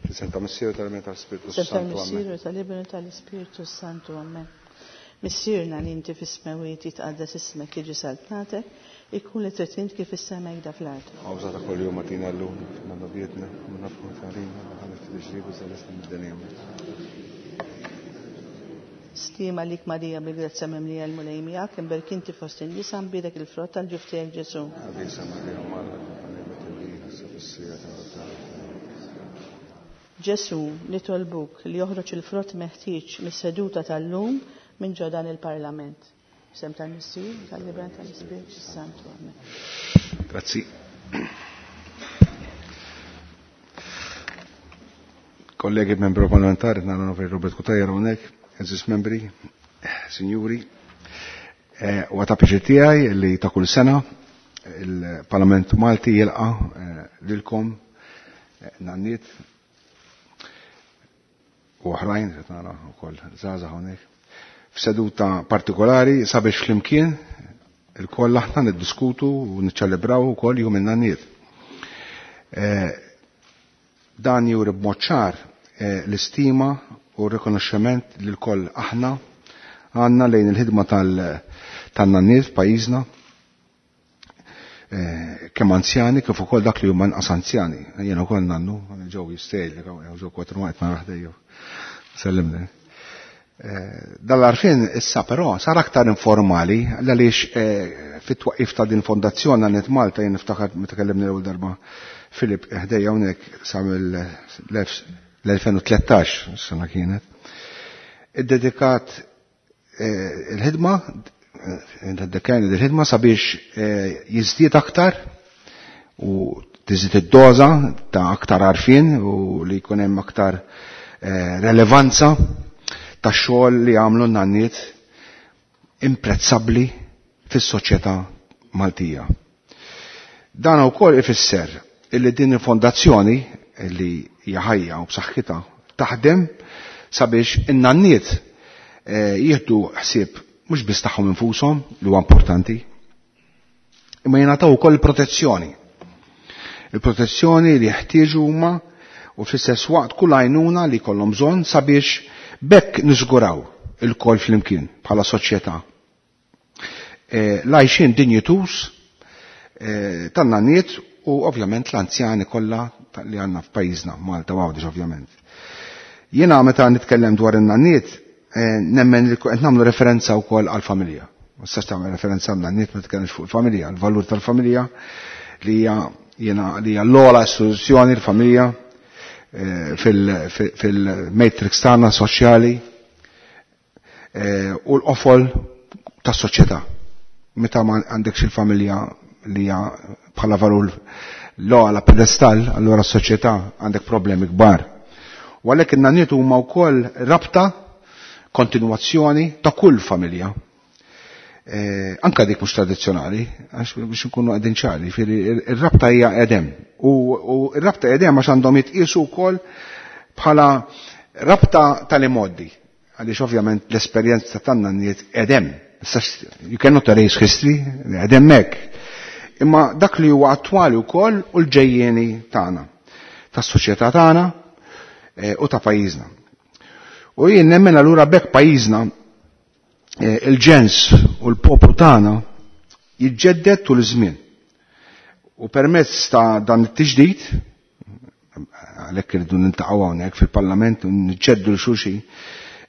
Fl-isem ta' Missier tal-Iben tal-Spiritu Sem Santu. Amen. tal-Missier u tal-Iben u tal-Ispirtu Santu. Amen. Missierna li inti fis-smewwiet jitqaddes ismek jiġi saltnatek, ikun li trid int kif is-sema jda fl-art. Għawża ta' kull jum għatina l-lum, nannobietna, minna f'kontarina, ħalli ftit ġribu mid-dinja. Stima lik Marija bil-grazzja mimlija l-Mulej miegħek, imberk inti fost in-nisa mbierek il-frott tal-ġuf tiegħek Ġesù. Għadisa Marija Malla, għalli sa fis-sija ta' Ġesù, nitolbuk li joħroġ il-frott meħtieġ mis-seduta tal-lum minn ġo dan il-Parlament. Sem tal-Missier, tal-Iben, tal-Ispirtu Santu. Amen. Grazzi. Kollegi membru parlamentari, nara Robert Cutajar hawnhekk, eżis membri, sinjuri, u għata pjaċir tiegħi li ta' kull sena il-Parlament Malti jilqa' lilkom nanniet u oħrajn, qed nara wkoll żgħażagħ hawnhekk, f'seduta partikolari sabiex flimkien il-koll aħna niddiskutu u niċċelebraw ukoll jum in-nanniet. Dan juri b'mod ċar l-istima u r-rikonoxximent li l-koll aħna għandna lejn il-ħidma tan-nanniet f'pajjiżna, kemm anzjani kif ukoll dak li huma nqas anzjani. Jiena wkoll nannu, ġew jistejl, ġew kwatru waqt ma raħdejju. Sellimni. Dal-arfin issa però sar aktar informali għaliex fit-twaqqif ta' din fondazzjoni Nanniet Malta jien niftakar meta kellimni l-ewwel darba Filip ħdejja hawnhekk sa mill-2013 sena kienet. Iddedikat il-ħidma, iddedikajna il-ħidma sabiex jiżdied aktar u tiżdied id-doża ta' aktar għarfien u li jkun hemm aktar relevanza ta' xogħol li għamlu n-nanniet imprezzabbli fis-soċjetà Maltija. Dan ukoll ifisser illi din il-fondazzjoni li hija ħajja u b'saħħitha taħdem sabiex in-nanniet jieħdu ħsieb mhux biss tagħhom infushom li huwa importanti, imma jingħataw ukoll protezzjoni. Il-protezzjoni li jeħtieġu huma u fl-istess waqt kull għajnuna li jkollhom bżonn sabiex bekk niżguraw il-koll flimkien bħala soċjetà. L-għajxien dinjituż tan-nanniet u ovvjament l-anzjani kollha li għandna f'pajjiżna, Malta u Għawdex ovvjament. Jiena meta nitkellem dwar in-nanniet nemmen li qed nagħmlu referenza wkoll għall-familja. Ma tistax tagħmel referenza għan-nanniet ma titkellimx fuq il-familja, il-valur tal-familja li hija jiena li hija l-ogħla istituzzjoni l-familja fil-matrix tagħna soċjali u l-qofol tas-soċjetà. Meta ma għandekx il-familja li hija bħala valur l-ogħla pedestal, allura s-soċjetà għandek problemi kbar. U għalhekk in-nanniet huma wkoll rabta kontinwazzjoni ta' kull familja. Anka dik mhux tradizzjonali, għax biex nkunu qegħdin ċari, jiġifieri ir-rabta hija edem. U r-rabta edem għax għandhom jitqiesu wkoll bħala rabta tal-imoddi. Għaliex ovvjament l-esperjenza tan-nanniet edem. You cannot erase history, edem hekk. Imma dak li huwa attwali wkoll u l-ġejjieni tagħna, tas-soċjetà tagħna u ta' pajjiżna. U jien nemmen allura bekk pajjiżna il-ġens u l-poplu tagħna jiġġedded tul iż-żmien. U permezz ta' dan it-tiġdid, għalhekk irridu niltaqgħu hawnhekk fil-Parlament u niġġeddu l xulxin,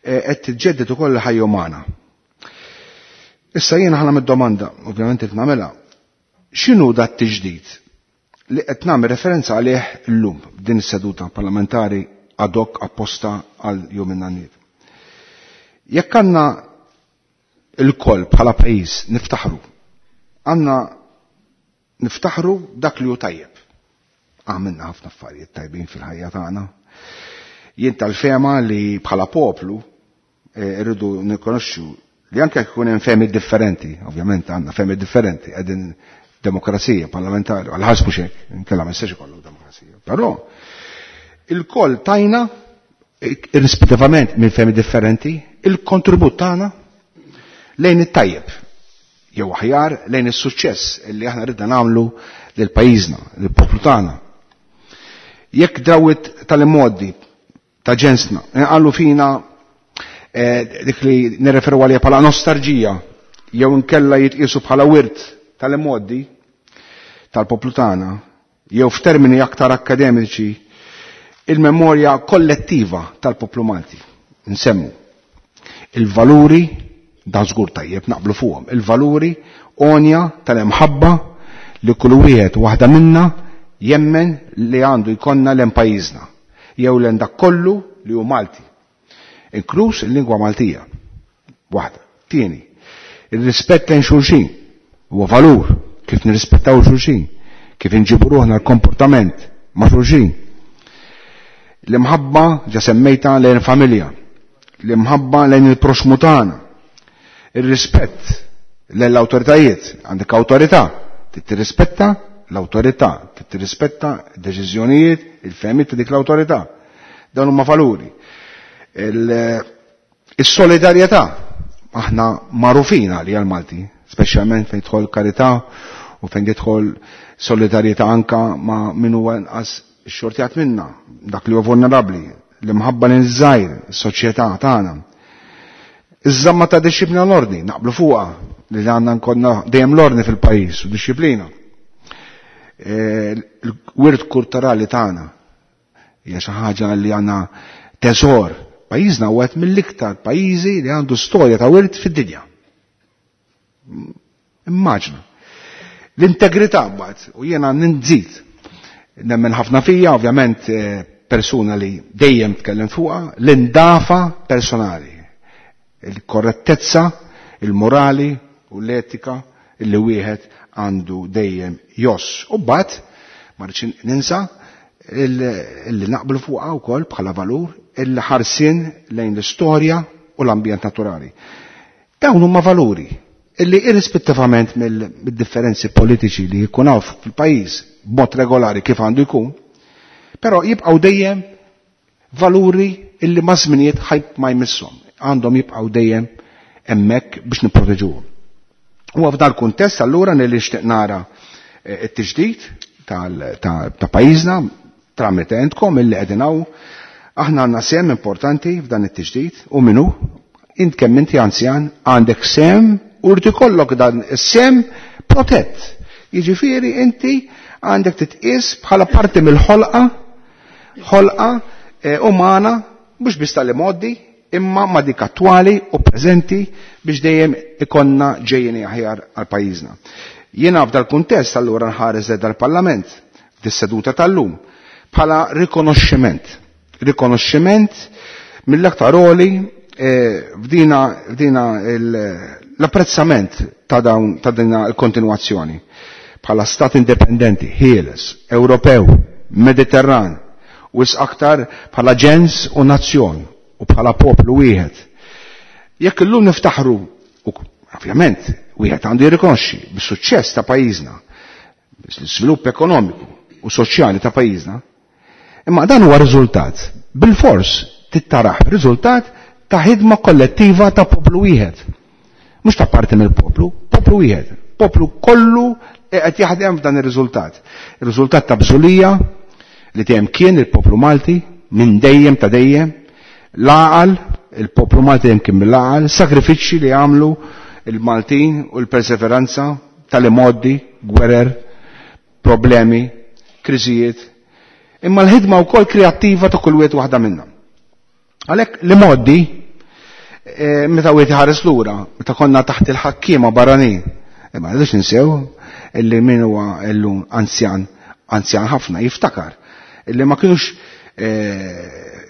qed tiġġedded ukoll il-ħajja umana. Issa jiena ħa nagħmel domanda, ovvjament qed nagħmilha, x'inhu dat tiġdid li qed nagħmel referenza għalih illum din is-seduta parlamentari ad hoc apposta għal jum in-nanniet. Jekk għandna il-koll bħala pajjiż niftaħru, għandna niftaħru dak li hu tajjeb. Għamilna ħafna affarijiet tajbin fil-ħajja tagħna. Jien tal-fema li bħala poplu irridu nikonoxxu li anke jekk ikun hemm femi differenti, ovvjament għandna femi differenti, qegħdin demokrazija parlamentari, għal ħasbu xejn, inkella ma jistax ikollok demokrazija. Però il-koll tajna, irrispettivament minn femi differenti, il-kontribut tagħna lejn it-tajjeb, jew aħjar lejn is-suċċess li aħna ridna nagħmlu lil pajjiżna, lil poplu tagħna. Jekk drawit tal-immoddi ta' ġensna, nqallu fina dik li nirreferu għalija bħala nostalġija jew nkella jitqisu bħala wirt tal-immoddi tal-poplu tagħna, jew f'termini aktar akademiċi il-memorja kollettiva tal-poplu Malti. Nsemmu il-valuri dan żgur tajjeb naqblu fuqhom, il-valuri onja tal-imħabba li kull wieħed waħda minna jemmen li għandu jkollna l pajjiżna jew l dak kollu li hu Malti. Inkluż il-lingwa Maltija. Waħda. Tieni, ir-rispett lejn xulxin huwa valur kif nirrispettaw xulxin, kif inġibu ruħna l-komportament ma' xulxin. L-imħabba ġa semmejta lejn familja, l-imħabba lejn il-proxmu tagħna, ir-rispett lejn l-awtoritajiet, għandek awtorità, tirrispetta l-awtorità, tirrispetta d-deċiżjonijiet, il-fehmiet ta' dik l-awtorità. Dawn huma valuri. Is-solidarjetà aħna magħrufin għalija l-Malti, speċjalment fejn tidħol karità u fejn tidħol solidarjetà anka ma' min huwa inqas xortjat minna, dak li huwa vulnerabbli, l-imħabba lejn iż-żgħir, is-soċjetà tagħna. Iż-żamma ta' dixxiplina l-ordni, naqblu fuqha li għandna nkollna dejjem l-ordni fil-pajjiż u dixxiplina. Il-wirt kulturali tagħna hija xi ħaġa li għandna teżor. Pajjiżna huwa wieħed mill-iktar pajjiżi li għandu storja ta' wirt fid-dinja. Immaġna. L-integrità mbagħad, u jiena ninżid nemmen ħafna fija, ovvjament persuna li dejjem tkellem fuqha, l-indafa personali, il-korrettezza, il-morali u l-etika illi wieħed għandu dejjem joss. U mbagħad ma rridx ninsa illi naqblu fuqha wkoll bħala valur il-ħarsien lejn l-istorja u l-ambjent naturali. Dawn huma valuri illi irrispettivament mill-differenzi politiċi li jkun hawn fil-pajjiż b'mod regolari kif għandu jkun, però jibqgħu dejjem valuri illi ma' żminijiet ħajb ma jmisshom, għandhom jibqgħu dejjem hemmhekk biex nipproteġuhom. U f'dal kuntest allura li nixtieq nara t-tiġdid ta' pajjiżna tramite entkom illi qegħdin hawn, aħna għandna sehem importanti f'dan it-tiġdid u minnu int kemm inti anzjan għandek sehem u rrid ikollok dan is-sehem protett. Jiġifieri inti għandek titqies bħala parti mill-ħolqa, ħolqa umana, mhux biss tal-imgħoddi, imma ma dik attwali u preżenti biex dejjem ikonna ġejjeni aħjar għal pajjiżna. Jiena f'dal kuntest allura nħares dal-Parlament fis-seduta tal-lum bħala rikonoxximent. Rikonoxximent mill-aktar għoli f'dina l-apprezzament ta' dawn ta' dina l-kontinwazzjoni bħala stat indipendenti, ħieles, Ewropew, Mediterran, u aktar bħala ġens u nazzjon u bħala poplu wieħed. Jekk illum niftaħru, u ovvjament wieħed għandu jirrikonoxxi bis-suċċess ta' pajjiżna, l-iżvilupp ekonomiku u soċjali ta' pajjiżna, imma dan huwa riżultat bil-fors tittaraħ riżultat ta' ħidma kollettiva ta' poplu wieħed. Mhux ta' parti mill-poplu, poplu wieħed. Poplu kollu qed jaħdem f'dan ir-riżultat. Ir-riżultat ta' bżulija li dejjem kien il-poplu Malti minn dejjem ta' dejjem, l-għaqal, il-poplu Malti dejjem kien mill-għaqal, sagrifiċċji li għamlu il-Maltin u l-perseveranza tal-imoddi, gwerer, problemi, kriżijiet, imma l-ħidma wkoll kreattiva ta' kull wieħed waħda minnhom. Għalhekk l-imoddi meta wieħed iħares lura, meta konna taħt il-ħakkiema barranin, imma rridux ninsew illi min huwa llum anzjan, anzjan ħafna jiftakar illi ma kinux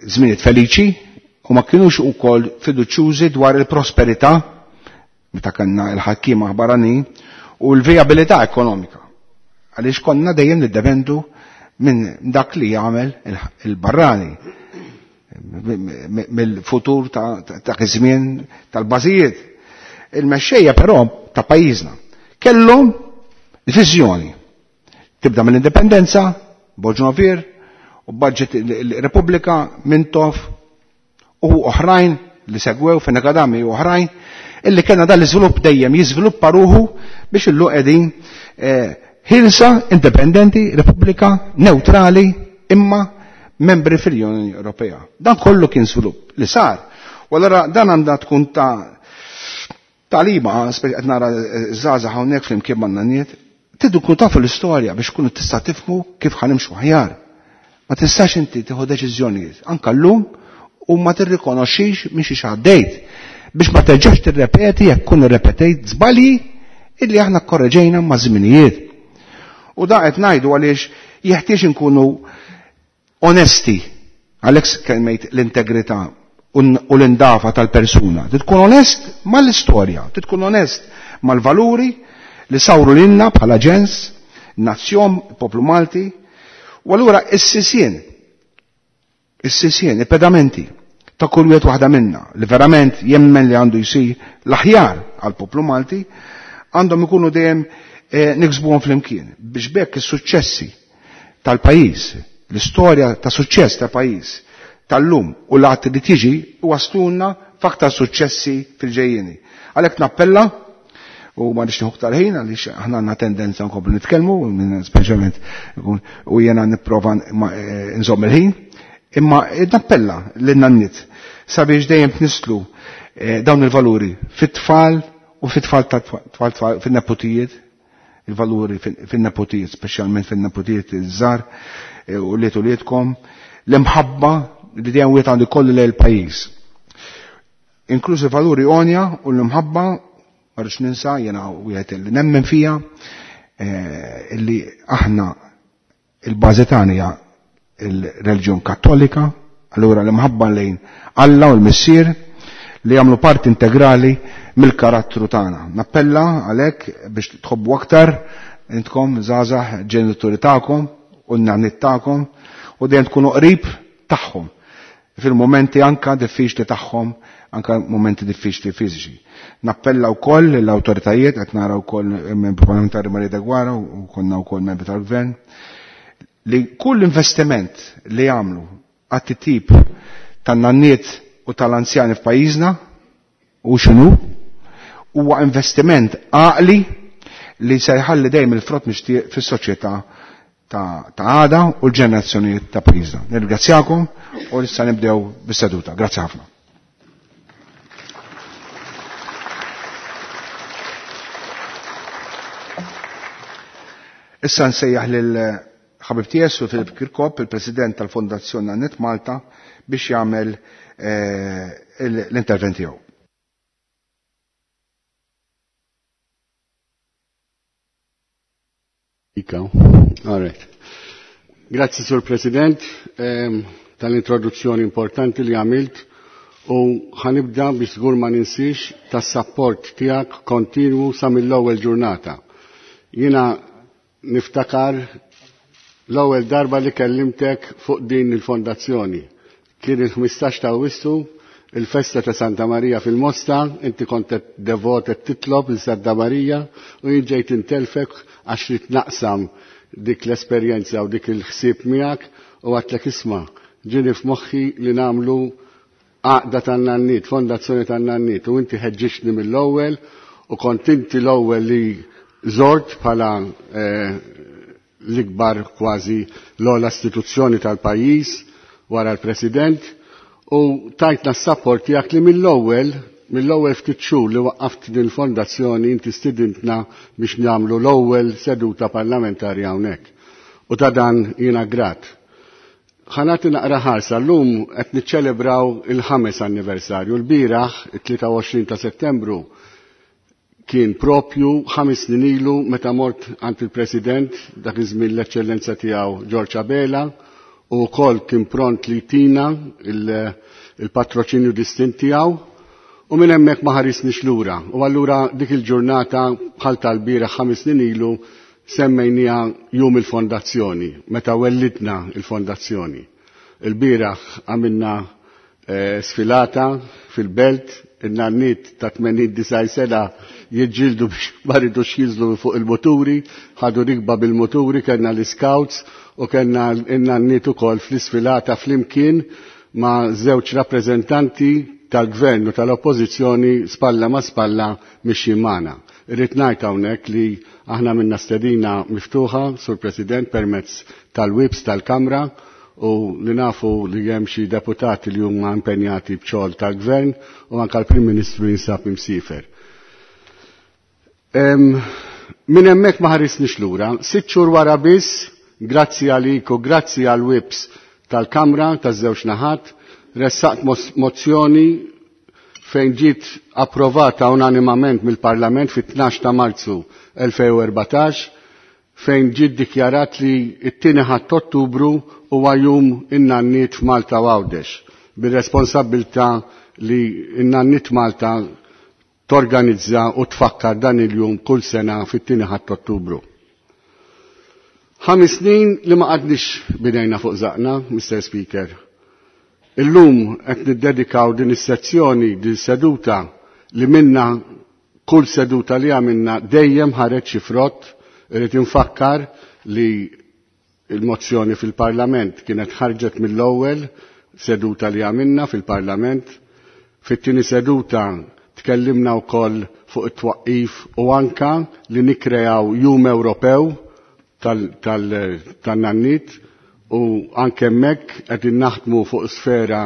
żminijiet feliċi u ma kinux ukoll fiduċjużi dwar il-prosperità meta kellna l-ħakkiema barranin u l-vijabilità ekonomika. Għaliex konna dejjem niddependu minn dak li jagħmel il-barrani mill-futur ta' żmien tal-bażijiet. Il-mexxejja però ta' pajjiżna kellhom viżjoni. Tibda mill-indipendenza, Borġ u budget il-Repubblika, Mintoff u oħrajn li segwew Fenech Adami u oħrajn, illi kellna dan l-iżvilupp dejjem jiżviluppa ruħu biex illum qegħdin ħilsa, indipendenti, Repubblika, neutrali, imma membri fil-Unjoni Ewropea. Dan kollu kien svilupp li sar. U allura dan għandha tkun ta' talima, qed nara żgħażagħ hawnhekk flimkien man-nanniet, tridu tkunu tafu l-istorja biex tkunu tista' tifhmu kif ħanimxu aħjar. Ma tistax inti tieħu deċiżjonijiet anke llum u ma tirrikonoxxix minn xi għaddejt biex ma terġax tirrepeti jekk kun irrepetejt żbalji illi aħna korreġejna ma' żminijiet. U da qed ngħidu għaliex jeħtieġ inkunu onesti għalhekk kelmejt l-integrità u l-indafa tal-persuna. Tkun onest mal-istorja, tkun onest mal-valuri li sawru lilna bħala ġens, nazzjon, poplu Malti, u allura is-sisien, il-pedamenti ta' kull wieħed waħda minna li verament jemmen li għandu jsir l-aħjar għal poplu Malti, għandhom ikunu dejjem niksbuhom flimkien biex bekk is-suċċessi tal-pajjiż, l-istorja ta' suċċess ta' pajjiż tal-lum u l-għat li tiġi wasluna f'aktar suċċessi fil-ġejjieni. Għalhekk nappella u ma nix nieħu aktar ħin għaliex aħna għandna tendenza nkomplu nitkellmu, speċjalment u jiena nipprova nżomm il-ħin, imma nappella lin-nanniet sabiex dejjem tnisslu dawn il-valuri fit-tfal u fit-tfal tat-tfal fin-nepotijiet, il-valuri fin-nepotijiet, speċjalment fin-nepotijiet iż-żgħar u liet u lietkom, l-imħabba li dejjem wieħed għandu jkollu lejn il-pajjiż. Inklużi valuri għonja u l-imħabba, ma rridx ninsa, jiena wieħed li nemmen fija, illi aħna il-bażi tagħna hija il-reliġjon Kattolika, allura l-imħabba lejn Alla u l-Missier li jagħmlu parti integrali mill-karattru tagħna. Nappella għalhekk biex tħobbu aktar intkom żgħażagħ ġenituri tagħkom u n-nanniet tagħkom u dejjem tkunu qrib tagħhom fil-momenti anka diffiċli tagħhom, anka momenti diffiċli fiżiċi. Nappella wkoll l-awtoritajiet, qed nara wkoll membru parlamentari Maria Deguara u konna wkoll membri tal-gvern, li kull investiment li jagħmlu għat-tip tan-nanniet u tal-anzjani f'pajjiżna u x'inhu huwa investiment għaqli li se jħalli dejjem il-frott mixtieq fis-soċjetà ta' għada u l-ġenerazzjonijiet ta' pajjiżna. Nirringrazzjakom u issa nibdew bis-seduta. Grazzi ħafna. Issa nsejjaħ lil ħabib tiegħi Sur Filip Kirkop, il-President tal-Fondazzjoni Nanniet Malta, biex jagħmel l-intervent tiegħu. All right. Grazzi, Sur President, tal-introduzzjoni importanti li għamilt u ħanibda biex żgur ma ninsiex tas-sapport tiegħek kontinwu sa mill-ewwel ġurnata. Jiena niftakar l-ewwel darba li kellimtek fuq din il-fondazzjoni. Kien il-15 ta' Awwissu, il-festa ta' Santa Marija fil-Mosta, inti kont devot qed titlob lil Santa Marija u jien ġejt intelfek għax rid naqsam dik l-esperjenza u dik il-ħsieb miegħek u għadtlek isma' ġieni f'moħħi li nagħmlu għaqda tan-nanniet, fondazzjoni tan-nanniet, u inti ħeġġixtni mill-ewwel u kont inti l-ewwel li żort bħala l-ikbar kważi l-ogħla istituzzjoni tal-pajjiż wara l-President u tajtna s-sapport tiegħek li mill-ewwel ftit xhur li waqqaft din il-fondazzjoni inti stidintna biex nagħmlu l-ewwel seduta parlamentari hawnhekk. U ta' dan jiena grat. Ħanati naqra ħarsa llum qed niċċelebraw il-5 anniversarju. L-bieraħ, it-23 ta' Settembru, kien propju 5 snin ilu meta mort għand il-President dak iż-żmien l-Eċċellenza tiegħu George Abela u wkoll kien pront li jtina il-patroċinju distint tiegħu u minn hemmhekk ma ħarisniex lura. U allura dik il-ġurnata bħal tal-bieraħ 5 snin ilu semmejniha jum il-fondazzjoni, meta wellidna il-fondazzjoni. Il-bieraħ għamilna sfilata fil-belt, in-nanniet ta' 89 sena jiġġieldu biex ma ridux jinżlu fuq il-muturi, ħadu rikba bil-muturi, kellna l-scouts u kellna n-nanniet ukoll fl-isfilata flimkien ma' żewġ rappreżentanti tal-gvern u tal-oppożizzjoni spalla ma' spalla mixjin magħna. Irrid ngħid hawnhekk li aħna minna stedina miftuħa, Sur President, permezz tal-wibs tal-Kamra, u li nafu li hemm xi deputati li huma impenjati b'xogħol tal-gvern u anke l-Prim Ministru jinsab imsifer. Minn hemmhekk ma ħarisniex lura, sitt xhur wara biss, grazzi għalik u grazzi għal whips tal-Kamra taż-żewġ naħat, ressaqt mozzjoni fejn ġiet approvata unanimament mill-Parlament fit-12 ta' Marzu 2014 fejn ġiet dikjarat li t-tieni ħadd Ottubru huwa jum in-nanniet f'Malta u Għawdex bir-responsabbiltà li n-nanniet Malta torganizza u tfakkar dan il-jum kull sena fit-tieni ħadd Ottubru. 5 snin li ma qadniex bidejna fuq żaqna, Mr. Speaker. Illum qed niddedikaw din is-sezzjoni, din seduta li minna kull seduta li għamilna dejjem ħareġ xi frott. Irrid infakkar li il-mozzjoni fil-Parlament kienet ħarġet mill-ewwel seduta li għamilna fil-Parlament. Fit-tieni seduta tkellimna wkoll fuq it-twaqqif u anka li nikkreaw jum Ewropew tan-nannit u anke hemmhekk qegħdin naħdmu fuq sfera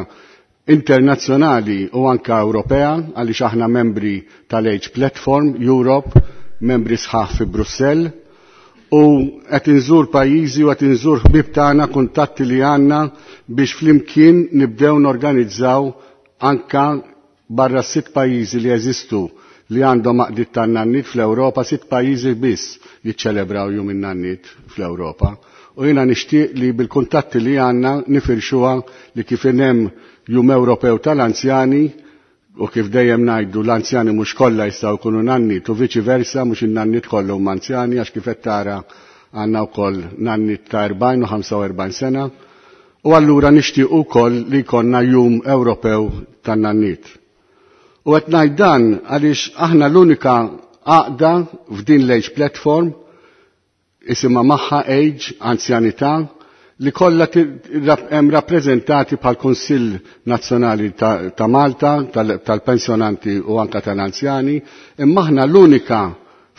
internazzjonali u anka Ewropea għaliex aħna membri tal-Age Platform Europe, membri sħaħ fi Brussell, u qed inżur pajjiżi u qed inżur ħbieb tagħna, kuntatti li għandna biex flimkien nibdew norganizzaw anka barra 6 pajjiżi li jeżistu li għandhom għaqdiet tan-nannit fl-Ewropa, 6 pajjiżi biss jiċċelebraw jum in-nannit fl-Ewropa. U jiena nixtieq li bil-kuntatti li għandna nifirxuha li kif hemm jum Ewropew tal-anzjani, u kif dejjem ngħidu l-anzjani mhux kollha jistgħu jkunu nannit u viċi versa mhux in-nannit kollha huma anzjani, għax kif qed tara għandna wkoll nannit ta' 40 u 45 sena, u allura nixtieq ukoll li jkollna jum Ewropew tan-nannit. U qed ngħid dan għaliex aħna l-unika għaqda f'din l-Age Platform isimha magħha Age, anzjanità, li kollha hemm rappreżentati bħal Kunsill Nazzjonali ta' Malta, tal-pensjonanti u anka tal-anzjani, imma aħna l-unika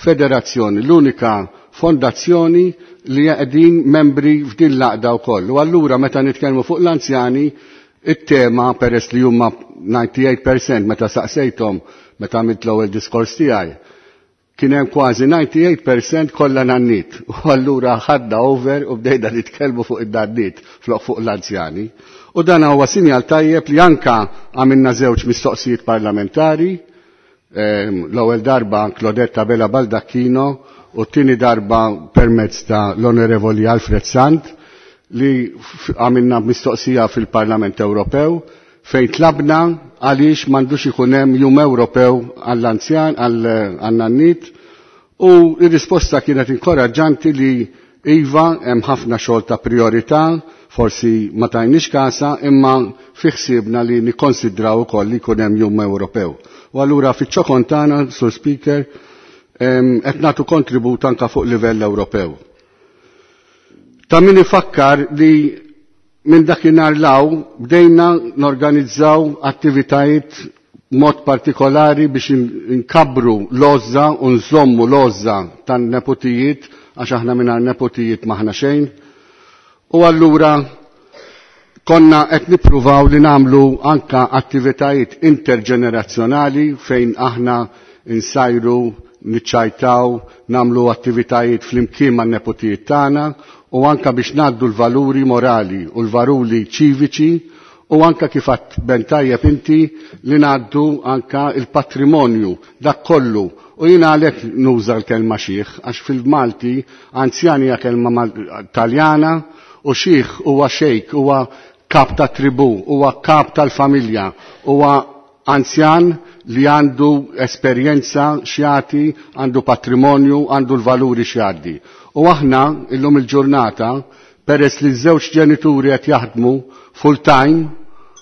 federazzjoni, l-unika fondazzjoni li qegħdin membri f'din l-għaqda wkoll. U allura meta nitkellmu fuq l-anzjani, it-tema peress li huma 98% meta saqsejthom meta għamilt l-ewwel diskors tiegħi, kien hemm kważi 98% kollha nannit. U allura ħadna over u bdejna nitkellmu fuq id-nannit flok fuq l-anzjani. U dan huwa sinjal tajjeb li anka għamilna żewġ mistoqsijiet parlamentari, l-ewwel darba Claudette Abela Baldacchino u t-tieni darba permezz ta' l-Onorevoli Alfred Sant li għamilna mistoqsija fil-Parlament Ewropew fejn tlabna għaliex m'għandux ikun hemm jum Ewropew għall-anzjan, għall-nannit, u r-risposta kienet inkoraġġanti li iva hemm ħafna xogħol ta' priorità, forsi ma tajniex kasa, imma fi ħsiebna li nikkonsidraw ukoll li jkun hemm jum Ewropew. U allura fiċ-ċokon tagħna, Sur Speaker, qed nagħtu kontribut anke fuq livell Ewropew. Ta' min ifakkar li minn dakinhar law bdejna norganizzaw attivitajiet mod partikolari biex nkabru l-għożża u nżommu l-għożża tan-nepotijiet, għax aħna mingħajr nepotijiet m'aħna xejn. U allura konna qed nippruvaw li nagħmlu anka attivitajiet interġenerazzjonali fejn aħna nsajru, niċċajtaw, nagħmlu attivitajiet flimkien man-nepotijiet tagħna, u anka biex ngħaddu l-valuri morali u l-valuri ċiviċi, u anka kif għadt ben tajjeb inti li ngħaddu anka il-patrimonju dak kollu. U jiena għalhekk nuża l-kelma xieħ, għax fil-Malti anzjani hija kelma Taljana u xieħ huwa xejk, huwa kap ta' tribu, huwa kap tal-familja, huwa anzjan li għandu esperjenza xjati, għandu patrimonju, għandu l-valuri xjaddi. U aħna illum il-ġurnata, peress li ż-żewġ ġenituri qed jaħdmu full time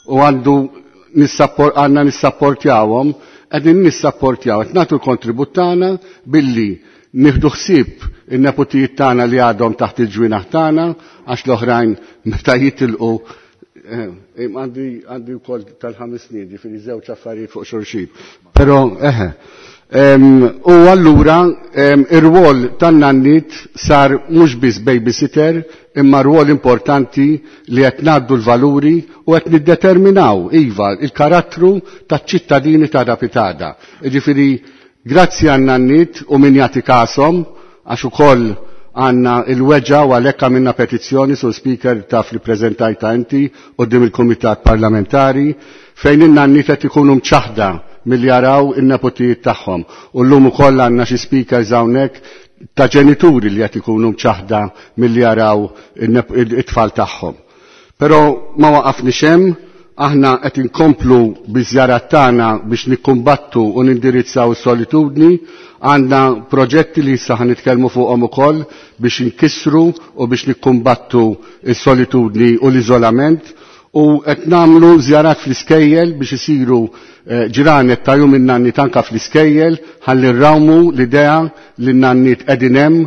u għandna nissapportjawhom, qegħdin nissapportjaw, qed nagħtu l-kontribut tagħna billi nieħdu ħsieb in-nepotijiet tagħna li għadhom taħt il-ġwienaħ tagħna, għax l-oħrajn meta jitilqu għandi wkoll tal-5 snin, ġifieri żewġ affarijiet fuq xulxin. Però eħe. U allura ir-rwol tan-nanniet sar mhux biss babysitter imma rwol importanti li qed ngħaddu l-valuri u qed niddeterminaw iva il-karattru taċ-ċittadini ta' rapitada. Jiġifieri grazzi għan-nanniet u min jagħti kasom għax ukoll għanna il-weġa u għalhekk għamilna petizzjoni sur speaker taf li preżentajta inti quddiem il-Kumitat Parlamentari fejn in-nanniet qed ikunu mċaħda milli jaraw in-nepotijiet tagħhom. U llum ukoll għandna xi speakers hawnhekk ta' ġenituri li qed ikunu mċaħda milli jaraw it-tfal tagħhom. Però ma waqafniex hemm, aħna qed inkomplu biż-żjarat tagħna biex nikkumbattu u nindirizzaw is-solitudni, għandna proġetti li issa nitkellmu fuqhom ukoll biex inkissru u biex nikkumbattu s-solitudni u l-iżolament u qed nagħmlu żjarat fl-iskejjel biex isiru ġranet ta' jum in-nanniet anke fl-iskejjel ħalli nrawmu l-idea li n-nanniet qegħdin hemm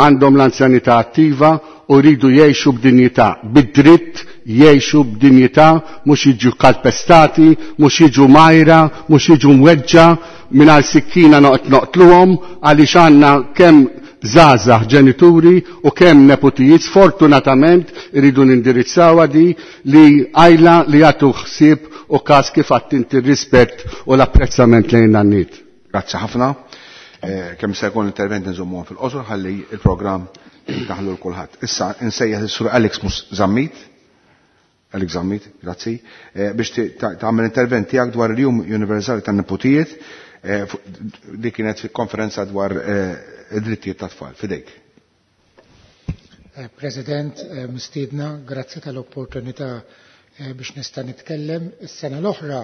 għandhom l-anzjanità attiva u jridu jgħixu b'dinjità, bid-dritt jgħixu b'dinjità, mhux jiġu kalpestati, mhux jiġu majra, mhux jiġu mweġġa, mingħajr sikkina noqgħod noqtluhom għaliex għandna kemm żgħażagħ ġenituri u kemm nepotijiet sfortunatament iridu nindirizzawha di li għajla li jagħtu ħsieb u każ kif għadt inti r-rispett u l-apprezzament lejn in-nanniet. Grazzi ħafna. Kemm se jkun l-intervent nżommuhom fil-qosor ħalli il-programm daħlu l-kulħadd. Issa insejjaħ is-Sur Alex Zammit, Alex Zammit, grazzi, biex tagħmel intervent tiegħek dwar il-Jum Universali tan-Nepotijiet li kienet konferenza dwar id-drittijiet tat-tfal. Fidejk. President, mistiedna, grazzi tal-opportunità biex nista' nitkellem. Is-sena l-oħra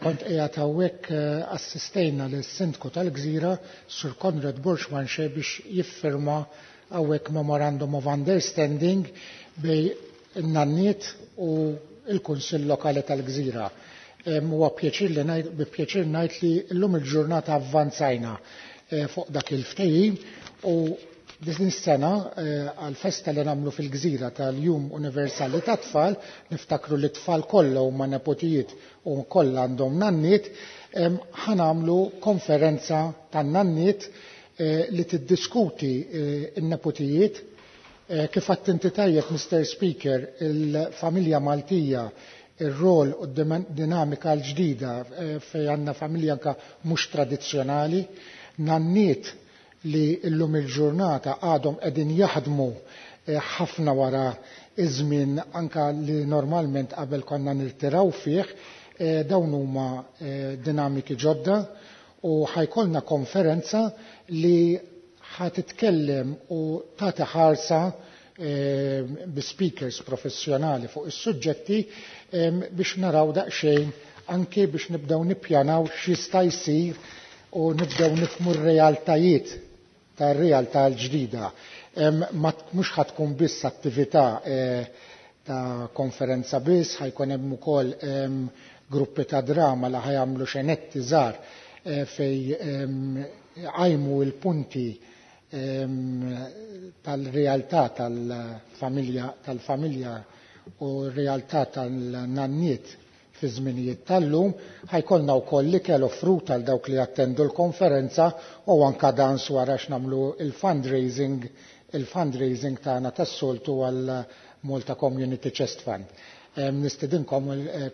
kont qiegħed hawnhekk assistejna lis-Sindku tal-Gżira, Sur Konrad Borg Manché, biex jiffirma hawnhekk Memorandum of Understanding bej in-nanniet u l-Kunsill Lokali tal-Gżira. Huwa pjaċir li ngħid, bi pjaċir ngħid li llum il-ġurnata avvanzajna fuq dak il-ftehim u din is-sena għal-festa li nagħmlu fil-Gżira tal-Jum Universali tat-Tfal, niftakru li t-tfal kollha huma nepotijiet u kollha għandhom nanniet, ħanamlu konferenza tan-nanniet li tiddiskuti n-nepotijiet. Kif għadt inti tajjeb, Mr. Speaker, il-familja Maltija, ir-rol u d-dinamika l-ġdida fej għandna familja anka mhux tradizzjonali, nanniet li llum il-ġurnata għadhom qegħdin jaħdmu ħafna wara iż-żmien anka li normalment qabel konna nirtiraw fih, dawn huma dinamiki ġodda u ħajkolna konferenza li ħatitkellem u tagħti ħarsa bi speakers professjonali fuq is-suġġetti biex naraw daqsxejn anke biex nibdew nippjanaw x'jista' jsir u nibdew nifhmu r-realtajiet tar-realtà l-ġdida. Mhux ħatkun biss attività ta' konferenza biss, ħajkun hemm ukoll gruppi ta' drama li ħajamlu xenetti żgħar fej għajmu l-punti tal-realtà tal-familja u r-realtà tal-nanniet fi żminijiet tal-lum. Ħajkollna wkoll ikel offrut għal dawk li attendu l-konferenza u anka dans wara x'nagħmlu il-fundraising tagħna tas-soltu għal Malta Community Chest Fund. Nistedinkom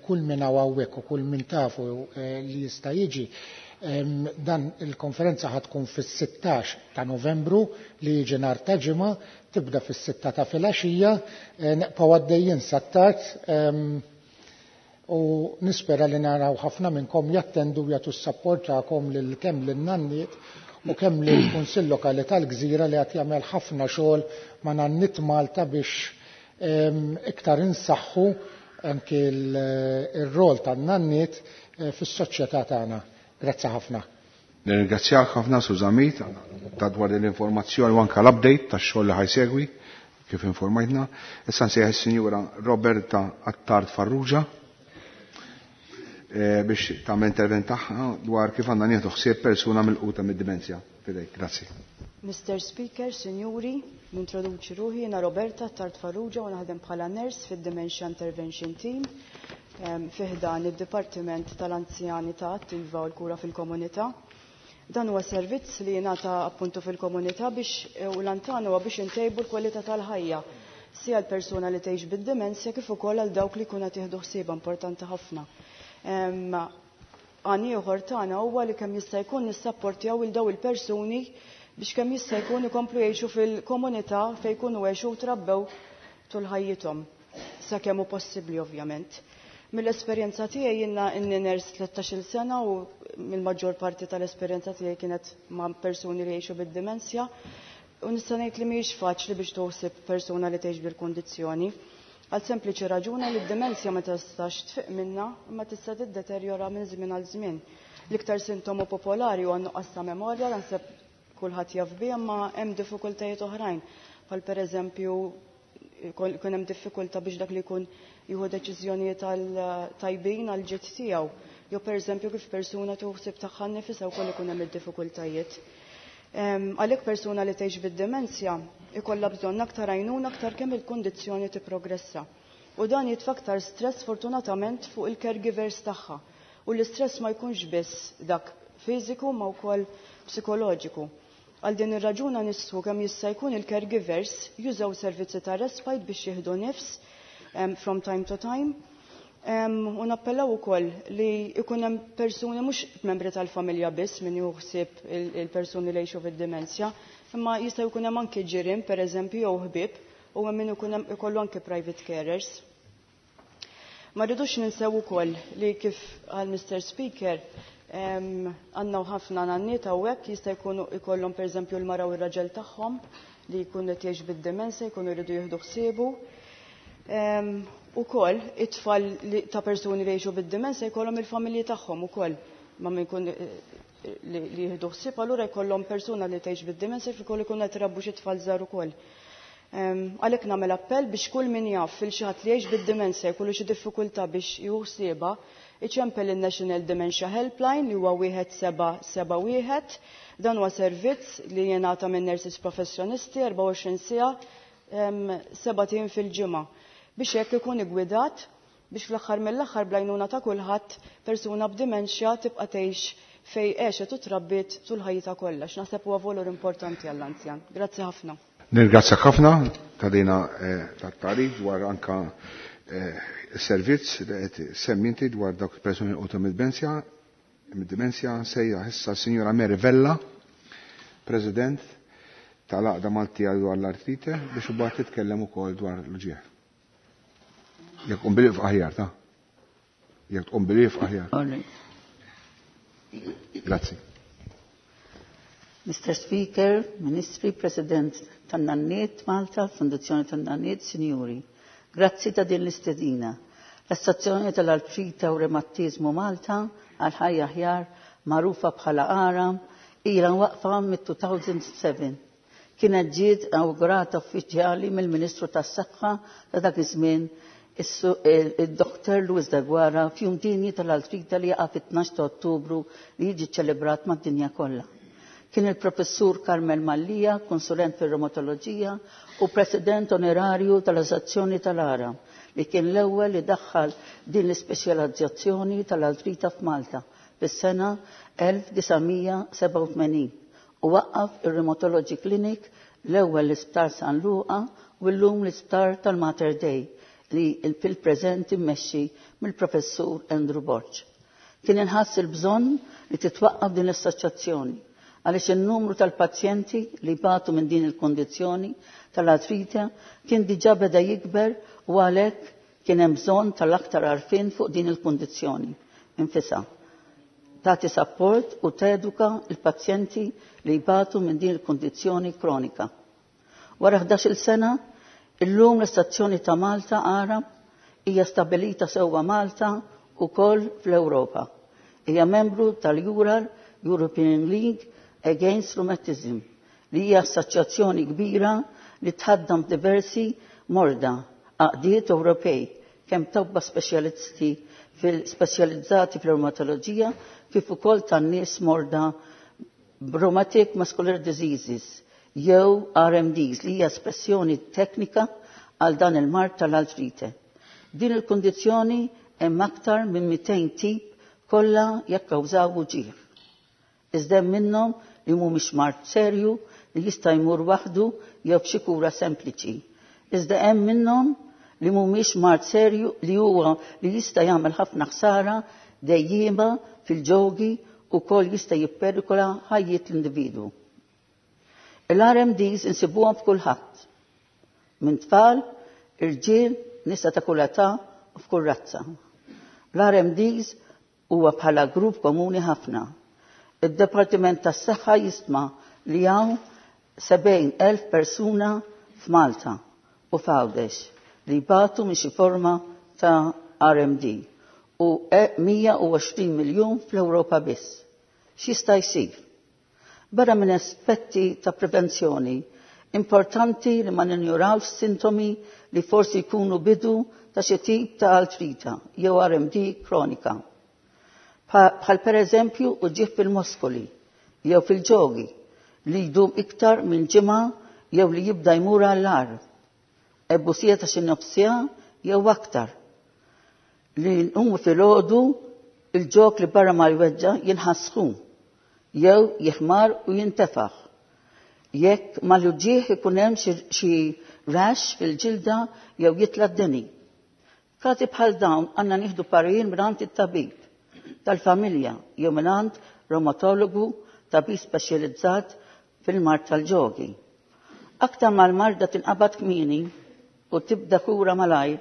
kull min hawn hawnhekk u kull min tafu li jista' jiġi. Dan il-konferenza ħatkun fis-16 ta' Novembru li jiġi nhar ta' Ġimgħa, tibda fis-6 ta' filgħaxija, neqgħu għaddejjin sat-tard u nispera li naraw ħafna minnkom jattendu jagħtu s-sapport tagħkom lil kemm lin-nanniet u kemm lill-Kunsill Lokali tal-Gżira li qed jagħmel ħafna xogħol ma' Nanniet Malta biex iktar insaħħu anke ir-rol tan-nanniet fis-soċjetà tagħna. Grazzi ħafna. Nirringrazzjak ħafna Sur Zammit ta' dwar l-informazzjoni u anke l-update tax-xogħol li ħajsegwi kif informajtna. Issa nsejjaħ is-Sinjura Roberta Attard Farrugia biex tagħmel intervent tagħha dwar kif għandna nieħdu ħsieb persuna milquta mid-dimensja. Fidejk, grazzi. Mr. Speaker, Sinjuri, nintroduċi ruħi, jiena Roberta Attard Farrugia u naħdem bħala nurse fid-Dementia Intervention Team fi ħdan id-Dipartiment tal-Anzjani ta' Attiva u l-Kura fil-Komunità. Dan huwa servizz li jingħata appuntu fil-komunità biex u l-antana huwa biex intejbu l-kwalità tal-ħajja sia l-persuna li tgħix bid-dimensja kif ukoll għal dawk li jkunu qed jieħdu ħsiebha importanti ħafna. Għan ieħor tagħna huwa li kemm jista' jkun nissapportjaw il daw il-persuni biex kemm jista' jkun ikomplu jgħixu fil-komunità fejn jkunu għexu u trabbew tul ħajjithom. Sakemm hu possibbli ovvjament. Mill-esperjenza tiegħi jiena inni nurse 13-il sena u mill-maġġor parti tal-esperjenza tiegħi kienet ma' persuni li jgħixu bid-dimensja. U nista' ngħid li mhijiex faċli biex toħsib persuna li tgħix bil-kundizzjoni. Għal sempliċi raġuna li d-dimensja ma tistax tfiq minna imma tista' tiddeterjora minn żmien għal żmien. L-iktar sintomu popolari huwa nuqqas ta' memorja, naħseb kulħadd jaf biha, imma hemm diffikultajiet oħrajn. Bħal pereżempju jkun hemm diffikultà biex dak li jkun jieħu deċiżjonijiet tajbin għal ġid tiegħu. Jew pereżempju kif persuna tuħsib tagħha nnifisha wkoll ikun hemm id-diffikultajiet. Għalhekk persuna li tgħix bid-dimensja ikollha bżonn aktar għajnuna aktar kemm il-kundizzjoni tipprogressa. U dan jitfa' aktar stress fortunatament fuq il-caregivers tagħha. U l-istress ma jkunx biss dak fiżiku ma wkoll psikoloġiku. Għal din ir-raġuna nistgħu kemm jista' jkun il-caregivers jużaw servizzi ta' respite biex jieħdu nifs from time to time. U nappellaw ukoll li jkun hemm persuni mhux membri tal-familja biss min jieħu ħsieb il-persuni li jgħixu fid-dimensja, imma jista' jkun hemm anke ġirien pereżempju jew ħbieb u hemm min ikun hemm ikollu anke private carers. Ma rridux ninsew ukoll li kif għal Mr. Speaker għandna ħafna nanniet hawnhekk jista' jkunu ikollhom pereżempju l-mara u r-raġel tagħhom li jkun qed jgħix bid-dimensja jkunu jridu jieħdu ħsiebu. Ukoll it-tfal ta' persuni li jgħixu bid-dimensja jkollhom il-familji tagħhom ukoll ma min jkun li jieħdu ħsieb, allura jkollhom persuna li tgħix bid-dimensja kif ukoll ikun qed irabbu xi tfal żgħar ukoll. Għalhekk nagħmel appell biex kull min jaf fil xi ħadd li jgħix bid-dimensja jkollu xi diffikultà biex jieħu ħsiebha, iċempel il-National Dementia Helpline li huwa 1771. Dan huwa servizz li jingħata minn nurses professjonisti 24 siegħa 7 ijiem fil-ġimgħa biex hekk ikun igwidat biex fl-aħħar mill-aħħar bl-għajnuna ta' kulħadd persuna b'dimensja tibqa' tgħix fejn għexet u trabbiet tul ħajjitha kollha. X'naħseb huwa valur importanti għall-anzjan. Grazzi ħafna. Nirgrazzjak ħafna ta' dina tat-tagħrif dwar anka servizz li qed semmi inti dwar dawk il-persuni li mid-dimensja. Mid-dimensja sejja issa Sinjora Mary Vella, President tal-Għaqda Maltija dwar l-artrite, biex imbagħad titkellem ukoll dwar l-uġigħ. Jekk tqum bil aħjar ta' Jekk tqum bil aħjar. Grazzi. Mr. Speaker, Ministri, President tan-Nanniet Malta, Fondazzjoni tan-Nanniet, Sinjuri, grazzi ta' din l-istedina. L-Assoċjazzjoni tal-Artrita u Reumatizmu Malta għal ħajja aħjar magħrufa bħala ARAM ilha waqfa mit-2007. Kienet ġiet inaugurata uffiċjali mill-Ministru tas-Saħħa ta' dak iż-żmien il-Dr. Louis Deguara f'jum dinji tal-Artrita li jaqa' fit-12 ta' Ottubru li jiġi ċelebrat mad-dinja kollha. Kien il-professur Carmel Mallia, konsulent fir-reumatoloġija u president onorarju tal-Assoċjazzjoni tal-Aram, li kien l-ewwel li daħħal din l-ispeċjalizzazzjoni tal-artrita f'Malta fis-sena 1987 u waqqaf ir-Rheumatology Clinic l-ewwel l-Isptar San Luqa u llum l-Isptar tal-Mater Dei li fil-preżent immexxi mill-professur Andrew Borg. Kien inħass il-bżonn li titwaqqaf din l-assoċjazzjoni għaliex il-numru tal-pazjenti li batu minn din il-kondizzjoni tal-artrite kien diġà beda jikber u għalhekk kien hemm bżonn tal-aktar għarfien fuq din il-kondizzjoni infisha. Tagħti support u teduka il-pazjenti li jbatu minn din il-kondizzjoni kronika. Wara 11-il sena, illum l-Assoċjazzjoni ta' Malta Arab hija stabilita sewwa Malta u koll fl-Ewropa. Hija membru tal-EURAL, European League Against Rheumatism, li hija assoċjazzjoni kbira li tħaddam diversi morda, għaqdiet Ewropej, kemm tobba speċjalisti fil-speċjalizzati fil-reumatoloġija kif ukoll tan-nies morda rheumatic muscular diseases jew RMDs li hija espressjoni teknika għal dan il-mard tal-artrite. Din il-kondizzjoni hemm aktar minn 200 tip kollha jakkawżaw uġigħ. Iżda hemm minnhom li mhumiex mard serju li jista' jmur waħdu jew b'xi kura sempliċi. Iżda hemm minnhom li mhumiex mard serju li huwa li jista' jagħmel ħafna ħsara dejjiema fil-ġogi u kol jista' jipperikola ħajjiet l-individwu. Il-RMDs insibuhom f'kulħadd. Minn tfal, irġiel, nisa ta' kull età u f'kull razza. L-RMDs huwa bħala grupp komuni ħafna. Id-Departiment tas-Saħħa jistma li hawn 70,000 persuna f'Malta u f'Għawdex li jbatu minn xi forma ta' RMD u 120 miljun fl-Ewropa biss. X'jista' jsir? Barra minn aspetti ta' prevenzjoni, importanti li ma ninjurawx sintomi li forsi jkunu bidu ta' xi tip ta' artrita jew RMD kronika. Bħal per eżempju uġigħ fil-muskoli jew fil-ġogi li jdum iktar minn ġimgħa jew li jibda jmur għall-agħar. Ebusija ta' xi nofs siegħa jew aktar. Li nqumu filgħodu il-ġog li barra ma jweġġa' jinħass sħun jew jiħmar u jintefaħ. Jekk mal-uġigħ ikun hemm xi rash fil-ġilda jew jitla' d-deni. F'każi bħal dawn għandna nieħdu parir mingħand it-tabib tal-familja jew mingħand reumatologu, tabib speċjalizzat fil-mard tal-ġogi. Aktar ma l-marda tinqabad kmieni u tibda kura malajr,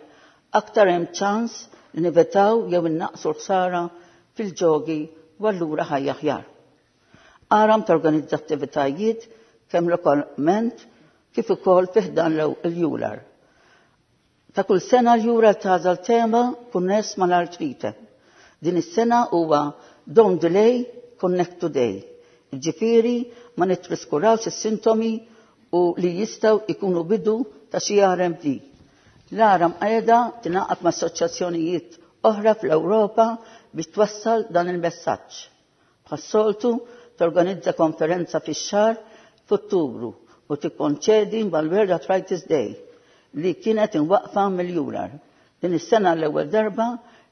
aktar hemm ċans li nevitaw jew innaqsu l-ħsara fil-ġogi u allura ħajja aħjar. ARAM torganizza attivitajiet kemm lokalment kif ukoll fi ħdan l-EULAR. Ta' kull sena l-EULAR tagħżel tema konness mal-artrite. Din is-sena huwa Don't Delay, Connect Today. Ġifieri ma nittraskurawx is-sintomi u li jistgħu ikunu bidu ta' xi RMD. L-ARAM qiegħda tingħaqad ma' assoċjazzjonijiet oħra fl-Ewropa biex twassal dan il-messaġġ. Bħas-soltu torganizza konferenza fix-xahar f'Ottubru u tikkoinċidi mal-World Arthritis Day li kienet imwaqqfa mill-EULAR. Din is-sena l-ewwel darba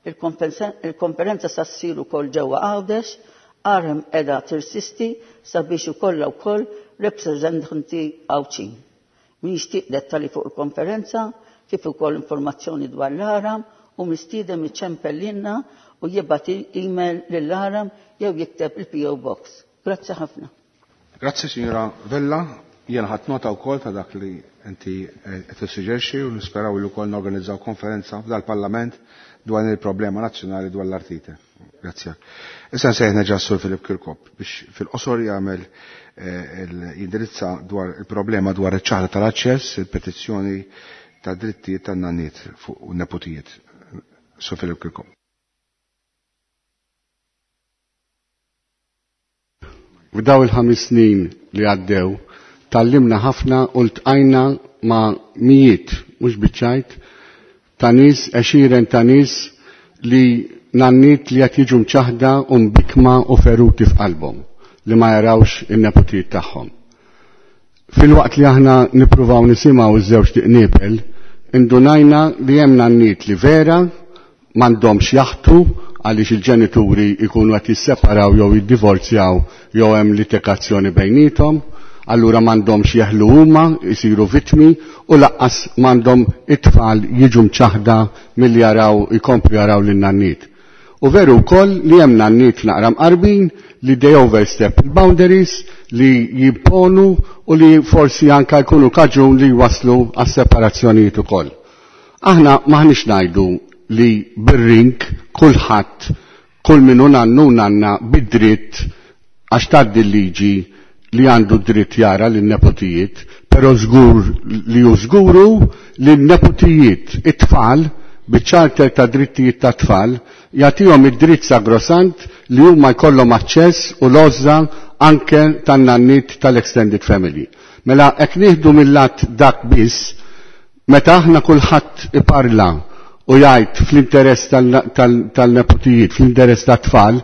il-konferenza sa ssir ukoll ġewwa Għawdex, ARAM qiegħda tirsisti sabiex ikollha wkoll rappreżentanti Għawdxin. Min jixtieq dettali fuq il-konferenza kif ukoll informazzjoni dwar l-ARAM hu mistieden iċempel lilna u jibgħat email lill-ARAM jew jikteb il-PO Box. Grazzi ħafna. Grazzi, signora Vella. Jena ħadt nota wkoll ta' dak li inti qed tissuġġerixxi u nisperaw li wkoll norganizzaw konferenza f'dal-Parlament dwar il-problema nazzjonali dwar l-artrite. Grazzi. Issa nsejħ nerġa' Sur Philip Kirkop biex fil-qosor jagħmel jindirizza dwar il-problema dwar iċ-ċaħda tal-aċċess, il-petizzjoni ta' drittijiet tan-nanniet fuq u neputijiet. Sur Philip Kirkop. F'daw il-5 snin li għaddew, tgħallimna ħafna u ltqajna ma' mijiet, mhux biċ-ċajt, ta' nies, għexieren ta' nies li nanniet li qed jiġu mċaħda u mbikma u feruti f'qalbhom li ma jarawx in-neputijiet tagħhom. Filwaqt li aħna nippruvaw nisimgħu iż-żewġ tiqnibel, indunajna li hemm nanniet li vera m'għandhomx jaħtu għaliex il-ġenituri jkunu qed jisseparaw jew jiddivorzjaw jew hemm litikazzjoni bejniethom, allura m'għandhomx jeħlu huma jsiru vittmi u lanqas m'għandhom it-tfal jiġu mċaħda milli jaraw jkomplu jaraw lin-nanniet. U veru wkoll li hemm nanniet naqra mqarbin li they overstep il-boundaries li jimponu u li forsi anka jkunu kaġun li waslu għas separazzjonijiet ukoll. Aħna maħniex ngħidu li bir-rink kulħadd kull minnu nannu nanna bid-dritt għax tgħaddi l-liġi li għandu dritt jara l-nepotijiet, pero żgur li ju żguru li l-nepotijiet it-tfal biċ-charter ta' drittijiet ta' tfal jagħtihom id-dritt sagrosant li huma jkollhom aċċess u l-għożża anke tan-nanniet tal-extended family. Mela hekk nieħdu mill-lat dak biss, meta aħna kulħadd iparla u jgħid fl-interess tal-nepotijiet, fl-interess tat-tfal,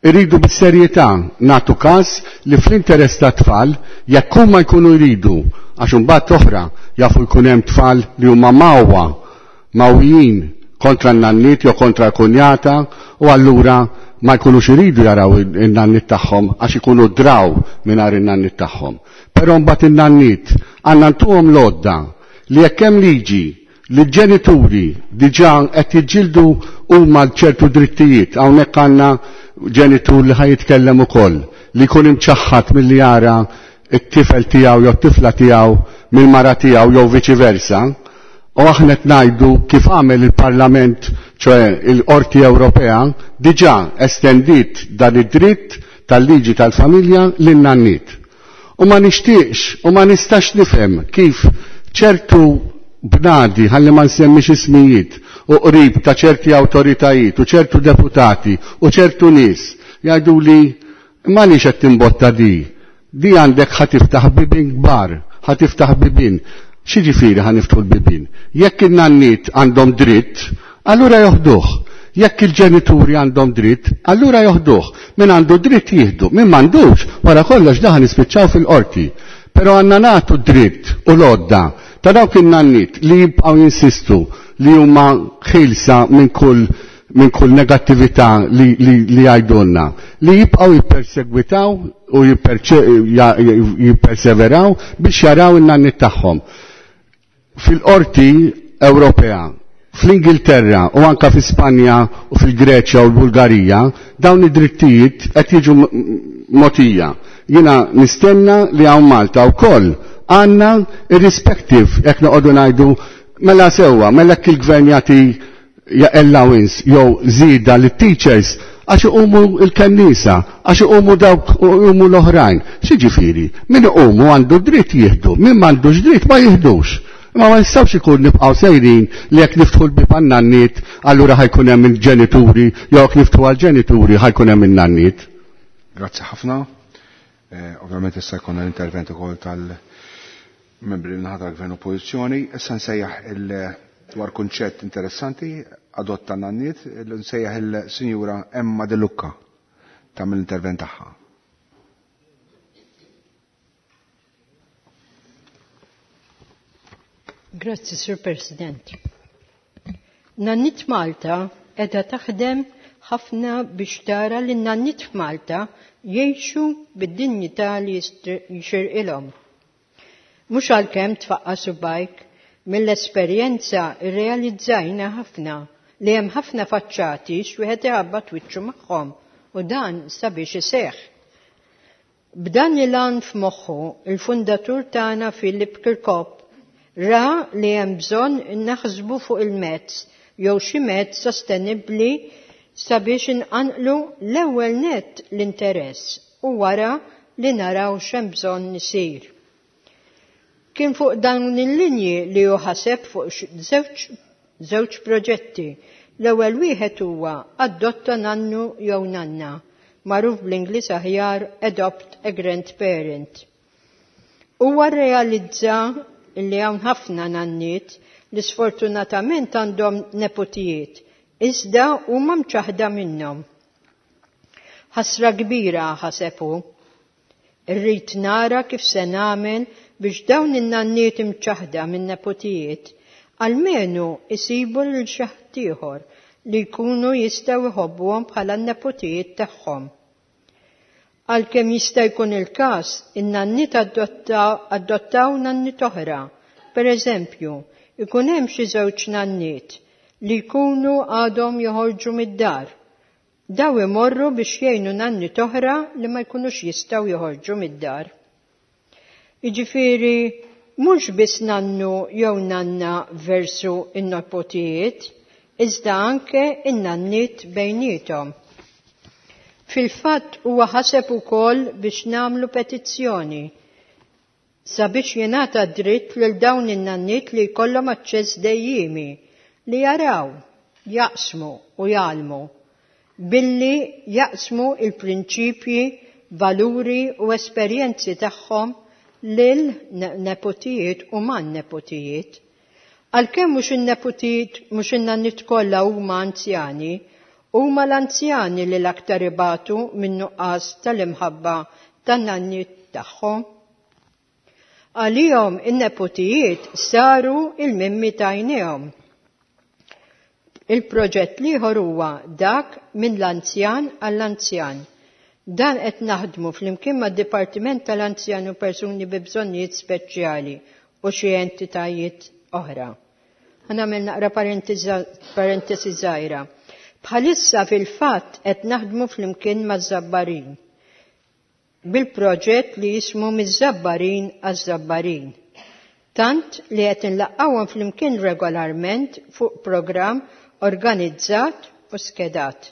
irridu bis-serjetà nagħtu każ li fl-interess tat-tfal jekk huma jkunu jridu għax imbagħad oħra jafu jkun hemm tfal li huma mawwa mawjin kontra n-nanniet jew kontra l-kunjata u allura ma jkunux iridu jaraw in-nannit tagħhom għax ikunu draw mingħajr in-nannit tagħhom. Però mbagħad in-nannit għandna ntuhom l-għodda li jekk hemm liġi li l-ġenituri diġà qed jiġġieldu huma ċertu drittijiet, hawnhekk għandna ġenitur li ħa jitkellem ukoll li jkun imċaħħad milli jara t-tifel tiegħu jew t-tifla tiegħu mill-mara tiegħu jew viċi versa, u aħna qed ngħidu kif għamel il-Parlament, ċoe il-Qorti Ewropea, diġà estendiet dan id-dritt tal-liġi tal-familja lin-nannit. U ma nixtieqx u ma nistax nifhem kif ċertu bnadi, ħalli ma nsemmix ismijiet, u qrib ta' ċerti awtoritajiet u ċertu deputati u ċertu nies jgħidu li ma nix qed timbotta di. Di għandek ħa tiftaħ bibien kbar, ħa tiftaħ bibien. X'jiġifieri ħa niftħu l-bibien? Jekk in-nannit għandhom dritt, allura joħduh. Jekk il-ġenituri għandhom dritt, allura joħduh. Min għandu dritt jieħdu, min m'għandux, wara kollox daħan nispiċċaw fil-qorti. Però għandna nagħtu dritt u l-għodda ta' dawk in-nannit li jibqgħu jinsistu li huma ħilsa minn kull minn kull negattività li, li, li jgħidulna, li jibqgħu jippersegwitaw u jipperseveraw biex jaraw in-nannit tagħhom. Fil-qorti Ewropea, fl-Ingilterra u anka fi Spanja u fil-Greċja u l-Bulgarija, dawn id-drittijiet qed jiġu motija. Jiena nistenna li hawn Malta wkoll għandna irrispective jekk noqogħdu ngħidu mela sewwa, mela jekk il-gvern jagħti allowance jew żieda lit-teachers għax iqumu l-kennisa, għax iqumu dawk u iqumu l-oħrajn. X'jiġifieri? Min iqumu għandu dritt jieħdu, min m'għandux dritt ma jieħdux. Imma ma nistgħux ikun nibqgħu sejrin li jekk niftħu l-bieb għan-nanniet allura ħajkun hemm il-ġenituri jew jekk niftħu għall-ġenituri ħajkun hemm in-nanniet. Grazzi ħafna. Ovvjament issa jkollna l-intervent ukoll tal-membri min-naħa tal-Gvern Oppożizzjoni. Issa nsejjaħ il dwar kunċett interessanti, adotta nanniet, nsejjaħ il-Sinjura Emma De Lucca tagħmel l-intervent tagħha. Grazzi, Sur President. Nannit Malta edha taħdem ħafna biex tara li n-nannit f'Malta jgħixu bid-dinjità li jixirqilhom. Mhux għalkemm tfaqqa' subgħajk, mill-esperjenza rrealizzajna ħafna li hemm ħafna faċċati x'wieħed iħabbat wiċċu magħhom u dan sabiex iseħħ. B'dan il-għan f'moħħu, il-fundatur tagħna Philip Kirkop ra li hemm bżonn naħsbu fuq il-mezz jew xi mezz sostenibbli sabiex inqanqlu l-ewwel nett l-interess u wara li naraw x'hemm bżonn isir. Kien fuq dawn il-linji li hu ħaseb fuq żewġ proġetti. L-ewwel wieħed huwa adotta nannu jew nanna, magħruf bl-Ingliż aħjar Adopt a Grandparent. Huwa rrealizza li hawn ħafna nanniet li sfortunatament għandhom nepotijiet, iżda huma mċaħda minnhom. Ħasra kbira ħaseb hu. Irrid nara kif se nagħmel biex dawn in-nanniet imċaħda minn nepotijiet almenu isibu lil xi ħaddieħor li jkunu jistgħu jħobbuhom bħala n-nepotijiet tagħhom. Għalkemm jista' jkun il-każ, in-nanniet adottaw nanniet oħra. Per eżempju, ikun hemm xi żewġ nanniet li jkunu għadhom joħorġu mid-dar. Daw imorru biex jgħinu nanniet oħra li ma jkunux jistgħu joħorġu mid-dar. Jiġifieri, mhux biss nannu jew nanna versu in-nepotijiet, iżda anke in-nanniet bejniethom. Fil-fatt huwa ħaseb ukoll biex nagħmlu petizzjoni sabiex jingħata dritt lil dawn in-nanniet li jkollhom aċċess dejjiemi li jaraw, jaqsmu u jgħallmu billi jaqsmu il-prinċipji, valuri u esperjenzi tagħhom lil nepotijiet u man-nepotijiet. Għalkemm mhux in-nepotijiet mhux in-nanniet kollha huma anzjani, huma l-anzjani li l-aktar ibatu minn nuqqas tal-imħabba tan-nanniet tagħhom. Għalihom in-nepotijiet saru il-mimmi tajnihom. Il-proġett l-ieħor huwa dak minn l-anzjan għall-anzjan. Dan qed naħdmu flimkien mad-Dipartiment tal-Anzjan u Persuni bi Bżonnijiet Speċjali u xi entitajiet oħra. Ħa nagħmel naqra parentesi żgħira. Bħalissa fil-fatt qed naħdmu flimkien maż-Żabbarin bil-proġett li jismu Miż-Żabbarin għaż-Żabbarin. Tant li qed inlaqqgħuhom flimkien regolarment fuq programm organizzat u skedat.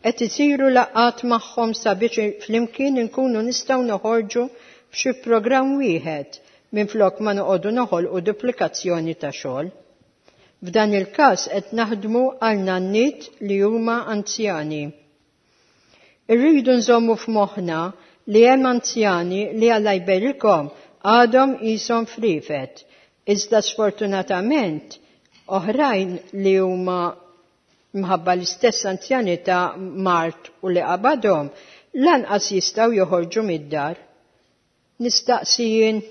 Qed isiru laqgħat magħhom sabiex flimkien inkunu nistgħu noħorġu b'xi programm wieħed minflok ma noqogħdu noħolqu duplikazzjoni ta' xogħol. F'dan il-każ qed naħdmu għal nanniet li huma anzjani. Irridu nżommu f'moħħna li hemm anzjani li Alla jberikhom għadhom qishom friefet, iżda sfortunatament oħrajn li huma mħabba l-istess anzjanità mard u li qabadhom lanqas jistgħu joħorġu mid-dar. Nistaqsi jien,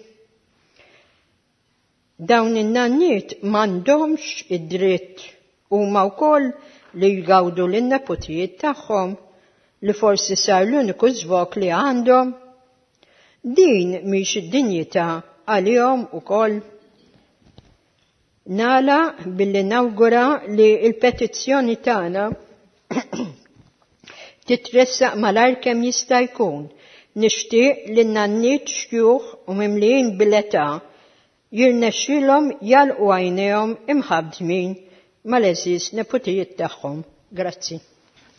dawn in-nanniet m'għandhomx id-dritt huma wkoll li jgawdu lin-neputijiet tagħhom li forsi sar l-uniku żvog li għandhom? Din mhix id-dinjità għalihom ukoll? Nagħlaq billi nawgura li l-petizzjoni tagħna titressaq malajr kemm jista' jkun. Nixtieq li n-nanniet xjuħ u mimlijin bil-età jirnexxilhom jagħlqu għajnejhom imħabbdmin mal-għeżież neputijiet tagħhom. Grazzi.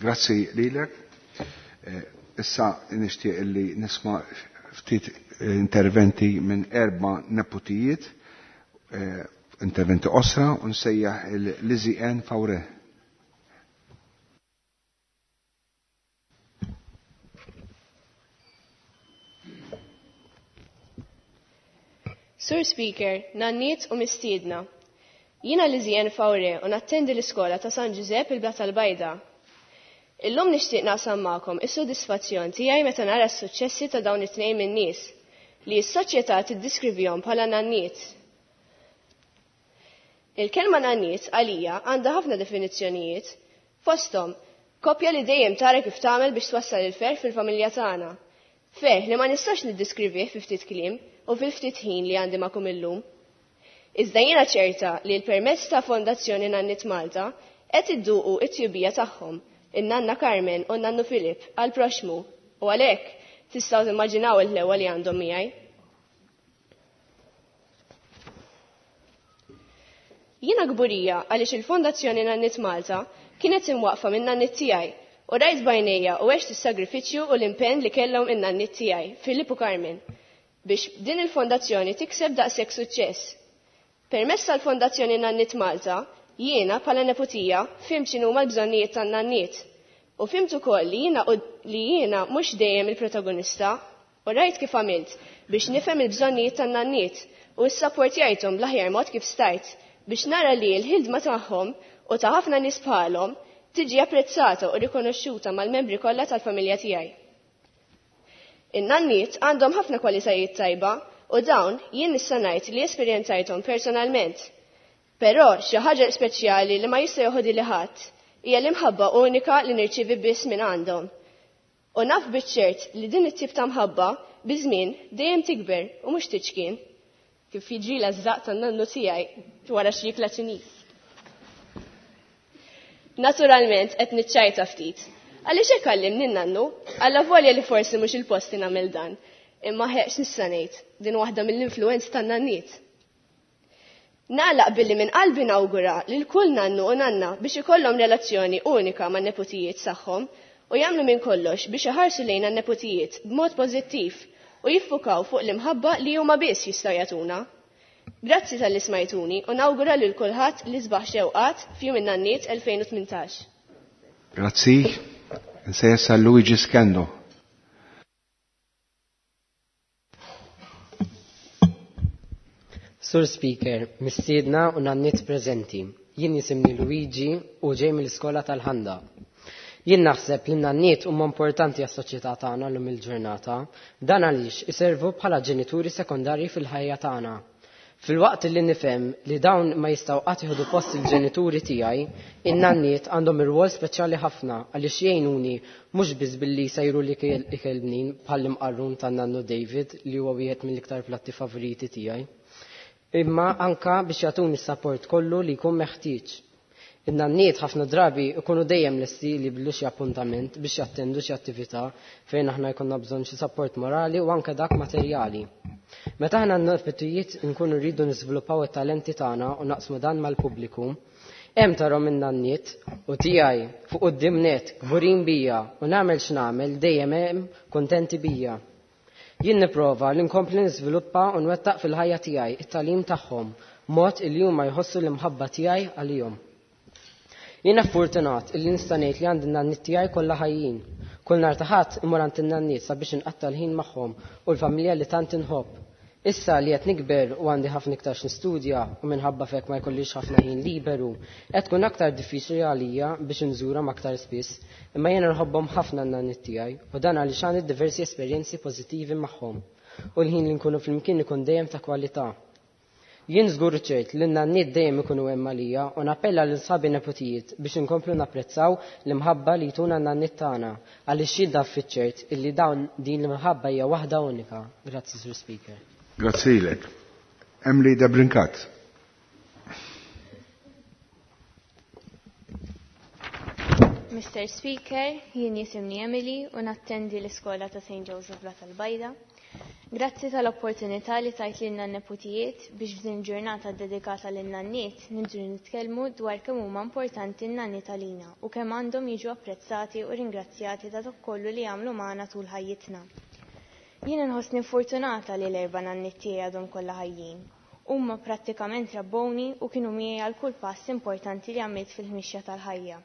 Grazzi lilek. Issa nixtieq li nisma' ftit interventi minn erba' neputijiet, interventi qosra, u nsejjaħ il-Lizzie Ann Faure. Sur Speaker, nanniet u mistiedna. Jiena Lizzie Ann Faure u nattendi l-iskola ta' San Ġużepp il-Blata l-Bajda. Illum nixtieq naqsam magħkom is-sodisfazzjon tiegħi meta nara s-suċċessi ta' dawn it-tnejn min-nies li s-soċjetà tiddiskrivihom bħala nanniet. Il-kelma nanniet għalija għandha ħafna definizzjonijiet, fosthom koppja li dejjem tara kif tagħmel biex twassal il-ferħ fil-familja tagħna. Ferħ li ma nistax niddiskrivih fi ftit kliem u fil-ftit ħin li għandi magħkom illum. Iżda jiena ċerta li l-permezz ta' Fondazzjoni Nanniet Malta qed idduqu t-tjubija tagħhom, in-nanna Carmen u n-nannu Filip għal proxmu u għalhekk tistgħu timmaġinaw il-ħlewa li għandhom miegħi. Jiena kburija għaliex il-Fondazzjoni Nanniet Malta kienet imwaqfa minn nanniet tiegħi u rajt b'għajnejja u għext is-sagrifiċċju u l-impenn li kellhom in-nanniet tiegħi, Filip u Carmen, biex din il-fondazzjoni tikseb daqshekk suċċess. Permezz tal-Fondazzjoni Nanniet Malta, jiena bħala neputija fhimt x'inhuma l-bżonnijiet tan-nanniet u fhimt ukoll li jiena li jiena mhux dejjem il-protagonista u rajt kif għamilt biex nifhem il-bżonnijiet tan-nanniet u ssapportjajthom bl-aħjar mod kif stajt biex nara li l-ħidma tagħhom u ta' ħafna nies bħalhom tiġi apprezzata u rikonoxxuta mal-membri kollha tal-familja tiegħi. In-nanniet għandhom ħafna kwalitajiet tajba u dawn jien nista' ngħid li esperjenzajthom personalment. Però xi ħaġa speċjali li ma jista' joħodili ħadd hija l-imħabba unika li nirċievi biss minn għandhom. U naf biċ-ċert li din it-tip ta' mħabba biż-żmien dejjem tikber u mhux tiċkien, kif jiġrilha ż-żaqq tan-nannu tiegħi wara xi ikla Ċiniż. Naturalment qed niċċajta ftit. Għaliex hekk għallimni n-nannu, allavolja li forsi mhux il-post li nagħmel dan. Imma ħeqx nista' ngħid, din waħda mill-influenzi tan-nanniet. Nagħlaq billi minn qalbi nawgura lil kull nannu u nanna biex ikollhom relazzjoni unika man-neputijiet tagħhom u jagħmlu minn kollox biex iħarsu lejn għan-neputijiet b'mod pożittiv u jiffukaw fuq l-imħabba li huma biss jistgħu jagħtuna. Grazzi talli smajtuni u nawgura lil kulħadd l-isbaħ xewqat f'Jum in-Nanniet 2018. Grazzi. Nsejjes għal Luigi Skendo. Sur Speaker, mistiedna u nanniet preżenti. Jien jisimni Luigi u ġej mill-iskola tal-Ħanda. Jien naħseb li n-nanniet huma importanti għas-soċjetà tagħna llum il-ġurnata. Dan għaliex iservu bħala ġenituri sekondarji fil-ħajja tagħna. Filwaqt li nifhem li dawn ma jistgħu qatt jieħdu post il-ġenituri tiegħi, in-nanniet għandhom irwol speċjali ħafna għaliex jgħinuni mhux biss billi jsajru l-ikel bnin bħall-imqarrun tan-nannu David li huwa wieħed mill-iktar platti favoriti tiegħi, imma anka biex jagħtuni s-sapport kollu li jkun meħtieġ. In-nanniet ħafna drabi ikunu dejjem lesti li jibdlu xi appuntament biex jattendu xi attività fejn aħna jkollna bżonn xi sapport morali u anke dak materjali. Meta aħna n-neputijiet nkunu rridu niżviluppaw it-talenti tagħna u naqsmu dan mal-pubbliku, hemm tarhom in-nanniet u tiegħi fuq quddiem nett kburin bija u nagħmel x'nagħmel dejjem hemm kuntenti bija. Jien nipprova li nkompli niżviluppa u nwettaq fil-ħajja tiegħi it-tagħlim tagħhom mod illi huma jħossu l-imħabba tiegħi għalihom. Jiena fortunat illi nista' ngħid li għandi n-nanniet tiegħi kollha ħajjin. Kull nhar ta' Ħadd immur għand in-nanniet sabiex inqatta' l-ħin magħhom u l-familja li tant inħobb. Issa li qed nikber u għandi ħafna iktar x'nistudja u minħabba f'hekk ma jkollix ħafna ħin liberu, qed tkun aktar diffiċli għalija biex inżurhom aktar spiss, imma jiena nħobbhom ħafna n-nanniet tiegħi u dan għaliex għandi diversi esperjenzi pożittivi magħhom u l-ħin li nkunu flimkien ikun dejjem ta' kwalità. Jien żgur u ċert li n-nanniet dejjem ikunu hemm għalija u nappella lil sħabi neputijiet biex inkomplu napprezzaw l-imħabba li jtuna n-nanniet tagħna għaliex jien naf fiċ-ċert illi dawn din l-imħabba hija waħda unika. Grazzi, Sur Speaker. Grazzi lilek. Emily Debrincat. Mr. Speaker, jien jisimni Emily u nattendi l-iskola ta' St. Joseph Blat tal-Bajda. Grazzi tal-opportunità li tajt lilna n-neputijiet biex f'din ġurnata dedikata lin-nanniet niġu nitkellmu dwar kemm huma importanti n-nanniet għalina u kemm għandhom jiġu apprezzati u ringrazzjati ta' dak kollu li jagħmlu magħna tul ħajjitna. Jiena nħossni fortunata li l-erba' nanniet tiegħi għadhom kollha ħajjin. Huma prattikament rabbowni u kienu miegħi għal kull pass importanti li għamilt fil-mixja tal-ħajja.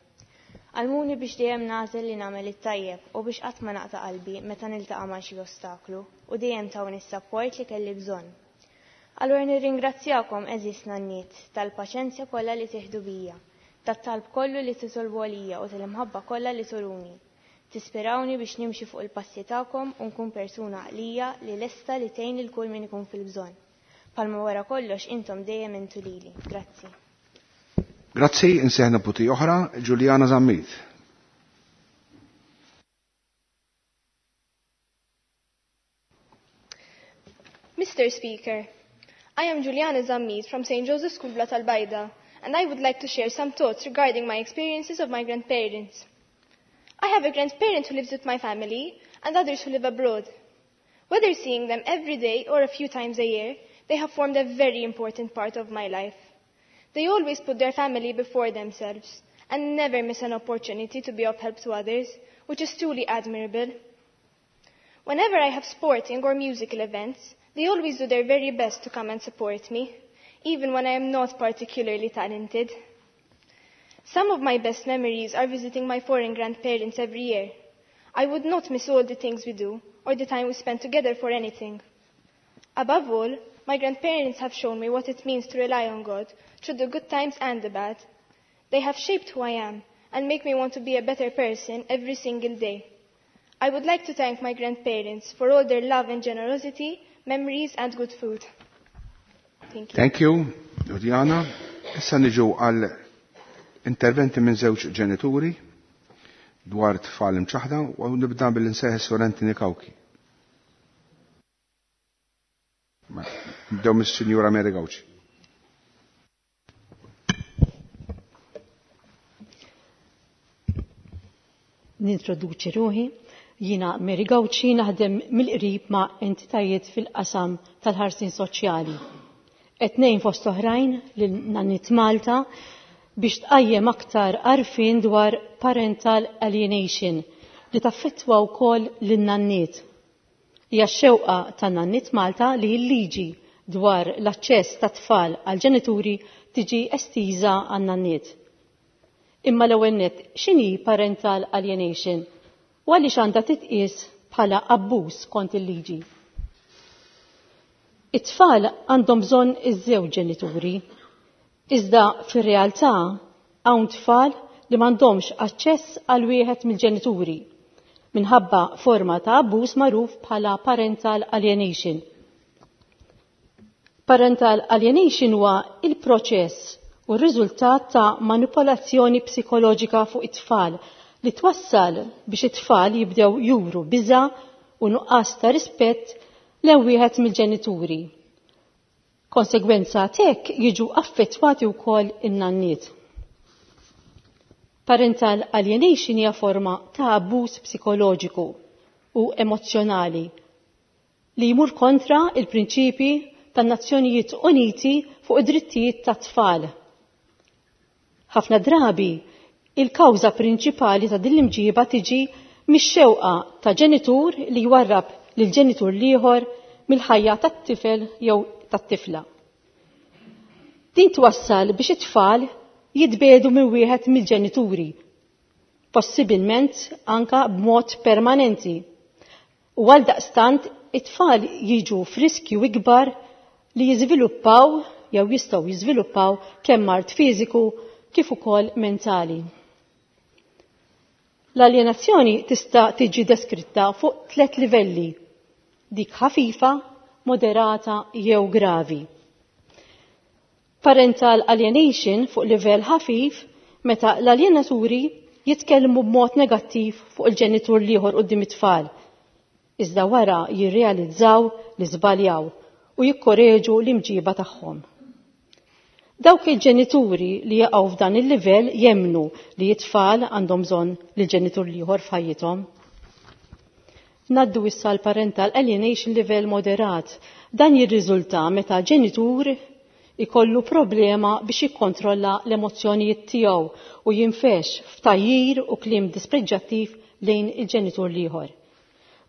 Għallmuni biex dejjem nagħżel li nagħmel it-tajjeb u biex qatt ma naqta' qalbi meta niltaqa' ma' xi ostaklu u dejjem tawni s-sapport li kelli bżonn. Allura nirringrazzjakom għeżież nanniet tal-paċenzja kollha li tieħdu bija, tat-talb kollu li titolbu għalija u tal-imħabba kollha li turuni. Tispirawni biex nimxi fuq il-passi tagħkom u nkun persuna għaqlija li lesta li tgħin lil kull min ikun fil-bżonn. Palma wara kollox intom dejjem intu lili. Grazzi. Grazzi, insejħ neputi oħra, Giuliana Zammit. Mr. Speaker, I am Giuliana Zammit from St. Joseph's School Blat Al-Baida, and I would like to share some thoughts regarding my experiences of my grandparents. I have a grandparent who lives with my family and others who live abroad. Whether seeing them every day or a few times a year, they have formed a very important part of my life. They always put their family before themselves and never miss an opportunity to be of help to others, which is truly admirable. Whenever I have sporting or musical events, they always do their very best to come and support me, even when I am not particularly talented. Some of my best memories are visiting my foreign grandparents every year. I would not miss all the things we do or the time we spend together for anything. Above all, my grandparents have shown me what it means to rely on God through the good times and the bad. They have shaped who I am and make me want to be a better person every single day. I would like to thank my grandparents for all their love and generosity, memories and good food. Thank you. Thank you, Juliana. Issa niġu għal interventi minn żewġ ġenituri dwar tfal imċaħda u nibda bil-insejħ Sur Anthony Cauchi. Nibdew mis-Sinjura Mary Gauci. Nintroduċi ruħi. Jiena Mary Gauci naħdem mill-qrib ma' entitajiet fil-qasam tal-ħarsin soċjali. Qed ngħin fost oħrajn lil Nanniet Malta biex tqajjem aktar għarfien dwar parental alienation li taffettwa wkoll lin-nanniet. Hija x-xewqa ta' Nanniet Malta li l-liġi dwar l-aċċess ta' tfal għal ġenituri tiġi estiża għan-nanniet. Imma l-ewwel nett, x'inhi parental alienation? U għaliex għandha titqies bħala abbuż kont il-liġi? It-tfal għandhom bżonn iż-żewġ ġenituri, iżda fir-realtà hawn tfal li m'għandhomx aċċess għal wieħed mill-ġenituri minħabba forma ta' abbuż magħruf bħala parental alienation. Parental alienation huwa il-proċess u r-riżultat ta' manipolazzjoni psikoloġika fuq it-tfal li twassal biex it-tfal jibdew juru biża' u nuqqas ta' rispett lejn wieħed mill-ġenituri. Konsegwenza t'hekk jiġu affettwati wkoll in-nanniet. Parental alienation hija forma ta' abbuż psikoloġiku u emozzjonali li jmur kontra il-prinċipi tan-Nazzjonijiet Uniti fuq id-drittijiet tat-tfal. Ħafna drabi, il-kawża prinċipali ta' din l-imġiba tiġi mix-xewqa ta' ġenitur li jwarrab lil ġenitur l-ieħor mill-ħajja tat-tifel jew tat-tifla. Din twassal biex it-tfal jitbedu minn wieħed mill-ġenituri, possibilment anka b'mod permanenti. U għaldaqstant it-tfal jiġu f'riskju ikbar li jiżviluppaw jew jistgħu jiżviluppaw kemm mard fiżiku kif ukoll mentali. L-aljenazzjoni tista' tiġi deskritta fuq tliet livelli: dik ħafifa, moderata jew gravi. Parental alienation fuq livell ħafif meta l-aljenaturi jitkellmu b'mod negattiv fuq il-ġenitur l-ieħor quddiem it-tfal. Iżda wara jirrealizzaw li żbaljaw u jikkoreġu l-imġiba tagħhom. Dawk il-ġenituri li jaqgħu f'dan il-livell jemmnu li t-tfal għandhom bżonn lill-ġenitur l-ieħor f'ħajjithom. Ngħaddu issa l-parental alienation livell moderat. Dan jirriżulta meta ġenitur ikollu problema biex jikkontrolla l-emozzjonijiet tiegħu u jinfex f'tgħajjir u kliem dispreġġattiv lejn il-ġenitur l-ieħor.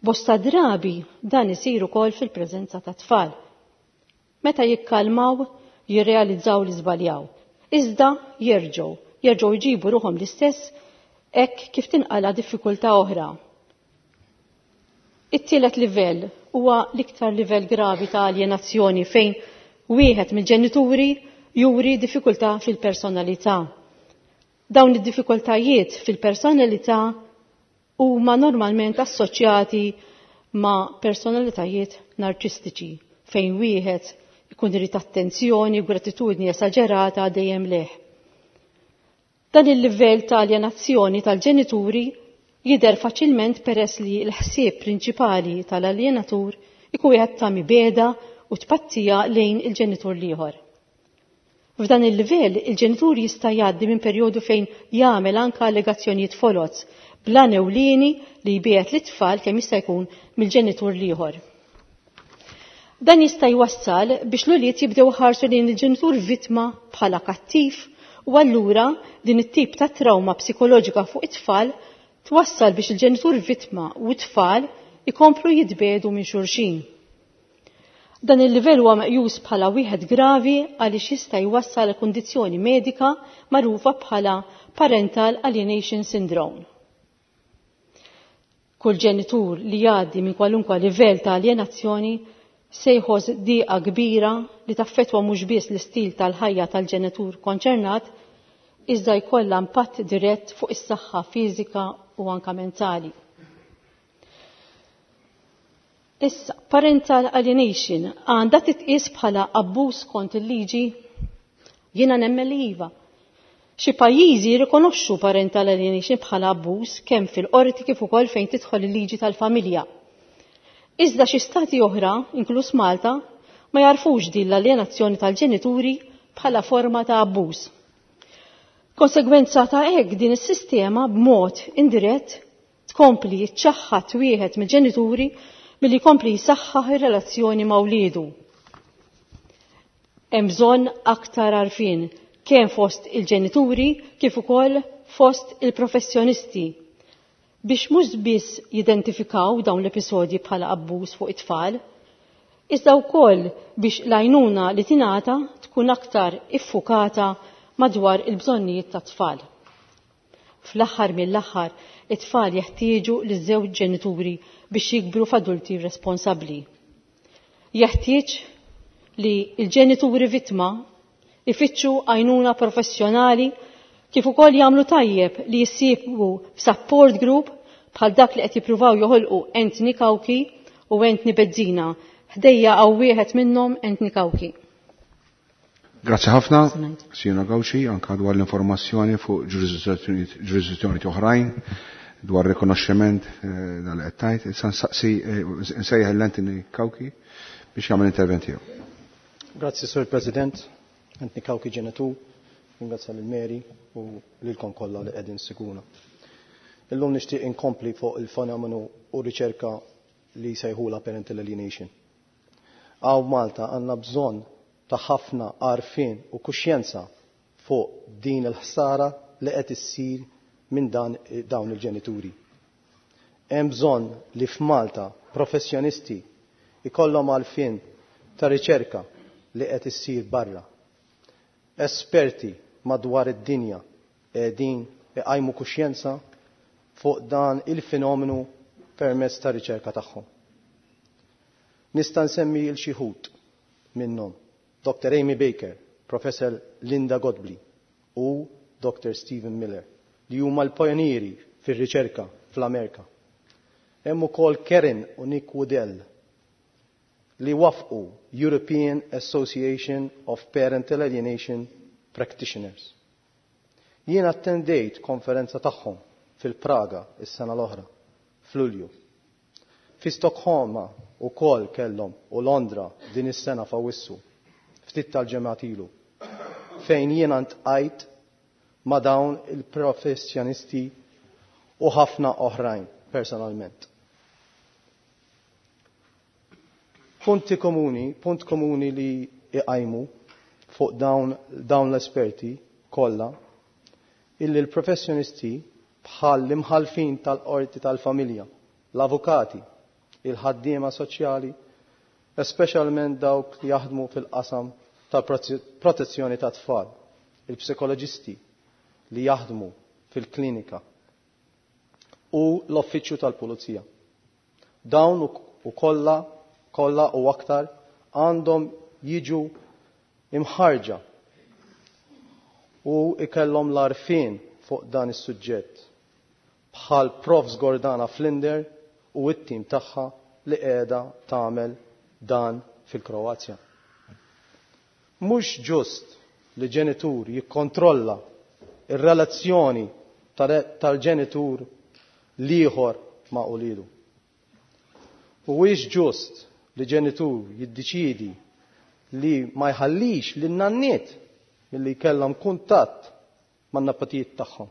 Bosta drabi dan isir ukoll fil-preżenza ta' tfal. Meta jikkalmaw, jirrealizzaw li żbaljaw. Iżda jerġgħu jġibu ruħhom l-istess hekk kif tinqala diffikultà oħra. It-tielet livell huwa l-iktar livell gravi ta' aljenazzjoni fejn wieħed mill-ġenituri juri diffikultà fil-personalità. Dawn id-diffikultajiet fil-personalità huma normalment assoċjati ma' personalitajiet narċistiċi fejn wieħed ikun irid attenzjoni u gratitudni esaġerata dejjem leh. Dan il-livell ta' aljenazzjoni tal-ġenituri jidher faċilment peress li l-ħsieb prinċipali tal-aljenatur ikun wieħed ta' mibegħda u tpattija lejn il-ġenitur l-ieħor. F'dan il-livell, il-ġenitur jista' jgħaddi minn perjodu fejn jagħmel anke allegazzjonijiet foloz bla ewlieni li jbiegħed lit-tfal kemm jista' jkun mill-ġenitur l-ieħor. Dan jista' jwassal biex l-ulied jibdew ħarsu lejn il-ġenitur vittma bħala kattiv u allura din it-tip ta' trauma psikoloġika fuq it-tfal twassal biex il-ġenitur vittma u t-tfal ikomplu jitbedu minn xulxin. Dan il-livell huwa meqjus bħala wieħed gravi għaliex jista' jwassal kundizzjoni medika magħrufa bħala parental alienation syndrome. Kull ġenitur li jgħaddi minn kwalunkwe livell ta' aljenazzjoni se jħoss diqa kbira li taffettwa mhux biss l-istil tal-ħajja tal-ġenitur konċernat, iżda jkollha impatt dirett fuq is-saħħa fiżika u anka mentali. Issa, parental alienation għandha titqies bħala abbuż kont il-liġi? Jiena nemmen li iva. Xi pajjiżi jirrikonoxxu parental alienation bħala abbuż kemm fil-qorti kif ukoll fejn tidħol il-liġi tal-familja. Iżda xi stati oħra, inkluż Malta, ma jarfux din l-aljenazzjoni tal-ġenituri bħala forma ta' abbuż. Konsegwenza ta' hekk din is-sistema b'mod indirett tkompli ċċaħħad wieħed mill-ġenituri milli jkompli jsaħħaħ ir-relazzjoni ma' wliedu. Hemm bżonn aktar għarfien kemm fost il-ġenituri kif ukoll fost il-professjonisti biex mhux biss jidentifikaw dawn l-episodji bħala abbuż fuq it-tfal, iżda wkoll biex l-għajnuna li tingħata tkun aktar iffukata madwar il-bżonnijiet tat-tfal. Fl-aħħar mill-aħħar, it-tfal jeħtieġu liż-żewġ ġenituri biex jikbru f'adulti responsabbli. Jeħtieġ li l-ġenituri vittma ifittxu għajnuna professjonali kif ukoll jagħmlu tajjeb li jissieħbu f'support group bħal dak li qed jippruvaw joħolqu Anthony Cauchi u Anthony Bezzina. Ħdejja hawn wieħed minnhom, Anthony Cauchi. Grazzi ħafna, Sinjora Gawxi, anka dwar l-informazzjoni fuq ġurisdizzjoni oħrajn dwar rikonoxximent eh, dal qed tajt. Issa nsaqsi eh, nsejjaħ l-Anthony Kawki biex jagħmel intervent tiegħu. Grazzi Sur President, Anthony Kawki ġenitu, ringrazzja lil Mary u lilkom kollha li qegħdin siguna. Illum nixtieq inkompli fuq il-fenomenu u riċerka li sejħula parental alienation. Għaw Malta għandna bżonn ta' ħafna għarfien u kuxjenza fuq din il-ħsara li qed issir minn dan dawn il-ġenituri. Hemm bżonn li f'Malta professjonisti ikollhom għarfien ta' riċerka li qed issir barra. Esperti madwar id-dinja qegħdin iqajmu kuxjenza fuq dan il-fenomenu permezz ta' riċerka tagħhom. Nista' nsemmi l xi minnhom. Dr. Amy Baker, Professor Linda Godbley u Dr. Stephen Miller li huma l-pajonieri fir-riċerka fl-Amerika. Hemm ukoll Karen u Nick Woodell li wafqu European Association of Parental Alienation Practitioners. Jien attendejt konferenza tagħhom fil-Praga is-sena l-oħra, f'Lulju. Fi Stokholma ukoll kellhom u Londra din is-sena f'Awwissu, ftit tal-ġemgħat ilu, fejn jiena ntqajt ma' dawn il-professjonisti u ħafna oħrajn personalment. Punti komuni, punt komuni li iqajmu fuq dawn, dawn l-esperti kollha illi l-professjonisti bħal l-imħalfin tal-qorti tal-familja, l-avukati, il-ħaddiema soċjali, speċjalment dawk li jaħdmu fil-qasam tal-protezzjoni ta' tfal, il-psikoloġisti li jaħdmu fil-klinika u l-offiċċju tal-pulizija. Dawn u kollha kollha u aktar għandhom jiġu imħarġa u ikellhom l-arfin fuq dan is-suġġett bħal Profs Gordana Flinder u it-tim tagħha li qiegħda tagħmel dan fil-Kroazja. Mhux ġust li ġenitur jikkontrolla ir-relazzjoni tal-ġenitur l-ieħor ma' ulidu. Huwiex ġust li ġenitur jiddeċiedi li ma jħallix lin nanniet milli jkellhom kuntatt man-napatijiet tagħhom.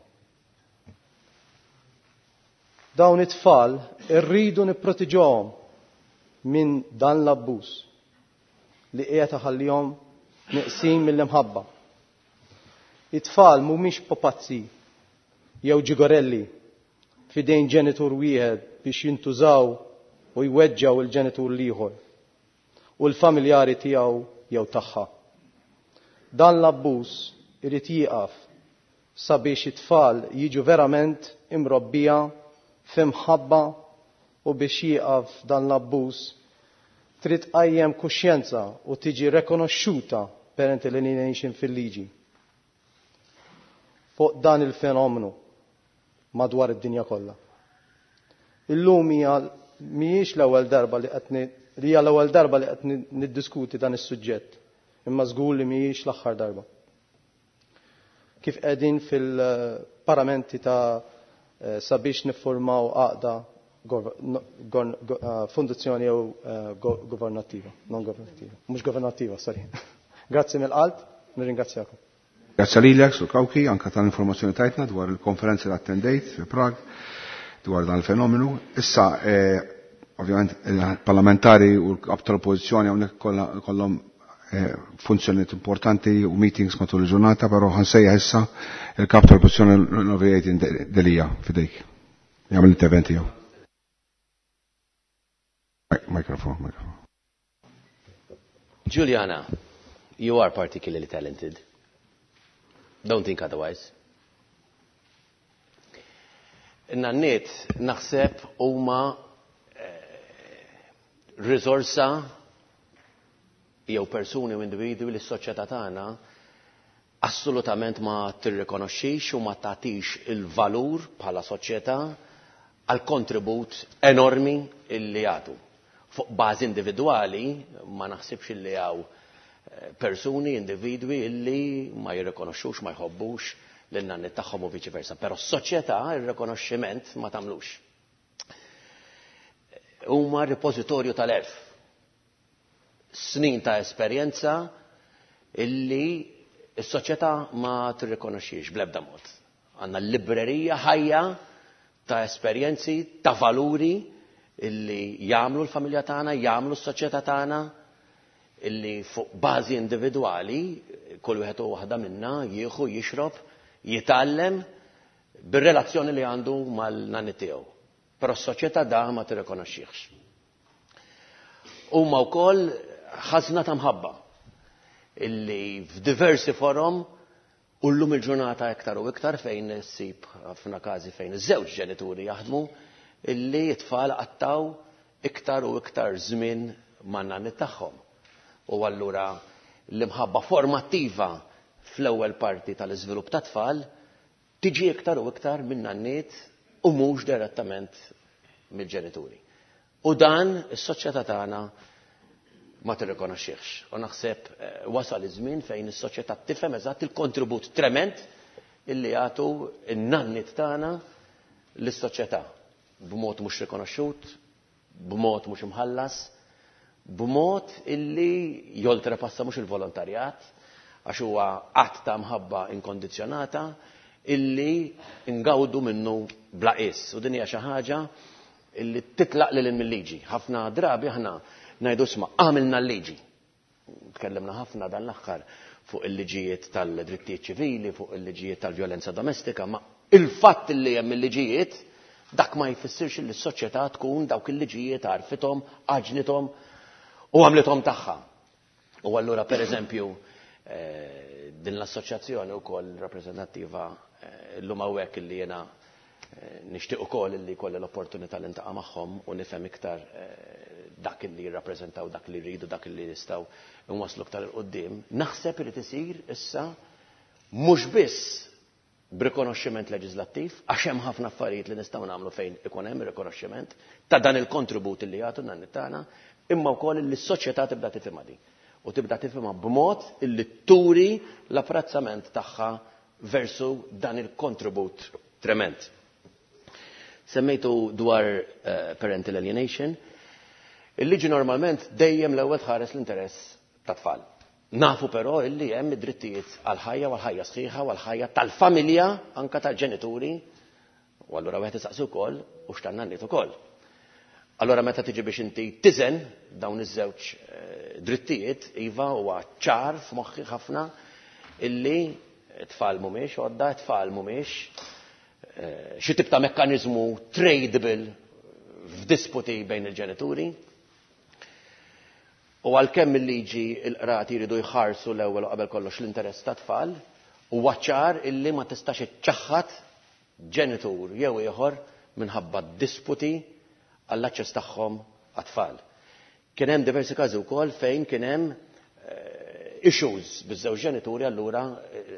Dawn it-tfal irridu nipprotiġuhom minn dan l-abbuż li qiegħed iħallihom neqsin mill-imħabba. It-tfal mhumiex popazzi jew ġigorelli f'idejn ġenitur wieħed biex jintużaw u jweġġaw il-ġenitur l-ieħor u l-familjari tiegħu jew tagħha. Dan l-abbuż irid jieqaf sabiex it-tfal jiġu verament imrobbija f'imħabba u biex jieqaf dan l-abbuż trid tqajjem kuxjenza u tiġi rekonoxxuta parental alienation fil-liġi. Fuq dan il-fenomenu madwar id-dinja kollha. Illum hija mhijiex l-ewwel darba li qed li hija l-ewwel darba li qed niddiskuti dan is-suġġett, imma żgur li mhijiex l-aħħar darba. Kif qegħdin fil-paramenti ta' eh, sabiex niffurmaw għaqda eh, fundazzjoni jew eh, governattiva, non governattiva, mhux governattiva, sorry. Grazzi mill-qalb, nirringrazzjakom. Grazzi lilek, Sur Kawki, anka tal-informazzjoni tajtna dwar il-konferenza li attendejt fi Prag dwar dan il-fenomenu. Issa, eh, ovvjament, il-parlamentari u l-kap tal-oppożizzjoni hawnhekk kollhom eh, funzjonijiet importanti u meetings matul il-ġurnata, però ħansejjaħ issa il-kap tal-oppożizzjoni l-Onorevoli Delija fidejk. Jagħmel l-intervent tiegħu. Mikrofon, mikrofon. Juliana, you are particularly talented. Don't think otherwise. Nanniet naħseb huma eh, risorsa jew persuni u individwi li s-soċjetà tagħna assolutament ma tirrikonoxxix u ma tagħtix il-valur bħala soċjetà għal kontribut enormi illi jagħtu. Fuq bażi individwali ma naħsibx illi hawn persuni, individwi illi ma jirrikonoxxux, ma jħobbux lin-nanniet tagħhom u viċi versa. Però s-soċjetà ir-rikonoxximent ma tagħmlux. Huma ripożitorju tal-għerf. Snin ta' esperjenza illi s-soċjetà ma tirrikonoxxix bl-ebda mod. Għandna librerija ħajja ta' esperjenzi, ta' valuri illi jagħmlu l-familja tagħna, jagħmlu s-soċjetà tagħna, illi fuq bażi individwali kull wieħed u waħda minna jieħu, jixrob, jitgħallem bir-relazzjoni li għandu mal-nanni tiegħu. Però s-soċjetà da ma tirrikonoxxihx. Huma wkoll ħażna ta' mħabba illi f'diversi forom u llum il-ġurnata iktar u iktar fejn issib ħafna każi fejn iż-żewġ ġenituri jaħdmu illi t-tfal qattaw iktar u iktar żmien man-nanniet tagħhom. U allura l-imħabba formattiva fl-ewwel parti tal-iżvilupp tat-tfal tiġi iktar u iktar min-nanniet u mhux direttament mill-ġenituri. U dan is-soċjetà tagħna ma tirrikonoxxihx. U naħseb wasal iż-żmien fejn is-soċjetà tifhem eżatt il-kontribut trement illi jagħtu n-nanniet tagħna lis-soċjetà b'mod mhux rikonoxxut, b'mod mhux imħallas, b'mod illi joltrepassa mhux il-volontarjat, għax huwa att ta' mħabba inkondizzjonata illi ngawdu minnu bla qies. U din hija xi ħaġa illi titlaq lil hinn mil-liġi. Ħafna drabi aħna ngħidu isma' għamilna l-liġi. Tkellimna ħafna dan l-aħħar fuq il-liġijiet tal-drittijiet ċivili, fuq il-liġijiet tal-vjolenza domestika, ma il-fatt li hemm il-liġijiet dak ma jfissirx li s-soċjetà tkun dawk il-liġijiet għarfithom, għaġnithom u għamlithom tagħha. U allura pereżempju din l-assoċjazzjoni wkoll rappreżentattiva llum hawnhekk illi jiena nixtieq ukoll illi jkolli l-opportunità li ntaqa' magħhom u nifhem iktar dak illi jirrappreżentaw, dak li jridu, dak illi nistgħu nwasslu iktar 'il quddiem, naħseb irid isir issa mhux biss b'rikonoxximent leġiżlattiv, għax hemm ħafna affarijiet li nistgħu nagħmlu fejn ikun hemm rikonoxximent ta' dan il-kontribut li jagħtu n-nanniet tagħna, imma wkoll li s-soċjetà tibda tifhimha din. U tibda tifhimha b'mod illi turi l-apprezzament tagħha versu dan il-kontribut trement. Semmejtu dwar parental alienation. Il-liġi normalment dejjem l-ewwel tħares l-interess tat-tfal. Nafu però illi hemm id-drittijiet għall-ħajja u għall-ħajja sħiħa u għall-ħajja tal-familja anke tal-ġenituri u allura wieħed isaqsi wkoll u x'tan-nanniet ukoll. Allura meta tiġi biex inti tiżen dawn iż-żewġ drittijiet, iva huwa ċar f'moħħi ħafna illi t-tfal mhumiex għodda, t-tfal mhumiex xi tip ta' mekkaniżmu tradable f'disputi bejn il-ġenituri. U għalkemm il-liġi il-qrati jridu jħarsu l-ewwel u qabel kollox l-interess tat-tfal, huwa ċar illi ma tistax iċċaħħad ġenitur jew ieħor minħabba disputi għall-aċċess tagħhom għat-tfal. Kien hemm diversi każi wkoll fejn kien hemm issues biż-żewġ ġenituri allura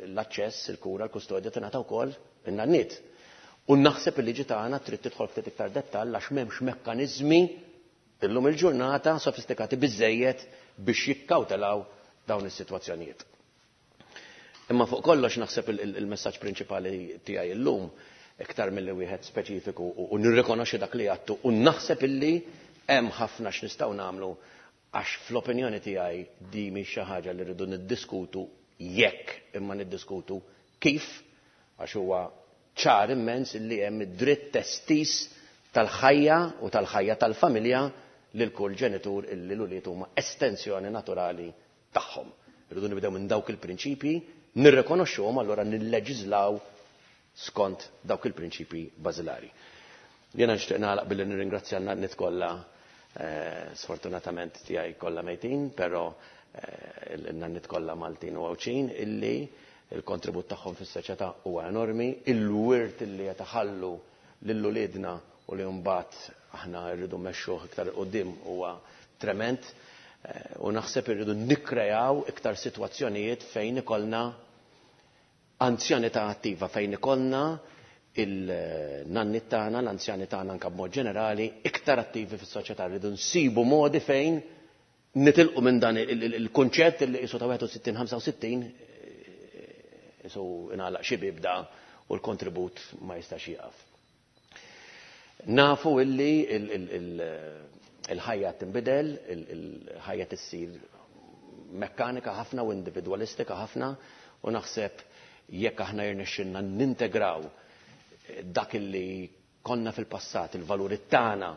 l-aċċess, il-kura, l-kustodja tingħata wkoll in-nanniet. U naħseb il-liġi tagħna trid tidħol ftit iktar dettall għax m'hemmx mekkaniżmi illum il-ġurnata sofistikati biżżejjed biex jikkawtelaw dawn is-sitwazzjonijiet. Imma fuq kollox naħseb il-messaġġ prinċipali tiegħi illum iktar milli wieħed speċifiku u nirrikonoxxi dak li għadtu u naħseb illi hemm ħafna x'nistgħu nagħmlu għax fl-opinjoni tiegħi di mhix xi ħaġa li rridu niddiskutu jekk imma niddiskutu kif għax huwa ċar immens illi hemm id-dritt estiż tal-ħajja u tal-ħajja tal-familja lil kull ġenitur illi l-ulied huma estensjoni naturali tagħhom. Irridu nibdew minn dawk il-prinċipji, nirrikonoxxuhom allura nilleġiżlaw skont dawk il-prinċipji bażilari. Jiena nixtieq nagħlaq billi nirringrazzja n-nanniet kollha, sfortunatament tiegħi kollha mejtin, però n-nanniet kollha Maltin u Għawdxin illi il-kontribut tagħhom fis-soċjetà huwa enormi, il-wirt illi qed iħallu lil uliedna u li mbagħad aħna rridu mmexxuh iktar 'il quddiem huwa trement u naħseb irridu nikkrejaw iktar sitwazzjonijiet fejn ikollna anzjanità attiva, fejn ikollna il-nanniet tagħna, l-anzjani tagħna anke b'mod ġenerali, iktar attivi fis-soċjetà. Rridu nsibu modi fejn Nitilqu minn dan il-kunċett li qisu ta' 61-65 qisu ingħalaq xi bieb da u l-kontribut ma jistax jieqaf. Nafu illi il-ħajja tinbidel, il-ħajja tissir mekkanika ħafna u individwalistika ħafna u naħseb jekk aħna jirnexxilna nintegraw dak illi konna fil-passat, il-valuri tagħna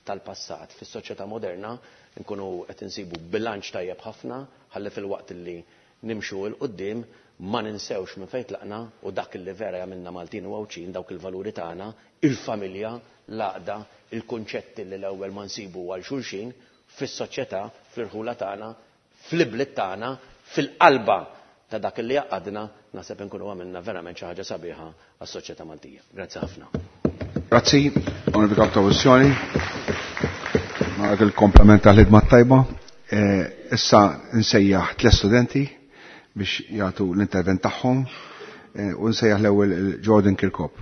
tal-passat fis-soċjetà moderna, nkunu qed insibu bilanċ tajjeb ħafna ħalli filwaqt illi nimxu 'l quddiem ma ninsewx minn fejn tlaqna u dak illi vera jagħmilna Maltin u Għawdxin, dawk il-valuri tagħna, il-familja, l-għaqda, il-kunċetti li l-ewwel ma nsibu għal xulxin fis-soċjetà, fl-irħula tagħna, fl-ibliet tagħna, fil-qalba ta' dak li jgħaqqadna, naħseb inkunu għamilna verament xi ħaġa sabiħa għas-soċjetà Maltija. Grazzi ħafna. Grazzi, Onorevoli Kap ta' Oppożizzjoni. Nagħtik il-kompliment tal-ħidma tajba. Issa nsejjaħ tliet studenti biex jagħtu l-intervent tagħhom u nsejjaħ l-ewwel Jordan Kirkop.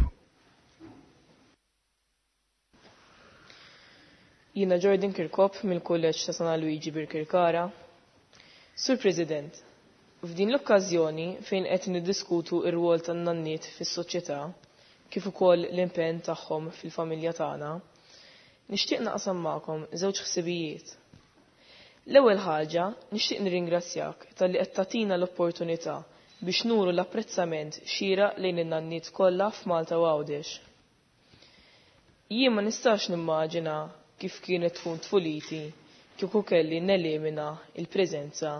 Jiena Jordan Kirkop mill-Kulleġġ ta' San Luigi Birkirkara. Sur President, f'din l-okkażjoni fejn qed niddiskutu r-rwol tan-nanniet fis-soċjetà kif ukoll l-impenn tagħhom fil-familja tagħna, nixtieq naqsam magħkom żewġ ħsibijiet. L-ewwel ħaġa nixtieq nirringrazzjak talli qed tagħtina l-opportunità biex nuru l-apprezzament xieraq lejn in-nanniet kollha f'Malta u Għawdex. Jien ma nistax nimmaġina kif kienet tkun tfuliti kieku kelli nelimina il-preżenza,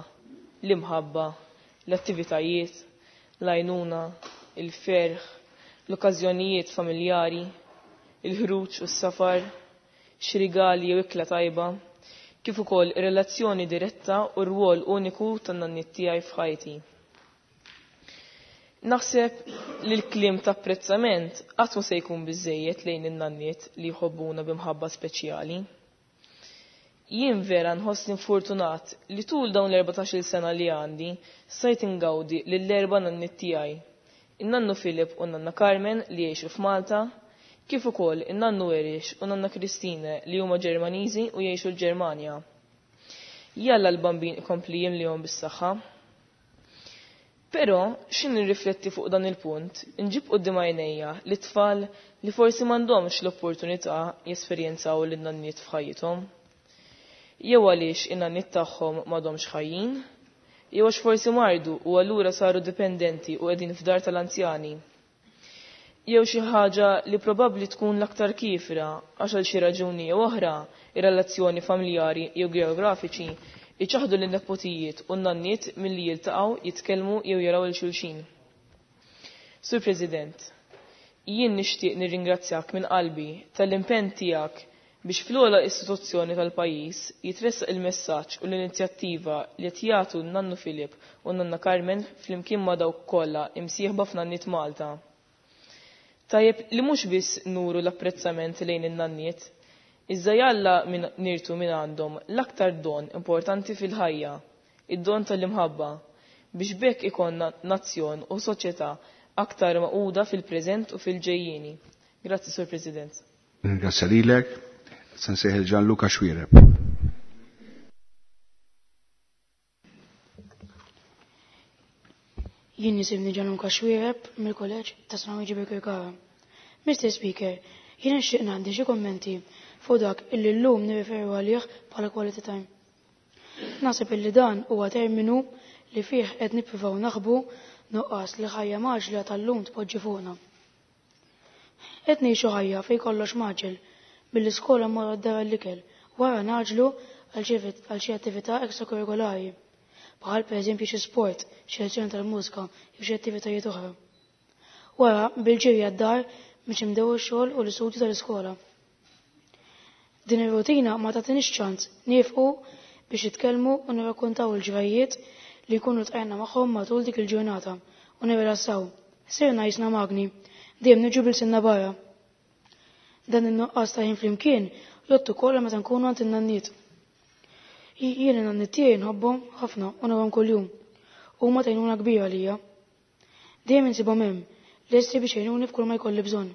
l-imħabba, l-attivitajiet, l-għajnuna, il-ferħ, l-okkażjonijiet familjari, il-ħruġ u s-safar, xi rigali jew ikla tajba, kif ukoll ir-relazzjoni diretta u r-rwol uniku tan-nanniet tiegħi f'ħajti. Naħseb li l-kliem ta' apprezzament qatt mhu se jkun biżżejjed lejn in-nanniet li jħobbuna b'imħabba speċjali. Jien vera nħossni fortunat li tul dawn l-14-il sena li għandi stajt ingawdi lill-erba' nanniet tiegħi. In-nannu Filip u n-nanna Carmen li jgħixu f'Malta, kif ukoll in-nannu Erich u nanna Christine li huma Ġermaniżi u jgħixu l-Ġermanja. Jalla l-bambin ikompli jimlihom bis-saħħa. Però x'in nirrifletti fuq dan il-punt, inġib quddiem għajnejja li tfal li forsi m'għandhomx l-opportunità jesperjenzaw lin-nanniet f'ħajjithom. Jew għaliex in-nanniet tagħhom m'għadhomx ħajjin, jew għax forsi mardu u allura saru dipendenti u qegħdin f'dar tal-anzjani. Jew xi ħaġa li probabbli tkun l-aktar kiefra għax għal xi raġuni jew oħra ir-relazzjoni familjari jew geografiċi iċaħdu lin-nepotijiet u n-nanniet milli jiltaqgħu, jitkellmu jew jaraw il xulxin. Sur President, jien nixtieq nirringrazzjak minn qalbi tal-impenn tiegħek biex fl-ogħla istituzzjoni tal-pajjiż jitressaq il-messaġġ u l-inizjattiva li qed jagħtu n-nannu Filip u n-nanna Carmen flimkien ma' dawk kollha imsieħba f'Nanniet Malta. Tajjeb li mhux biss nuru l-apprezzament lejn in-nanniet, iżda jalla min nirtu minn għandhom l-aktar don importanti fil-ħajja, id-don tal-imħabba, biex b'hekk ikollna nazzjon u soċjetà aktar maquda fil-preżent u fil-ġejjieni. Grazzi, Sur President. Ringrazzja lilek. Se nsejħel Gianluca Xuereb. Jien nisimni Gianluca Xuereb mill-Kulleġġ ta' San Luigi Birkirkara. Mr. Speaker, jien nixtieq ngħaddi xi kummenti fuq dak illi llum nirreferu għalih bħala quality time. Naħseb illi dan huwa terminu li fih qed nippruvaw naħbu nuqqas li ħajja maġla tal-lum tpoġġi fuqna. Qed ngħixu ħajja fejn kollox maġel, mill-iskola mmorru d-dar għall-ikel, wara naġlu għal xi attività ekstrakurrikulari, bħal pereżempju xi sport, xi lezzjoni tal-mużika jew xi attivitajiet oħra. Wara bil-ġirja d-dar biex nibdew ix-xogħol u l-istudju tal-iskola. Din ir-rutina ma tagħtinix ċans niefqu biex nitkellmu u nirrakkontaw il-ġrajjiet li jkunu tqajna magħhom matul dik il-ġurnata u nirrilassaw. Sirna jisna magni, dejjem niġu bil-sinna barra. Dan in-nuqqas ta' ħin flimkien jgħod ukoll meta nkunu għand in-nanniet. Jien in-nanniet tiegħi nħobbhom ħafna u narahom kuljum. Huma tgħinuna kbira għalija. Dejjem insibhom hemm, lesti biex jgħinuni f'kull ma jkolli bżonn.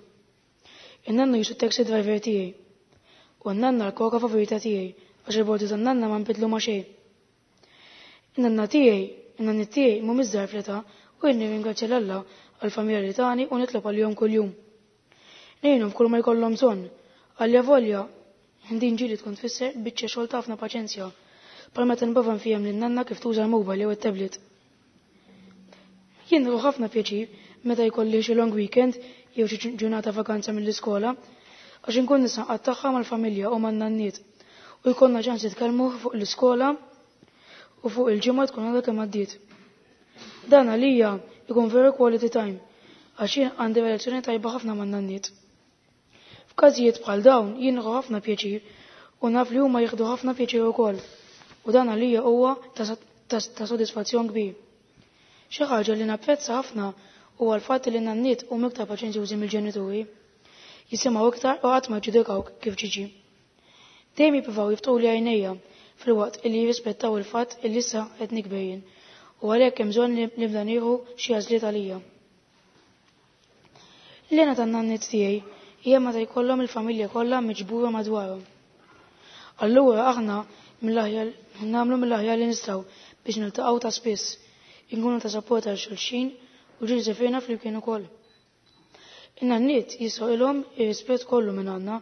In-nannu jisu taxi driver tiegħi. U n-nanna l-koka favorita tiegħi għax il-bordi tan-nanna ma nbidlu ma' xejn. In-nanna tiegħi, in-nanniet tiegħi mhumiex żgħar fl-età u jien nirringrazzja 'l Alla għall-familja li tani u nitlob għalihom kuljum. Ngħinhom f'kull ma jkollhom bżonn. Allavolja din ġieli tkun tfisser biċċa xogħol ta' ħafna paċenzja, bħal meta nipprova nfiehem lin-nanna kif tuża l-mobile jew it-tablet. Jien nieħu ħafna pjaċir meta jkolli xi long weekend jew xi ġurnata vakanza mill-iskola għax inkun nista' nqattagħha mal-familja u man-nanniet u jkollna ċans nitkellmu fuq l-iskola u fuq il-ġimgħa tkun għadha kemm għaddiet. Dan għalija jkun veru quality time għax jien għandi relazzjoni tajba ħafna man-nanniet. F'każijiet bħal dawn jien nieħu ħafna pjaċir u naf li huma jieħdu ħafna pjaċir ukoll u dan għalija huwa ta' sodisfazzjon kbir. Xi ħaġa li napprezza ħafna huwa l-fatt li n-nanniet huma iktar paċenzjużi mill-ġenituri. Jisimgħu iktar u qatt ma jġudikawk kif ġiġi. Dejjem jippruvaw jiftħuli għajnejja filwaqt illi jirrispettaw il-fatt illi issa qed nikber jien u għalhekk hemm bżonn li nibda nieħu xi għażliet għalija. L-hena tan-nanniet tiegħi hija meta jkollhom il-familja kollha miġbura madwarhom. Allura aħna mill-aħjar nagħmlu mill-aħjar li nistgħu biex niltaqgħu ta' spiss, inkunu ta' sapport għal xulxin u ġieli sefirna flimkien ukoll. In-nanniet jistħoqilhom ir-rispett kollu minn għandna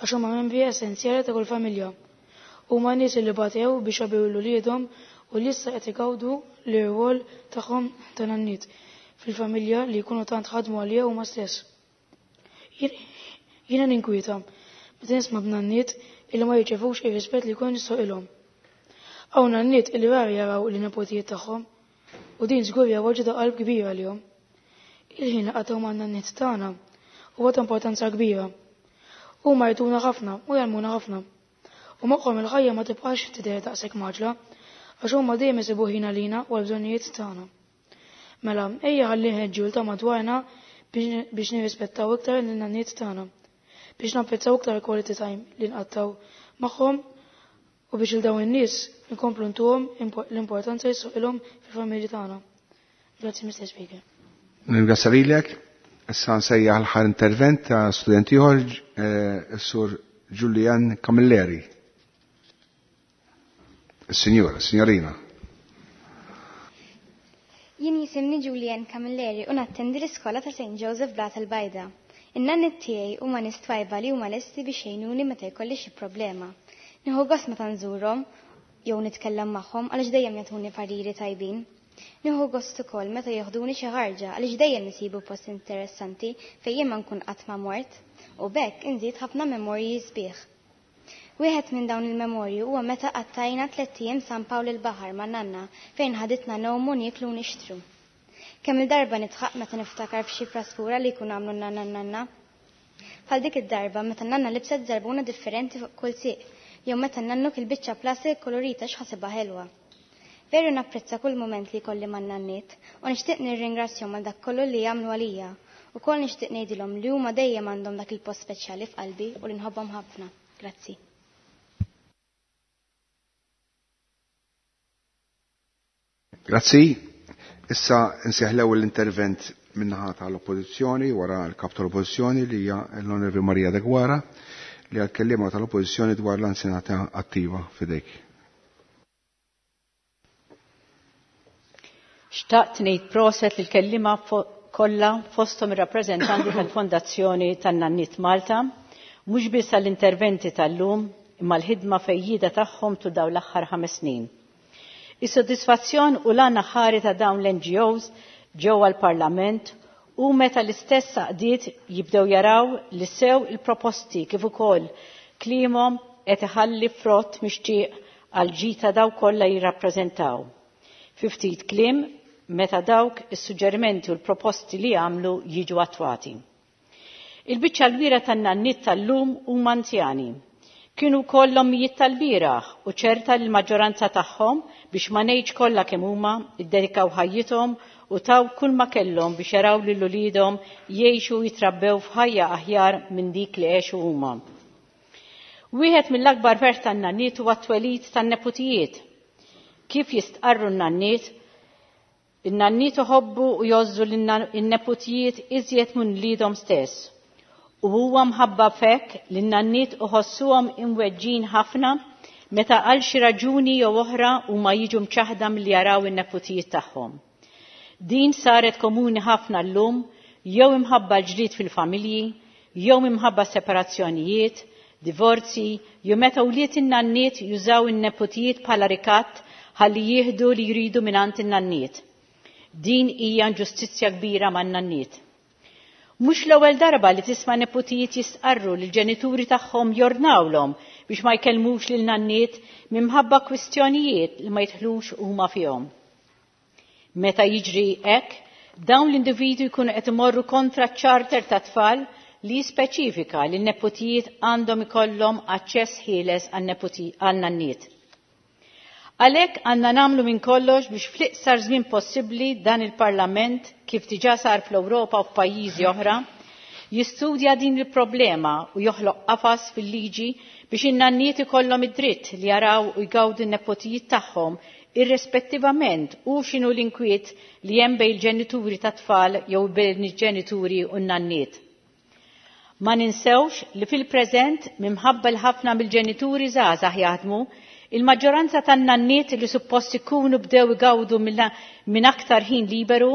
għax huma membri essenzjali ta' kull familja. Huma nies li batew biex rabbew lil uliedhom u li issa qed igawdu l-irwol tagħhom ta' nanniet fil-familja li jkunu tant ħadmu għaliha huma stess. Jiena ninkwieta meta nisma' b'nanniet illi ma jirċevux ir-rispett li jkun jistħoqilhom. Hawn nanniet illi rari jaraw lin-nepotijiet tagħhom u din żgur hija weġgħa ta' qalb kbira għalihom. Il-ħin li qatgħu man-nanniet tagħna huwa ta' importanza kbira. Huma jagħtuna ħafna u jgħallmuna ħafna. U magħhom il-ħajja ma tibqax tidher daqshekk mgħaġġla għax huma dejjem isibu ħin għalina u għall-bżonnijiet tagħna. Mela, ejja ħalli nħeġġu 'l ta' madwarna biex nirrispettaw iktar lin-nanniet tagħna, biex napprezzaw iktar il-quality time li nqattgħu magħhom u biex 'il dawn in-nies inkomplu ntuhom l-importanza li jistħoqilhom fil-familji tagħna. Grazzi, Mr. Speaker. Nirringrazzja lilek. Issa nsejjaħ l-aħħar intervent ta' student ieħor, is-Sur Julian Camilleri. Is-Sinjura, Signorina. Jien jisimni Julian Camilleri u nattendi l-iskola ta' St. Joseph Blata l-Bajda. In-nanniet tiegħi huma nies twajba li huma lesti biex jgħinuni meta jkolli xi problema. Nieħu gost meta nżurhom jew nitkellem magħhom għaliex dejjem jagħtuni pariri tajbin. Nieħu gost ukoll meta joħduni xi ħarġa għaliex dejjem isibu post interessanti fejn jien ma nkun qatt ma mort u b'hekk inżid ħafna memorji sbieħ. Wieħed minn dawn il-memorji huwa meta qattajna tlett ijiem San Pawl il-Baħar ma' nanna fejn ħaditna ngħumu nieklu u nixtru. Kemm il-darba nidħaq meta niftakar f'xi praspura li jkunu għamlu n-nanna n-nanna. Bħal dik id-darba meta n-nanna libset żarbuna differenti fuq kull sieq jew meta n-nannu kien biċċa plastik kolorita x'ħasibha ħelwa. Veru napprezza kull mument li jkolli man-nanniet u nixtieq nirringrazzjahom għal dak kollu li jagħmlu għalija. Ukoll nixtieq ngħidilhom li huma dejjem għandhom dak il-post speċjali f'qalbi u li nħobbhom ħafna. Grazzi. Grazzi. Issa nsejjaħ l-ewwel intervent min-naħa tal-Oppożizzjoni wara l-Kap tal-Oppożizzjoni li hija l-Onorevoli Maria Deguara li għal kelliema tal-Oppożizzjoni dwar l-anzjanità attiva f'idejk. Xtaqt ngħid proset lil kelliema kollha fosthom ir-rappreżentanti tal-Fondazzjoni tan-Nanniet Malta, mhux biss għall-interventi tal-lum imma l-ħidma fejjida tagħhom tul dawn l-aħħar 5 snin. Is-sodisfazzjon u l-għan aħħari ta' dawn l-NGOs ġewwa l-Parlament u meta l-istess għaqdiet jibdew jaraw li sew il-proposti kif ukoll kliemhom qed iħalli frott mixtieq għal ġita dawk kollha jirrappreżentaw. Fi ftit kliem, meta dawk is-suġġerimenti u l-proposti li jagħmlu jiġu attwati. Il-biċċa l-kbira tan-nanniet tal-lum huma anzjani. Kienu wkoll l-ommijiet tal-bieraħ u ċerta li l-maġġoranza tagħhom biex ma ngħidx kollha kemm huma iddedikaw ħajjithom u taw kull ma kellhom biex jaraw lil uliedhom jgħixu u jitrabbew f'ħajja aħjar minn dik li għexu huma. Wieħed mill-akbar ferħ tan-nanniet huwa t-twelid tan-neputijiet. Kif jistqarru n-nanniet? In-nanniet iħobbu u jgħożżu lin-neputijiet iżjed minn wliedhom stess. U huwa mħabba f'hekk li n-nanniet iħossuhom imweġġin ħafna meta għal xi raġuni jew oħra huma jiġu mċaħda milli jaraw in-neputijiet tagħhom. Din saret komuni ħafna llum jew imħabba l-ġdid fil-familji, jew imħabba separazzjonijiet, divorzi, jew meta wlied in-nanniet jużaw in-neputijiet bħala rikatt ħalli jieħdu li jridu mingħand in-nanniet. Din hija inġustizzja kbira man-nanniet. Mhux l-ewwel darba li tisma' neputijiet jistqarru li l-ġenituri tagħhom jordnawlhom biex ma jkellmux lil nanniet minħabba kwistjonijiet li ma jidħlux huma fihom. Meta jiġri hekk, dawn l-individwi jkunu qed imorru kontra ċ-charter tat-tfal li jispeċifika li n-neputijiet għandhom ikollhom aċċess ħieles għan-nanniet. Għalhekk għandna nagħmlu minn kollox biex fl-iqsar żmien possibbli dan il-Parlament, kif diġà sar fl-Ewropa u f'pajjiżi oħra, jistudja din il-problema u joħloq qafas fil-liġi biex in-nanniet ikollhom id-dritt li jaraw u jgawdu n-nepotijiet tagħhom irrispettivament u x'inhu l-inkwiet li hemm bejn il-ġenituri tat-tfal jew bejn il-ġenituri u n-nanniet. Ma ninsewx li fil-preżent minħabba li ħafna mill-ġenituri żgħażagħ jaħdmu, il-maġġoranza tan-nanniet li suppost ikunu bdew igawdu minn aktar ħin liberu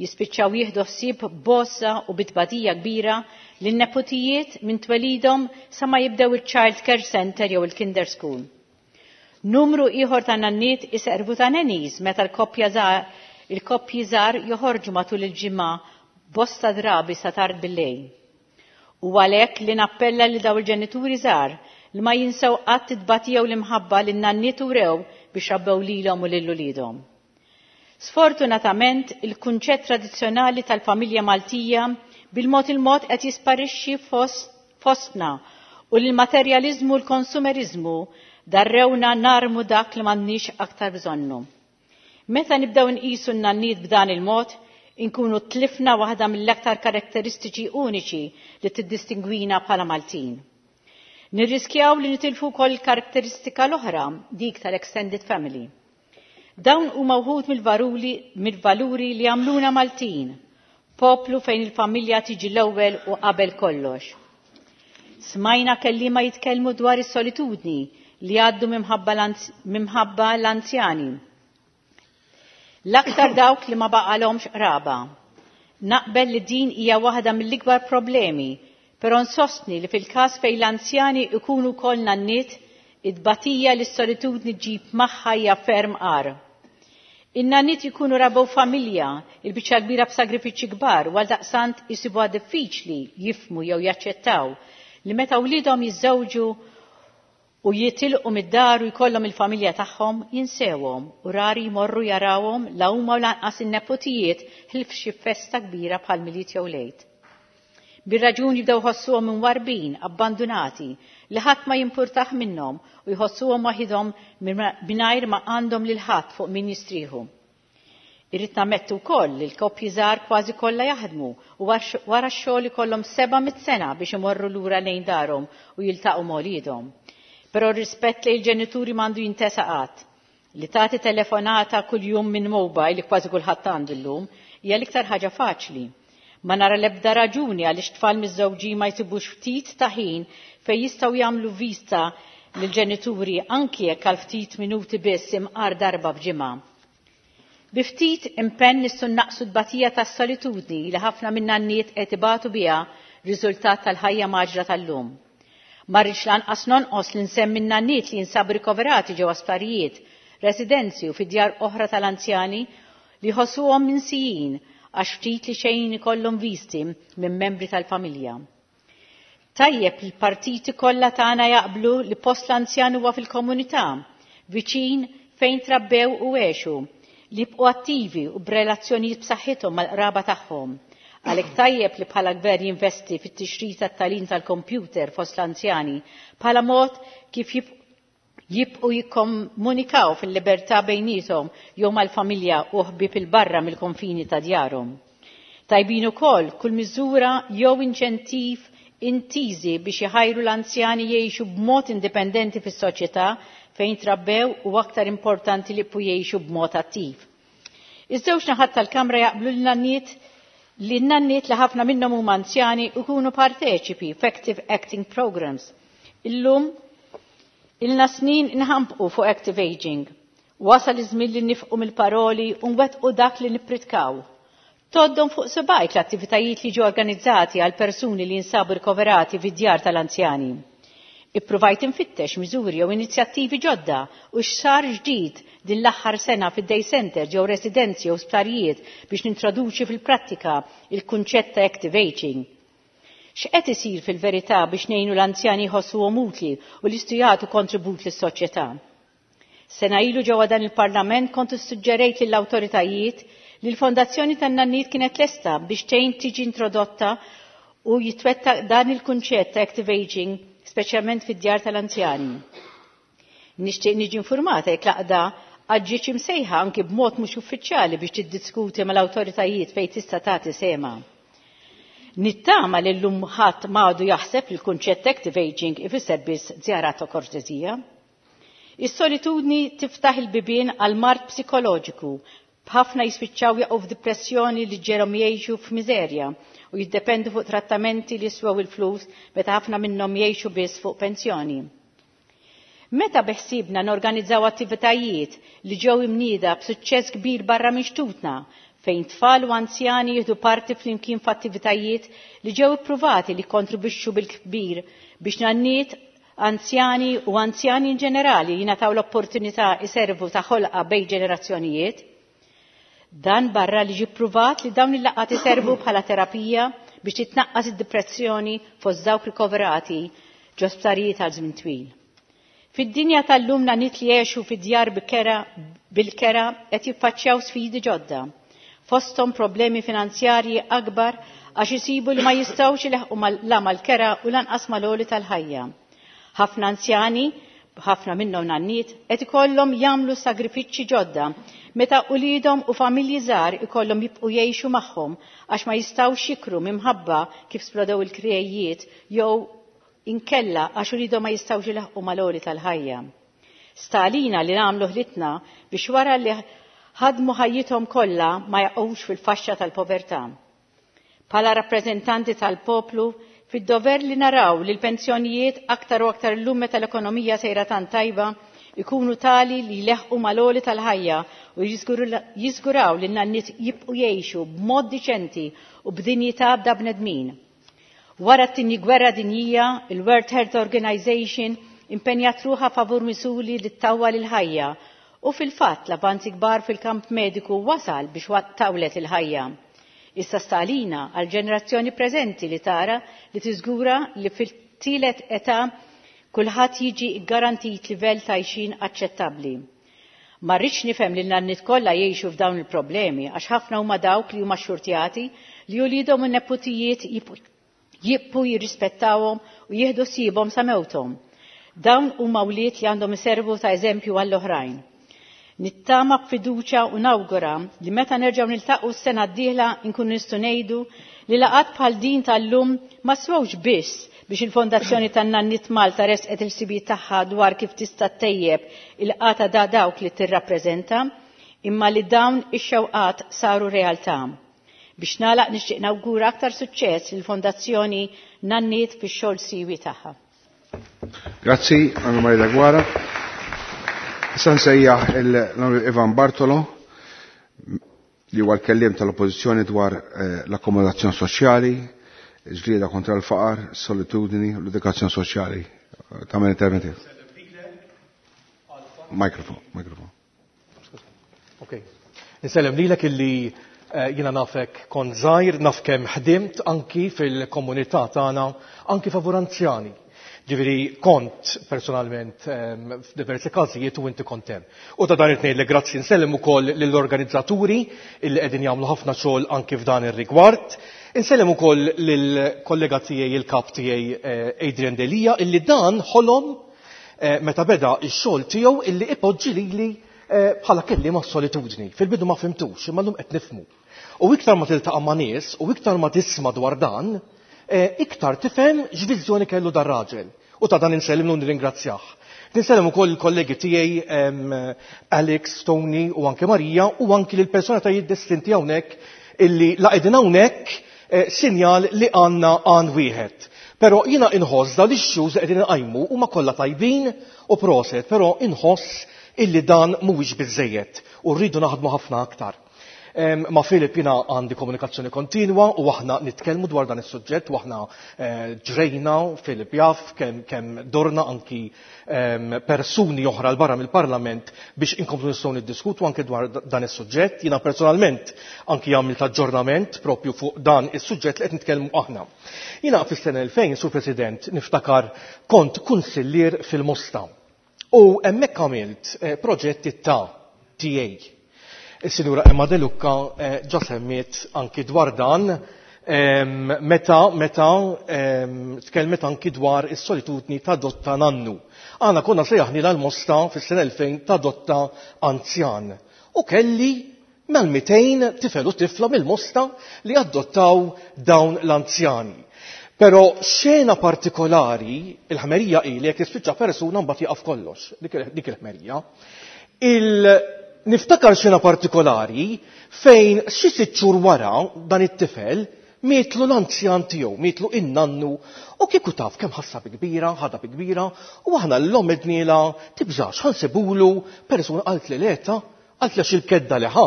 jispiċċaw jieħdu ħsieb b'għożża u bitbatija kbira lin-neputijiet minn twelidhom sa ma jibdew il-child care center jew il-kinder school. Numru ieħor ta' nanniet iservu ta' nannies meta l-koppja il-koppji żgħar joħorġu matul il-ġimgħa bosta drabi sa tard bil-lejl. U għalhekk li nappella li daw il-ġenituri żgħar li ma jinsew qatt it-tbatija u l-imħabba li n-nanniet urew biex rabbew lilhom u lil uliedhom. Sfortunatament, il-kunċett tradizzjonali tal-familja Maltija bil-mod il-mod qed jisparixxi fostna u l-materjaliżmu u l-konsumerizmu darrewna narmu dak li m'għandniex aktar bżonnu. Meta nibdew nqisu n-nanniet b'dan il-mod, inkunu tlifna waħda mill-aktar karatteristiċi uniċi li tiddistingwina bħala Maltin. Nirriskjaw li nitilfu wkoll il-karatteristika l-oħra, dik tal-extended family. Dawn huma wħud mill-valuri li għamluna Maltin, poplu fejn il-familja tiġi l-ewwel u qabel kollox. Smajna kelliema jitkellmu dwar is-solitudni li għaddu minħabba l-anzjani. L-aktar dawk li ma baqalhomx qraba. Naqbel li din hija waħda mill-ikbar problemi, però nsostni li fil-każ fejn l-anzjani ikunu wkoll nanniet, it-tbatija li s-solitudni ġġib magħha hija ferm agħar. In-nanniet jkunu rabew familja, il-biċċa kbira b'sagrifiċċji kbar, u għaldaqstant isibuha diffiċli jifhmu jew jaċċettaw li meta wliedhom jiżżewġu u jitilqu mid-dar u jkollhom il-familja tagħhom jinsewhom u rari jmorru jarawhom la huma u lanqas in-nepotijiet ħlief xi festa kbira bħal Milied jew l-Għid. Bir-raġun jibdew jħossuhom imwarbin, abbandunati, li ħadd ma jimpurtah minnhom u jħossuhom waħidhom mingħajr ma għandhom lil ħadd fuq min jistrieħu. Irrid nammettu wkoll li l-koppji żgħar kważi kollha jaħdmu u wara x-xogħol ikollhom 700 sena biex imorru lura lejn darhom u jiltaqgħu ma' wliedhom. Però r-rispett lejn il-ġenituri m'għandu jintesa qatt. Li tagħti telefonata kuljum minn mobile li kważi kulħadd għandu llum hija l-iktar ħaġa faċli. Ma nara l-ebda raġuni għaliex tfal miżżewġin ma jsibux ftit ta' ħin fejn jistgħu jagħmlu vista lill-ġenituri anki jekk għal ftit minuti biss imqar darba f'ġimgħa. Bi ftit impenn nistgħu naqsu t-tbatija tas-solitudni li ħafna min-nanniet qed ibatu biha riżultat tal-ħajja mgħaġġla tal-lum. Ma rridx lanqas nonqos li nsemmi n-nanniet li jinsabu rikoverati ġewwa sptarijiet, residenzi u fi djar oħra tal-anzjani li jħossuhom minsijin għax ftit li xejn ikollhom visti minn membri tal-familja. Tajjeb li l-partiti kollha tagħna jaqblu li post l-anzjan huwa fil-komunità, viċin fejn trabbew u għexu, li jibqgħu attivi u b'relazzjonijiet b'saħħithom mal-qraba tagħhom. Għalhekk tajjeb li bħala gvern jinvesti fit-tixrid tat-tagħlim tal-kompjuter fost l-anzjani bħala mod kif jibqgħu jikkomunikaw fil-libertà bejniethom jew mal-familja u ħbieb il-barra mill-konfini ta' djarhom. Tajbin ukoll kull miżura jew inċentiv intiżi biex iħajru l-anzjani jgħixu b'mod indipendenti fis-soċjetà fejn trabbew u aktar importanti li jibqgħu jgħixu b'mod attiv. Iż-żewġ naħat tal-Kamra jaqblu l-nanniet li n-nanniet li ħafna minnhom huma anzjani ikunu parteċipi f'active acting programs. Illum Ilna snin inħampqu fuq active aging. Wasal iż-żmien li nifqu mill-paroli u nwettqu dak li nippritkaw. Toddhom fuq subajk l-attivitajiet li ġew organizzati għal persuni li jinsabu rikoverati fid-djar tal-anzjani. Ippruvajt infittex miżuri jew inizjattivi ġodda u x'sar ġdid din l-aħħar sena fid-day center jew residenzi jew sptarijiet biex nintroduċi fil-prattika il-kunċett ta' active aging. X'qed isir fil-verità biex ngħinu l-anzjani jħossuhom utli u li jistgħu jagħtu kontribut lis-soċjetà? Sena ilu ġewwa dan il-Parlament kont issuġġerejt lill-awtoritajiet li l-Fondazzjoni tan-Nanniet kienet lesta biex tgħin tiġi introdotta u jitwettaq dan il-kunċett ta' active aging speċjalment fid-djar tal-anzjani. Nixtieq niġi informata jekk l-għaqda ġietx imsejħa anki b'mod mhux uffiċjali biex tiddiskuti mal-awtoritajiet fejn tista' tagħti sehemha. Nittama li llum ħadd m'għadu jaħseb li l-kunċett active aging ifisser biss żjarat ta' kortesija. Is-solitudni tiftaħ il-bibien għal mard psikoloġiku b'ħafna jispiċċaw jaqgħu f'depressjoni li ġġegħelhom jgħixu f'miżerja u jiddependu fuq trattamenti li jiswew il-flus meta ħafna minnhom jgħixu biss fuq pensjoni. Meta beħsiebna norganizzaw attivitajiet li ġew imnieda b'suċċess kbir barra minn xtutna fejn tfal u anzjani jieħdu parti flimkien f'attivitajiet li ġew ippruvati li kontribwixxu bil-kbir biex nanniet anzjani u anzjani in ġenerali jingħataw l-opportunità iservu ta' ħolqa bejn ġenerazzjonijiet. Dan barra li ġie ppruvat li dawn il-laqgħat iservu bħala terapija biex titnaqqas id-depressjoni fost dawk rikoverati ġo sptarijiet għal żmien twil. Fid-dinja tal-lum nanniet li jgħixu fid-djar bil-kera qed jiffaċċjaw sfidi ġodda. Fosthom problemi finanzjarji akbar għax isibu li ma jistgħux ilaħħqu la mal-kera u lanqas mal-għoli tal-ħajja. Ħafna anzjani, ħafna minnhom nanniet, qed ikollhom jagħmlu sagrifiċċji ġodda meta uliedhom u familji żgħar ikollhom jibqgħu jgħixu magħhom għax ma jistgħux jikru minħabba kif splodew il-krijiet jew inkella għax uliedhom ma jistgħux ilaħħqu mal-għoli tal-ħajja. Sta għalina li nagħmlu ħlitna biex wara li ħadmu ħajjithom kollha ma jaqgħux fil-faxxa tal-povertà. Bħala rappreżentanti tal-poplu, fid-dover li naraw li l-pensjonijiet aktar u aktar illum meta l-ekonomija sejra tant tajba ikunu tali li jleħqu mal-għoli tal-ħajja u jiżguraw li n-nanniet jibqu jgħixu b'mod diċenti u b'dinjità bda bnedmin. Wara t-tieni gwerra dinjija, il-World Health Organization impenjat ruħha favur miżuri li ttawwal il-ħajja u fil-fatt l-avanzi kbar fil-kamp mediku wasal biex tawlet il-ħajja. Issa sta għalina għal-ġenerazzjoni preżenti li tara li tiżgura li fil-tielet età kulħadd jiġi garantit livell ta' għajxin aċċettabbli. Ma rridx nifhem li n-nanniet kollha jgħixu f'dawn il-problemi għax ħafna huma dawk li huma xxurtjati li uliedhom u neputijiet jibqu jirrispettawhom u jieħdu ħsiebhom sa mewthom. Dawn huma wlied li għandhom iservu ta' eżempju għall-oħrajn. Nittama b'fiduċja u nawgura li meta nerġgħu niltaqgħu s-sena d-dieħla nkunu nistgħu ngħidu li laqgħat bħal din tal-lum ma swewx biss biex il-Fondazzjoni tan-Nanniet Malta resqet il-ħsibijiet tagħha dwar kif tista' ttejjeb il-qagħda ta' dawk li tirrappreżenta, imma li dawn ix-xewqat saru realtà. Biex nagħlaq nixtieq nawgura aktar suċċess lill-Fondazzjoni Nanniet fix-xogħol siwi tagħha. Grazzi, Anna Maria Daguara. Issa nsejjaħ l-Onorevoli Ivan Bartolo li huwa l-kelliem tal-Oppożizzjoni dwar eh, l-akkomodazzjoni soċjali, ġlieda kontra l-faqar, solitudini u l-edukazzjoni soċjali. Tagħmel interventi. Mikrofon, mikrofon. Okay. Insellem lilek illi eh, jiena nafek kont żgħir, naf kemm ħdimt anki fil-komunità tagħna, anki favur anzjani. Ġifieri kont personalment f'diversi każijiet u inti kont hemm. U ta' dan it li grazzi nsellem ukoll lill-organizzaturi illi qegħdin jagħmlu ħafna xogħol anki f'dan ir-rigward. Insellem ukoll lill-kollega tiegħi il-kap tiegħi eh, Adrian Delia illi dan ħolom eh, meta beda x-xogħol tiegħu illi ipoġġi lili eh, bħala kelliema solitudni. Fil-bidu ma fhimtux, imma llum qed nifhmu. U iktar ma tiltaqa' ma' nies u iktar ma tisma' dwar dan, iktar tifhem x'viżjoni kellu dar raġel. U ta' dan insellimlu nirringrazzjah. Ninsellem ukoll il-kollegi tiegħi Alex, Tony u anke Marija u anki lil personalitajiet distinti hawnhekk illi la qegħdin hawnhekk eh, sinjal li għandna għan wieħed. Però jiena inħoss dawn l-issues li qegħdin inqajmu huma kollha tajbin u proset, però inħoss illi dan mhuwiex biżżejjed u rridu naħdmu ħafna aktar. Ma' Philip jiena għandi komunikazzjoni kontinwa u aħna nitkellmu dwar dan is-suġġett u aħna eh, ġrejna Philip jaf kemm kemm dorna anki persuni oħra l barra mill-Parlament biex inkomplu nistgħu niddiskutu anke dwar dan is-suġġett. Jiena personalment anki għamilt aġġornament propju fuq dan is-suġġett li qed nitkellmu aħna. Jiena fis-sena 2000, Sur President, niftakar kont kunsillier fil-Mosta. U hemmhekk għamilt eh, proġetti ta' TA. Is-Sinjura Emma De Lucca eh, ġa semmiet anki dwar dan meta meta tkellmet anki dwar is-solitudni ta' dotta nannu. Aħna konna sejjaħni l-Mosta fis-sena 2000 ta' dotta anzjan. U kelli mal-200 tifel u tifla mill-Mosta li adottaw dawn l-anzjani. Però xena partikolari, il-ħmerija hi li jekk tispiċċa persuna mbagħad jaqaf kollox, dik il-ħmerija. Il niftakar xena partikolari fejn xi sitt xhur wara dan it-tifel mietlu l-anzjan tiegħu, mietlu in-nannu, u kieku taf kemm ħassa bi kbira, ħadha bi kbira, u aħna l-omm edniela tibżax ħansibulu persuna qalt li leta Għalt għax il-kedda li ħa.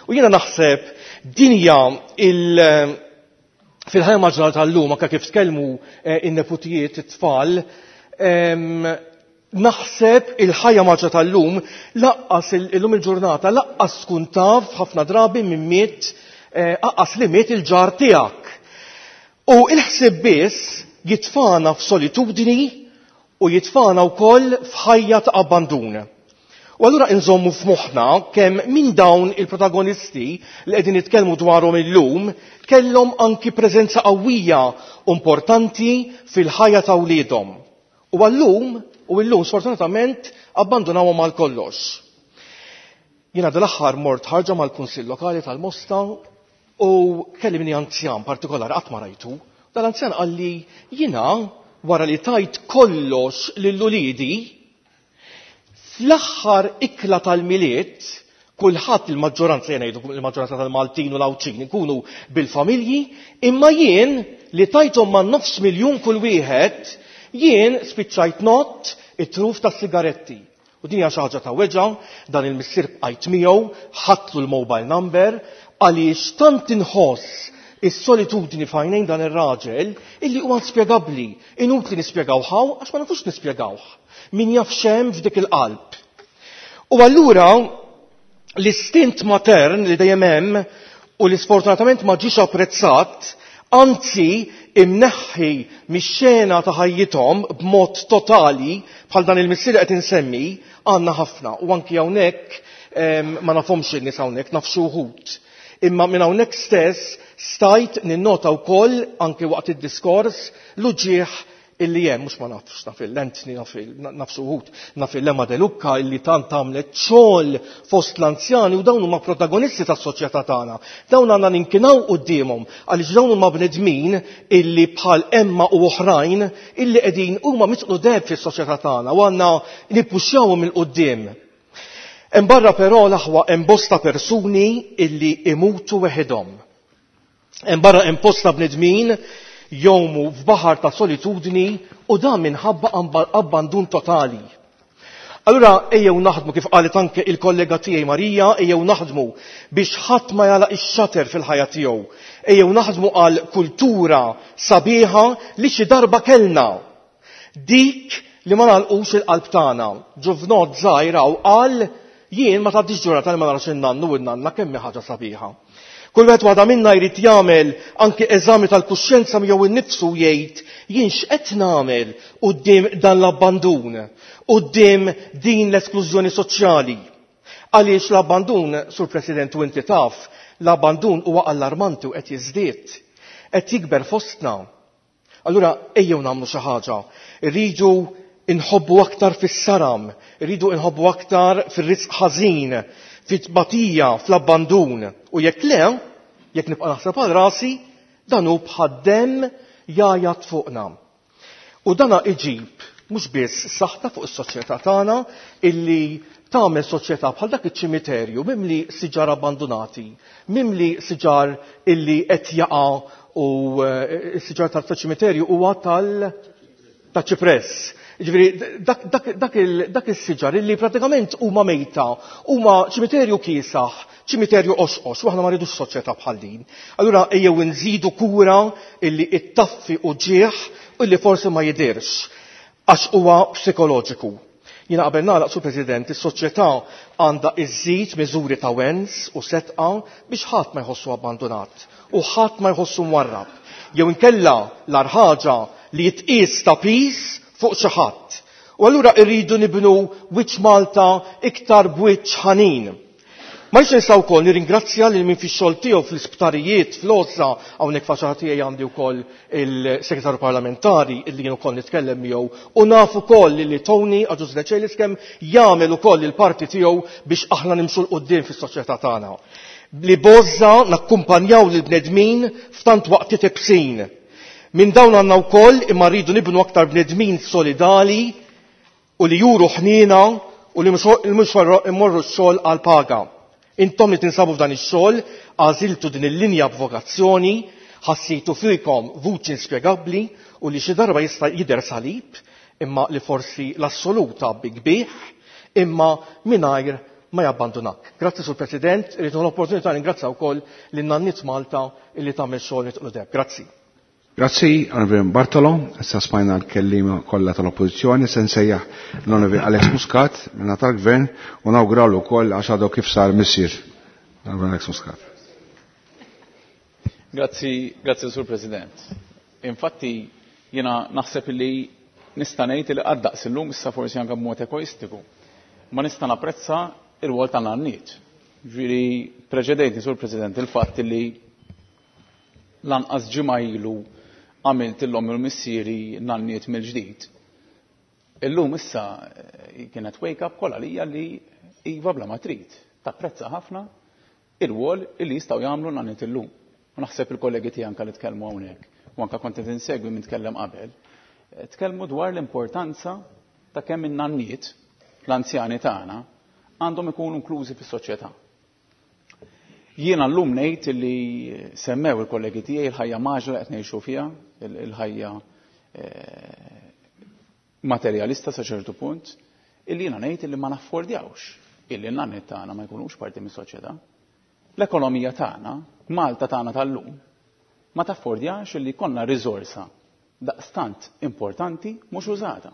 U jiena naħseb dinja il- fil-ħajja maġġorata tal-lum anke kif tkellmu eh, in-neputijiet it-tfal, naħseb il-ħajja maġġa tal-lum laqqas illum il-ġurnata laqqas tkun taf ħafna drabi minn miet eh, aqqas li miet il-ġar tiegħek. U il-ħsieb biss jitfana f'solitudni u jitfana wkoll f'ħajja ta' abbandun. U allura inżommu f'moħħna kemm minn dawn il-protagonisti li qegħdin nitkellmu dwarhom illum kellhom anki preżenza qawwija u importanti fil-ħajja ta' wliedhom. U għallum, u illum sfortunatament abbandunawhom għal kollox. Jiena dal-aħħar mort ħarġa mal-Kunsill Lokali tal-Mosta u kellimni anzjan partikolari qatt ma rajtu. Dal-anzjan qalli jiena wara li tajt kollox lil uliedi Fl-aħħar ikla tal-Milied, kulħadd il-maġġoranza jien ngħidu il-maġġoranza tal-Maltin u l-Għawdxin ikunu bil-familji, imma jien li tajthom ma' nofs miljun kull wieħed, jien spiċċajt ngħodd it-truf tas-sigaretti. U din hija xi ħaġa ta' weġgħa, dan il-missier bqajt miegħu, ħadtlu l-mobile number, għaliex tant inħoss is-solitudni f'għajnejn dan ir-raġel illi huwa inspjegabbli, inutli nispjegawh hawn għax ma nafux nispjegawh. Min jaf x'hemm f'dik il-qalb. U allura l-istint matern li dejjem hemm u li sfortunatament ma ġiex apprezzat, anzi imneħħi mix-xena ta' ħajjithom b'mod totali bħal dan il-missier qed insemmi għandna ħafna u anki hawnhekk ma nafhomx in-nies hawnhekk naf xi wħud. Imma minn hawnhekk stess stajt ninnota wkoll anki waqt id-diskors l-uġigħ illi hemm, mhux ma nafx, naf il-Anthony, naf naf xi wħud, naf il-Emma De Lucca illi tant għamlet xogħol fost l-anzjani u dawn huma protagonisti tas-soċjetà tagħna. Dawn għandna ninkinaw quddiemhom għaliex dawn huma bnedmin illi bħal Emma u oħrajn illi qegħdin huma mitqlu deheb fis-soċjetà tagħna u għandna nippuxxjawhom 'il quddiem. Hemm barra però l-aħwa hemm bosta persuni illi imutu weħidhom. Hemm barra hemm bosta bnedmin jgħumu f'baħar ta' solitudni u dan minħabba abbandun totali. Allura ejjew naħdmu kif qalet anke il-kollega tiegħi Marija, ejjew naħdmu biex ħadd ma jagħlaq ix-xater fil-ħajja tiegħu. Ejjew naħdmu għal kultura sabiħa li xi darba kellna. Dik li ma nagħlqux il-qalb tagħna. Ġuvnot żgħir hawn qal jien ma tgħaddix ġurnata li ma narax in-nannu u n-nanna kemm hi ħaġa sabiħa. Kull wieħed waħda minna jrid jagħmel anki eżami tal-kuxjenza miegħu innifsu jgħid jien x'qed nagħmel quddiem dan l-abbandun, quddiem din l-esklużjoni soċjali. Għaliex l-abbandun, Sur President u inti taf, l-abbandun huwa allarmanti u qed jiżdied. Qed jikber fostna. Allura ejjew nagħmlu xi ħaġa. Irridu inħobbu aktar fis-saram, irridu inħobbu aktar fir-risq ħażin, fit-tbatija, fl-abbandun. U jekk le, jekk nibqa' naħseb għal rasi, dan hu bħad-demm jgħajjat fuqna. U dana iġib mhux biss saħta fuq is-soċjetà tagħna illi tagħmel soċjetà bħal dak iċ-ċimiterju mimli siġar abbandunati, mimli siġar illi qed jaqa' u eh, s-siġar tal-ċimiterju huwa tal ta' ċipress. Ġifieri dak is-siġar illi pratikament huma mejta, huma ċimiterju kiesaħ, ċimiterju osqos, u aħna ma rridux soċjetà bħal din. Allura ejjew nżidu kura illi ittaffi u ġieħ u illi forsi ma jidirx għax huwa psikoloġiku. Jiena qabel nagħlaq Sur President, is-soċjetà għandha iżżid miżuri ta' wens u setqa biex ħadd ma jħossu abbandunat u ħadd ma jħossu mwarrab. Jew inkella l-agħar ħaġa li jitqies ta' piż fuq xi ħadd. U allura rridu nibnu wiċċ Malta iktar b'wiċċ ħanin. Ma rridx ninsa wkoll nirringrazzja lil min fix-xogħol tiegħu fl-isptarijiet, fl-għożża, hawnhekk faċċata tiegħi għandi wkoll il-Segretarju Parlamentari illi jien ukoll nitkellem miegħu u naf ukoll li Tony Agius Decelis kemm jagħmel ukoll il-parti tiegħu biex aħna nimxu 'l quddiem fis-soċjetà tagħna. Li b'għożża nakkumpanjaw lill-bnedmin f'tant waqtiet ibsin. Minn dawn għandna wkoll imma rridu nibnu aktar bnedmin solidali u li juru ħniena u li mhux immorru x-xogħol għal paga. Intom li tinsabu f'dan ix-xogħol għażiltu din il-linja b'vokazzjoni, ħassejtu fikom vuċi inspjegabbli u li xi darba jista' jidher salib, imma li forsi l-assolut tgħabbik bih, imma mingħajr ma jabbandunak. Grazzi Sur President, irrid l-opportunità ningrazzja wkoll lin nanniet Malta illi tagħmel xogħol nitqlu deb. Grazzi. Grazzi, Onorevoli Bartolo. Issa smajna l-kelliema kollha tal-Oppożizzjoni, se nsejjaħ l-Onorevoli Alex Muscat minna tal-Gvern u nawguralu wkoll għax għadu kif sar missier. Onorevoli Alex Muscat. Grazzi, grazzi Sur President. Infatti, jiena naħseb li nista' ngħid li qatt daqs illum issa forsi anke b'mod egoistiku. Ma nista' napprezza ir-rwol tan-nanniet. Ġifieri preċedejtni Sur President il-fatt li Lanqas ġimgħa ilu għamilt 'l ommi u l-missieri nanniet mill-ġdid. Illum issa kienet wake up call għalija li iva bla ma trid, tapprezza ħafna ir-rwol li jistgħu jagħmlu n-nanniet illum. U naħseb il-kollegi tiegħi anke li tkellmu hawnhekk u anke kont qed insegwi min tkellem qabel, tkellmu dwar l-importanza ta' kemm in-nanniet, l-anzjani tagħna, għandhom ikunu inklużi fis-soċjetà. Jiena llum ngħid li semmew il-kollegi tiegħi il-ħajja mgħaġġla li qed ngħixu fiha, il-ħajja eh, materjalista sa ċertu punt, illi jiena ngħid illi ma naffordjawx illi n-nanniet tagħna ma jkunux parti mis-soċjetà. L-ekonomija tagħna, Malta tagħna tal-lum, ma taffordjax illi jkollna riżorsa daqstant importanti mhux użata.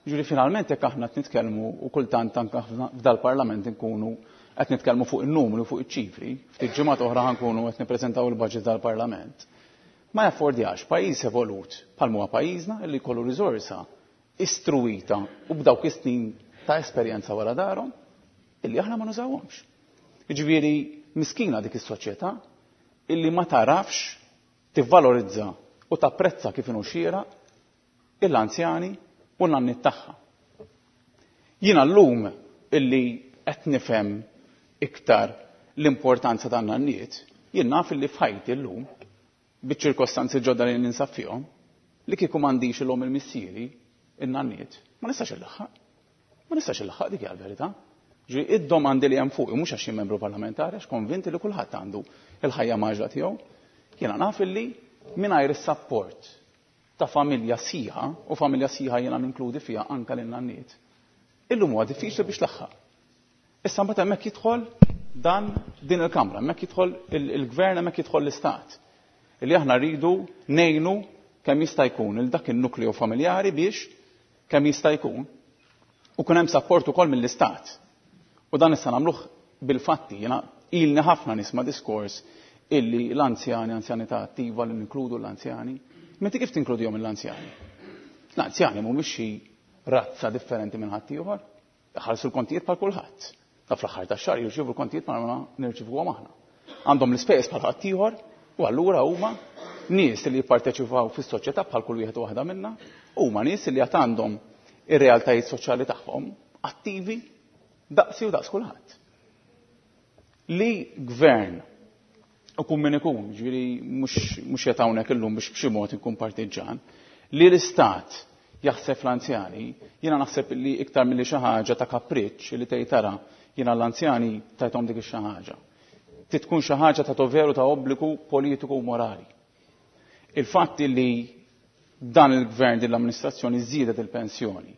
Jiġifieri finalment jekk aħna qed nitkellmu u kultant anke f'dal-Parlament inkunu qed nitkellmu fuq in-numri u fuq iċ-ċifri, ftit ġimgħat oħra ħa nkunu qed nippreżentaw il-budget tal-Parlament, ma jaffordjax pajjiż evolut bħal huwa pajjiżna illi jkollu riżorsa istruwita u b'dawk is-snin ta' esperjenza wara darhom illi aħna ma nużawhomx. Jiġifieri miskina dik is-soċjetà illi ma tagħrafx tivvalorizza u tapprezza kif inhu xieraq il-anzjani u n-nanniet tagħha. Jiena llum illi qed nifhem iktar l-importanza tan-nanniet, jien naf illi f'ħajti llum, biċ-ċirkostanzi ġodda li ninsab fihom, li kieku m'għandix il-omm il-missieri, in-nanniet, ma nistax illaħħaq. Ma nistax illaħħaq dik hija l-verità. Ġifieri id-domandi li hemm fuqi mhux għax jien membru parlamentari għax konvinti li kulħadd għandu il-ħajja mgħaġġla tiegħu. Jiena naf illi mingħajr is-sapport ta' familja sħiħa, u familja sħiħa jiena ninkludi fiha anke lin-nanniet, illum huwa diffiċli biex tlaħħaq. Issa mbagħad hemmhekk jidħol dan din il-Kamra, hemmhekk jidħol il-Gvern, hemmhekk jidħol l-Istat. Illi aħna rridu ngħinu kemm jista' jkun il dak in-nukleo familjari biex kemm jista' jkun u kun hemm sapport ukoll mill-Istat. U dan issa nagħmluh bil-fatti. Jiena ilni ħafna nisma' diskors illi l-anzjani, anzjanità attiva li ninkludu l-anzjani. Meta kif tinkludihom l-anzjani? L-anzjani mhumiex xi razza differenti minn ħaddieħor. Iħallsu l-kontijiet bħal kulħadd. Ta' fl-aħħar tax-xahar jirċievu l-kontijiet bħal ma nirċivuhom aħna. Għandhom l-ispejjeż bħal ħaddieħor u allura huma nies li jipparteċipaw fis-soċjetà bħal kull wieħed u waħda minna, huma nies li għad għandhom ir-realtajiet soċjali tagħhom attivi daqsi u daqs kulħadd. Li gvern u kun min ikun, ġifieri mhux qed hawnhekk illum biex b'xi mod inkun partiġġan, li l-istat jaħseb fl-anzjani, jiena naħseb li iktar milli xi ħaġa ta' kapriċċ li tgħid tara jiena l-anzjani tajthom dik ix-xi ħaġa. Trid tkun xi ħaġa ta' doveru ta' obbligu politiku u morali. Il-fatt li dan il-gvern din l-amministrazzjoni żiedet il-pensjoni.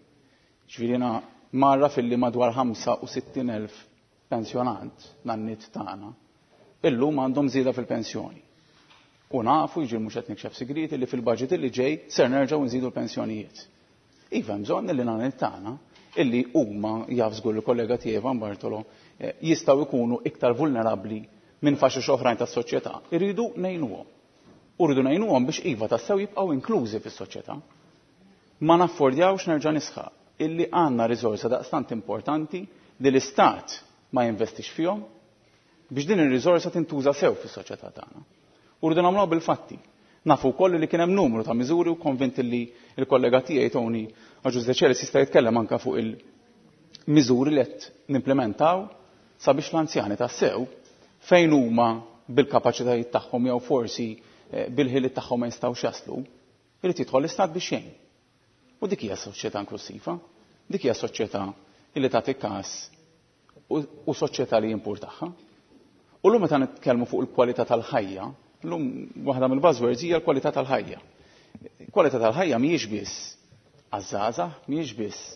Ġifieri jiena mgħarraf illi madwar 65,000 pensjonant, nanniet tagħna, illum għandhom żieda fil-pensjoni. U nafu, jiġifieri mhux qed nikxef sigrieti, li fil-budget li ġej ser nerġgħu nżidu l-pensjonijiet. Iva hemm bżonn li nanniet tagħna, illi huma jaf żgur il-kollega tiegħi Ivan Bartolo, jistgħu jkunu iktar vulnerabbli minn faxex oħrajn tas-soċjetà, irridu ngħinuhom. U rridu ngħinuhom biex iva tassew jibqgħu inklużi fis-soċjetà. Ma naffordjawx nerġa' nisħaq illi għandna riżorsa daqstant importanti li l-Istat ma jinvestix fihom biex din ir-riżorsa tintuża sew fis-soċjetà tagħna. U rridu nagħmluha bil-fatti. Nafu wkoll li kien hemm numru ta' miżuri u konvint li l-kollega tiegħi Tony Agius Decelis jista' jitkellem anke fuq il-miżuri li qed nimplementaw sabiex l-anzjani tassew fejn huma bil-kapaċitajiet tagħhom jew forsi bil-ħiliet tagħhom ma jistgħux jaslu, irid jidħol l-Istat biex jgħin. U dik hija soċjetà inklusiva, dik hija soċjetà li tagħti każ u soċjetà li jimpur tagħha. U llum meta nitkellmu fuq il-kwalità tal-ħajja, llum waħda mill-buzzwords hija l-kwalità tal-ħajja. Kwalità tal-ħajja mhijiex biss għaż-żgħażagħ, mhijiex biss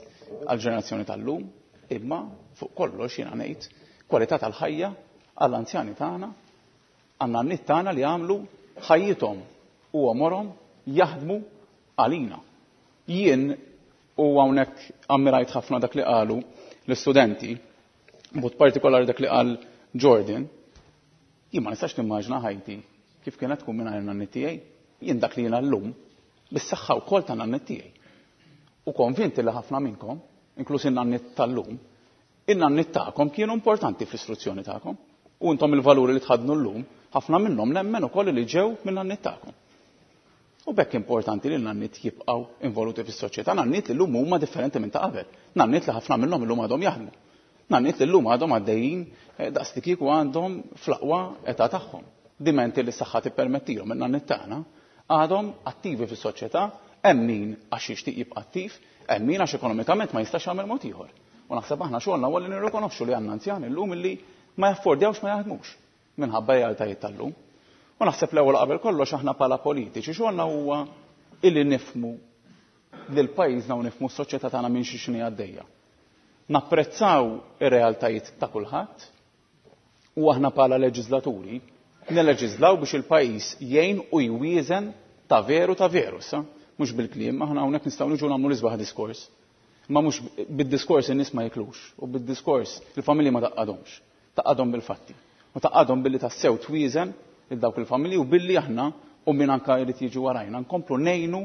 għall-ġenerazzjoni tal-lum, imma fuq kollox jiena ngħid kwalità tal-ħajja għall-anzjani tagħna, għan-nanniet tagħna li għamlu ħajjithom u għomorhom jaħdmu għalina. Jien u hawnhekk ammirajt ħafna dak li qalu l-istudenti, b'mod partikolari dak li qal Jordan, jien ma nistax nimmaġina ħajti kif kienet tkun mingħajr nanniet tiegħi. Jien dak li jiena llum bis-saħħa wkoll ta' nanniet tiegħi. U konvinti li ħafna minnkom, inkluż in-nanniet tal-lum, in-nanniet tagħkom kienu importanti fl-istruzzjoni tagħkom. U intom il-valuri li tħaddnu llum, ħafna minnhom nemmen ukoll li ġew minn nanniet tagħkom. U b'hekk importanti li n-nanniet jibqgħu involuti fis-soċjetà, nanniet li llum huma differenti minn ta' qabel, nanniet li ħafna minnhom illum għadhom jaħdmu, nanniet li llum għadhom għaddejjin daqs li kieku għandhom fl-aqwa età tagħhom. Dimenti li s-saħħa tippermettilhom, in-nanniet tagħna għadhom attivi fis-soċjetà, hemm min għax jixtieq jibqa' attiv, hemm min għax ekonomikament ma jistax jagħmel mod ieħor. U naħseb aħna xogħolna huwa li nirrikonoxxu li għandna anzjani llum illi ma jaffordjawx ma jaħdmux minħabba realtajiet tal-lum. U naħseb l-ewwel qabel kollox aħna bħala politiċi xogħolna huwa illi nifhmu lil pajjiżna u nifhmu s-soċjetà tagħna minn xi x'inhi għaddejja. Napprezzaw ir-realtajiet ta' kulħadd u aħna bħala leġislaturi neleġislaw biex il-pajjiż jgħin u jwieżen ta' veru ta' veru sa, mhux bil-kliem, aħna hawnhekk nistgħu niġu nagħmlu l-isbaħ diskors. Ma mhux bid-diskors in-nies ma jiklux u bid-diskors il-familji ma taqqadhomx. Taqqadhom bil-fatti. U taqqadhom billi tassew twieżen lil dawk il-familji u billi aħna u min anka jrid jiġi warajna nkomplu ngħinu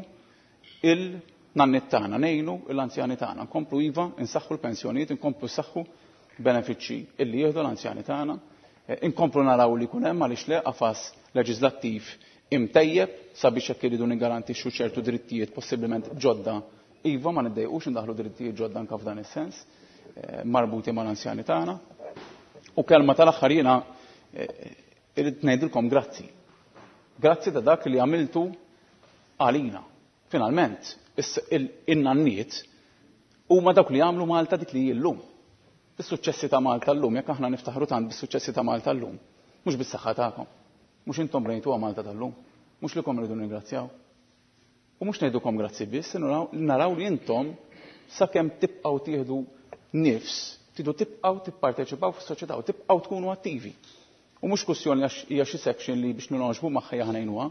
il-nanniet tagħna, ngħinu l-anzjani tagħna, nkomplu iva nsaħħu l-pensjonijiet, nkomplu nsaħħu benefiċċji illi jieħdu l-anzjani tagħna, inkomplu naraw li jkun hemm għaliex le qafas leġislattiv imtejjeb sabiex jekk iridu niggarantixxu ċertu drittijiet possibilment ġodda iva ma niddejqux indaħlu drittijiet ġodda anke f'dan is-sens marbuti mal-anzjani tagħna. U kelma tal-aħħar jiena irrid ngħidilkom grazzi. Grazzi ta' dak li għamiltu għalina. Finalment, in-nanniet huma dawk li għamlu Malta dik li hi llum. Is-suċċessi ta' Malta llum, jekk aħna niftaħru tant bis-suċċessi ta' Malta llum, mhux bis-saħħa tagħkom, mhux intom bnejtuha Malta tal-lum, mhux lilkom irridu nirringrazzjaw. U mhux ngħidukom grazzi biss, naraw li intom sakemm tibqgħu tieħdu nifs, tridu tibqgħu tipparteċipaw fis-soċjetà u tibqgħu tkunu attivi. U mhux kwistjoni għax hija xi section li biex ningħoġbu magħha hija ħnejnuha,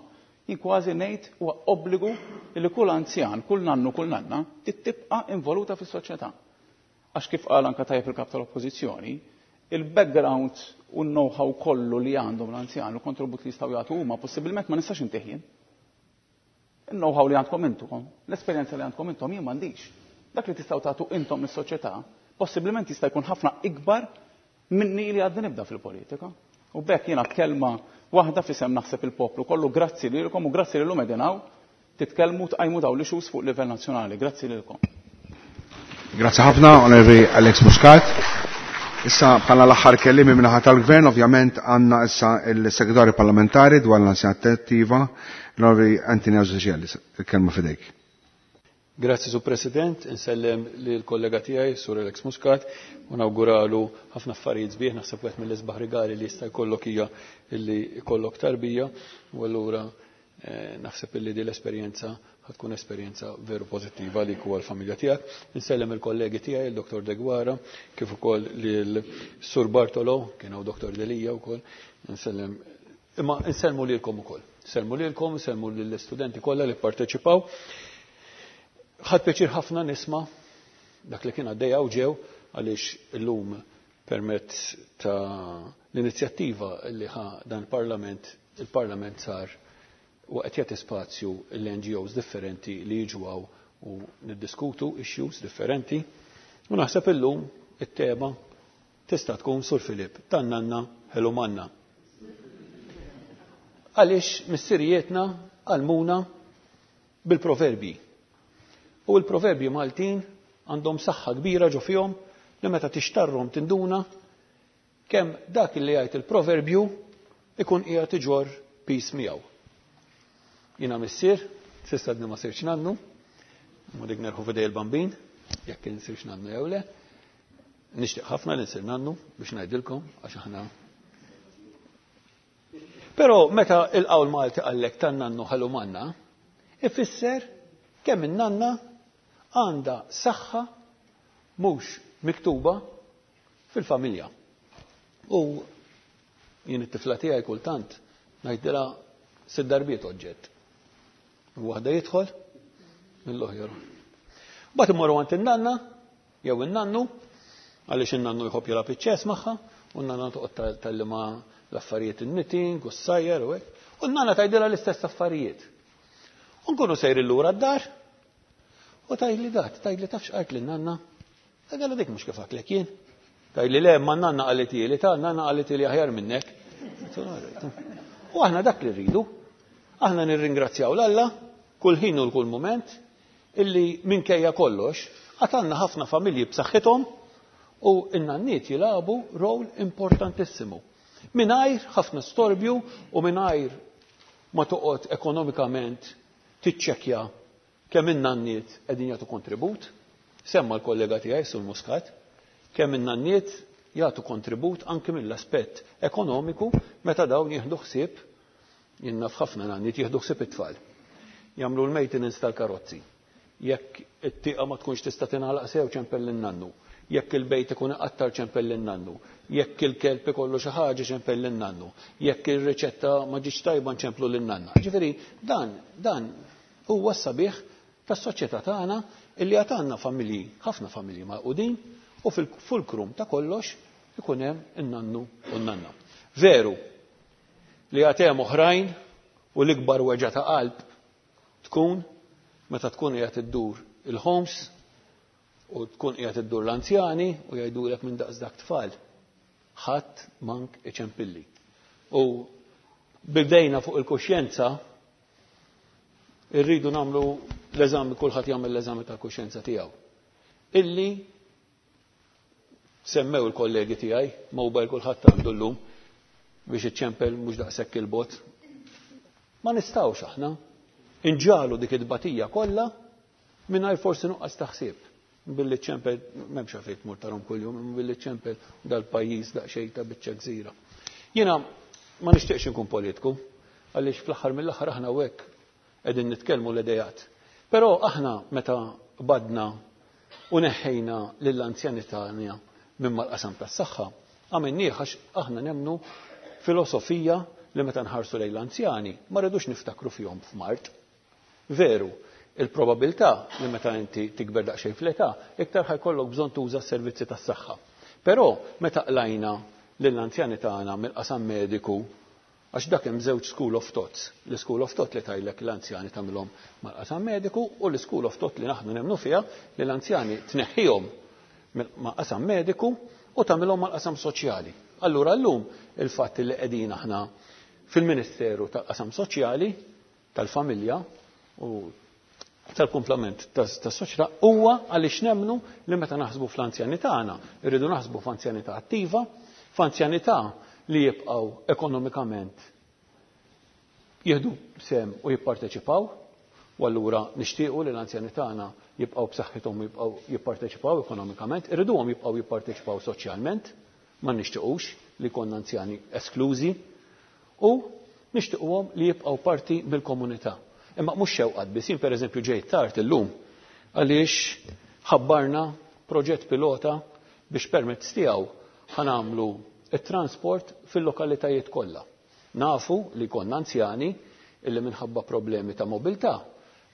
jien kważi ngħid huwa obbligu li kull anzjan, kull nannu, kull nanna trid tibqa' involuta fis-soċjetà. Għax kif qal anka tajjeb il-kap tal-Oppożizzjoni, il-background u l-know-how kollu li għandhom l-anzjan u kontribut li jistgħu jagħtu huma possibilment ma nistax intih jien. Il-know-how li għandkom intom, l-esperjenza li għandkom intom jien m'għandix. Dak li tistgħu tagħtu intom lis-soċjetà possibilment jista' jkun ħafna ikbar minni li għadni nibda fil-politika. U b'hekk jiena kelma waħda fisem naħseb il-poplu kollu, grazzi lilkom u grazzi lilhom qegħdin hawn titkellmu tqajmu dawn l-issues fuq livell nazzjonali. Grazzi lilkom. Grazzi ħafna, Onorevoli Alex Muscat. Issa bħala l-aħħar kelliem min-naħa tal-Gvern, ovvjament għandna issa il-Segretarju Parlamentari dwar l-Anzjanità Attiva, l-Onorevoli Anthony Agius Decelis. Il-kelma fidejk. Grazzi, Sur President, insellem lill kollega tiegħi, Sur Alex Muscat, u nawguralu ħafna affarijiet sbieħ, naħseb wieħed mill-isbaħ rigali li jista' jkollok hija illi jkollok tarbija, u allura eh, naħseb illi din l-esperjenza tkun esperjenza veru pożittiva li u għall-familja tiegħek. Insellem il-kollegi tiegħi, il-Dr. Degwara, kif ukoll lil Sur Bartolo, kien hawn Dr. Delija wkoll, insellem imma insellmu lilkom ukoll. Sellmu lilkom, sellmu lill-istudenti kollha li pparteċipaw. Ħadt pjaċir ħafna nisma' dak li kien għaddej hawn ġew għaliex illum permezz ta' l-inizjattiva li ħa dan il-Parlament, il-Parlament sar u qed jagħti spazju l-NGOs differenti li jiġu hawn u niddiskutu issues differenti. U naħseb illum it-tema tista' tkun Sur Filip tan-nanna ħelu manna. Għaliex missirijietna għallmuna bil-proverbji. U l-proverbji Maltin għandhom saħħa kbira ġo fihom li meta tixtarrhom tinduna kemm dak li jgħid il-proverbju ikun qiegħed iġorr piż miegħu. Jiena missier, s'issa għadni ma sirtx nannu, ma dik nerħu f'idej il-bambin, jekk insirx nannu jew le. Nixtieq ħafna li nsir nannu biex ngħidilkom għax aħna Però meta il-qawl Malti qallek tan-nannu ħelu manna, ifisser kemm in-nanna għandha saħħa mhux miktuba fil-familja. U jien it-tifla tiegħi kultant ngħidilha sitt darbiet oġġett. Waħda jidħol, mill-oħra. Mbagħad immorru għand in-nanna jew in-nannu, għaliex in-nannu jħobb jilgħab iċ-ċess magħha, u n-nanna toqgħod tgħallimha l-affarijiet in-knitting u s-sajjar u hekk. U n-nanna tgħidilha l-istess affarijiet. U nkunu sejrin lura d-dar u tgħidli dat, tgħidli taf x'qalt lin-nanna? Tgħidilha dik mhux kif għedtlek jien. Tgħidli le, ma n-nanna qalitieli, ta' n-nanna qalitieli aħjar minnek. U aħna dak li rridu. Aħna nirringrazzjaw 'l Alla kull ħin u l-kull mument illi minkejja kollox għad għandna ħafna familji b'saħħithom u n-nanniet jilagħbu rol importantissimu. Mingħajr ħafna storbju u mingħajr ma toqgħod ekonomikament tiċċekkja kemm in-nanniet qegħdin jagħtu kontribut. Semma l-kollega tiegħi Sur Muscat kemm in-nanniet jagħtu kontribut anki mill-aspett ekonomiku meta dawn jieħdu ħsieb Jien naf ħafna nanniet jieħdu ħsieb it-tfal. Jagħmlu l-maintenance tal-karozzi. Jekk it-tieqa ma tkunx tista' tingħalaq sew ċempel lin-nannu. Jekk il-bejt ikun iqattar ċempel lin-nannu. Jekk il-kelb ikollu xi ħaġa ċempel lin-nannu. Jekk ir-riċetta ma ġietx tajba nċemplu lin-nanna. Ġifieri dan dan huwa s-sabiħ tas-soċjetà tagħna illi għad għandna familji, ħafna familji magħqudin u fil-fulkrum ta' kollox ikun hemm in-nannu u n-nanna. Veru, Li għad hemm oħrajn u l-ikbar weġgħa ta' qalb tkun meta tkun qiegħed iddur il-homes u tkun qiegħed iddur l-anzjani u jgħidulek minn daqs dak tfal. Ħadd mank iċempilli. U bidejna fuq il-kuxjenza irridu nagħmlu l-eżami kulħadd jagħmel l-eżami tal-kuxjenza tiegħu. Illi Semmew il-kollegi tiegħi, mobile kulħadd għandu llum biex iċċempel mhux daqshekk il-bot. Ma nistgħux aħna inġalu dik it-tbatija kollha mingħajr forsi nuqqas ta' ħsieb. Billi ċempel, m'hemmx għalfejn tmur tarhom kuljum, imma billi ċempel dal-pajjiż daqsxejn ta' biċċa gżira. Jiena ma nixtieqx inkun politiku, għaliex fl-aħħar mill-aħħar aħna hekk Qegħdin nitkellmu l-ideat. Però aħna meta qbadna u neħħejna lill-anzjani tagħna minn mal-qasam tas-saħħa, għamilnieh għax aħna nemmnu filosofija li meta nħarsu lejn l-anzjani ma rridux niftakru fihom f'mard. Veru, il-probabilità li meta inti tikber daqsxejn fl-età, iktar ħa jkollok bżonn tuża s-servizzi tas-saħħa. Però meta qlajna lill-anzjani tagħna mill-qasam mediku Għax dak hemm żewġ school of thoughts. L-school of thought li tgħidlek l-anzjani tagħmilhom mal-qasam mediku u l-school of thought li aħna nemmnu fiha li l-anzjani tneħħihom mal-qasam mediku u tagħmilhom mal-qasam soċjali. Allura llum il-fatt li qegħdin aħna fil-Ministeru tal-Qasam Soċjali, tal-Familja u tal-kumplament tas-soċjetà huwa għaliex nemmnu li meta naħsbu fl-anzjani tagħna, irridu naħsbu f'anzjanità attiva, f'anzjanità li jibqgħu ekonomikament jieħdu sehem u jipparteċipaw, u allura nixtiequ li l-anzjani tagħna jibqgħu b'saħħithom u jibqgħu jipparteċipaw ekonomikament, irriduhom jibqgħu jipparteċipaw soċjalment, ma nixtiequx li jkollna anzjani esklużi u nixtiequhom li jibqgħu parti mill-komunità. Imma mhux xewqat biss, jien pereżempju ġejt tard illum għaliex ħabbarna proġett pilota biex permezz tiegħu ħa nagħmlu t-transport fil-lokalitajiet kollha. Nafu li jkollna anzjani illi minħabba problemi ta' mobilità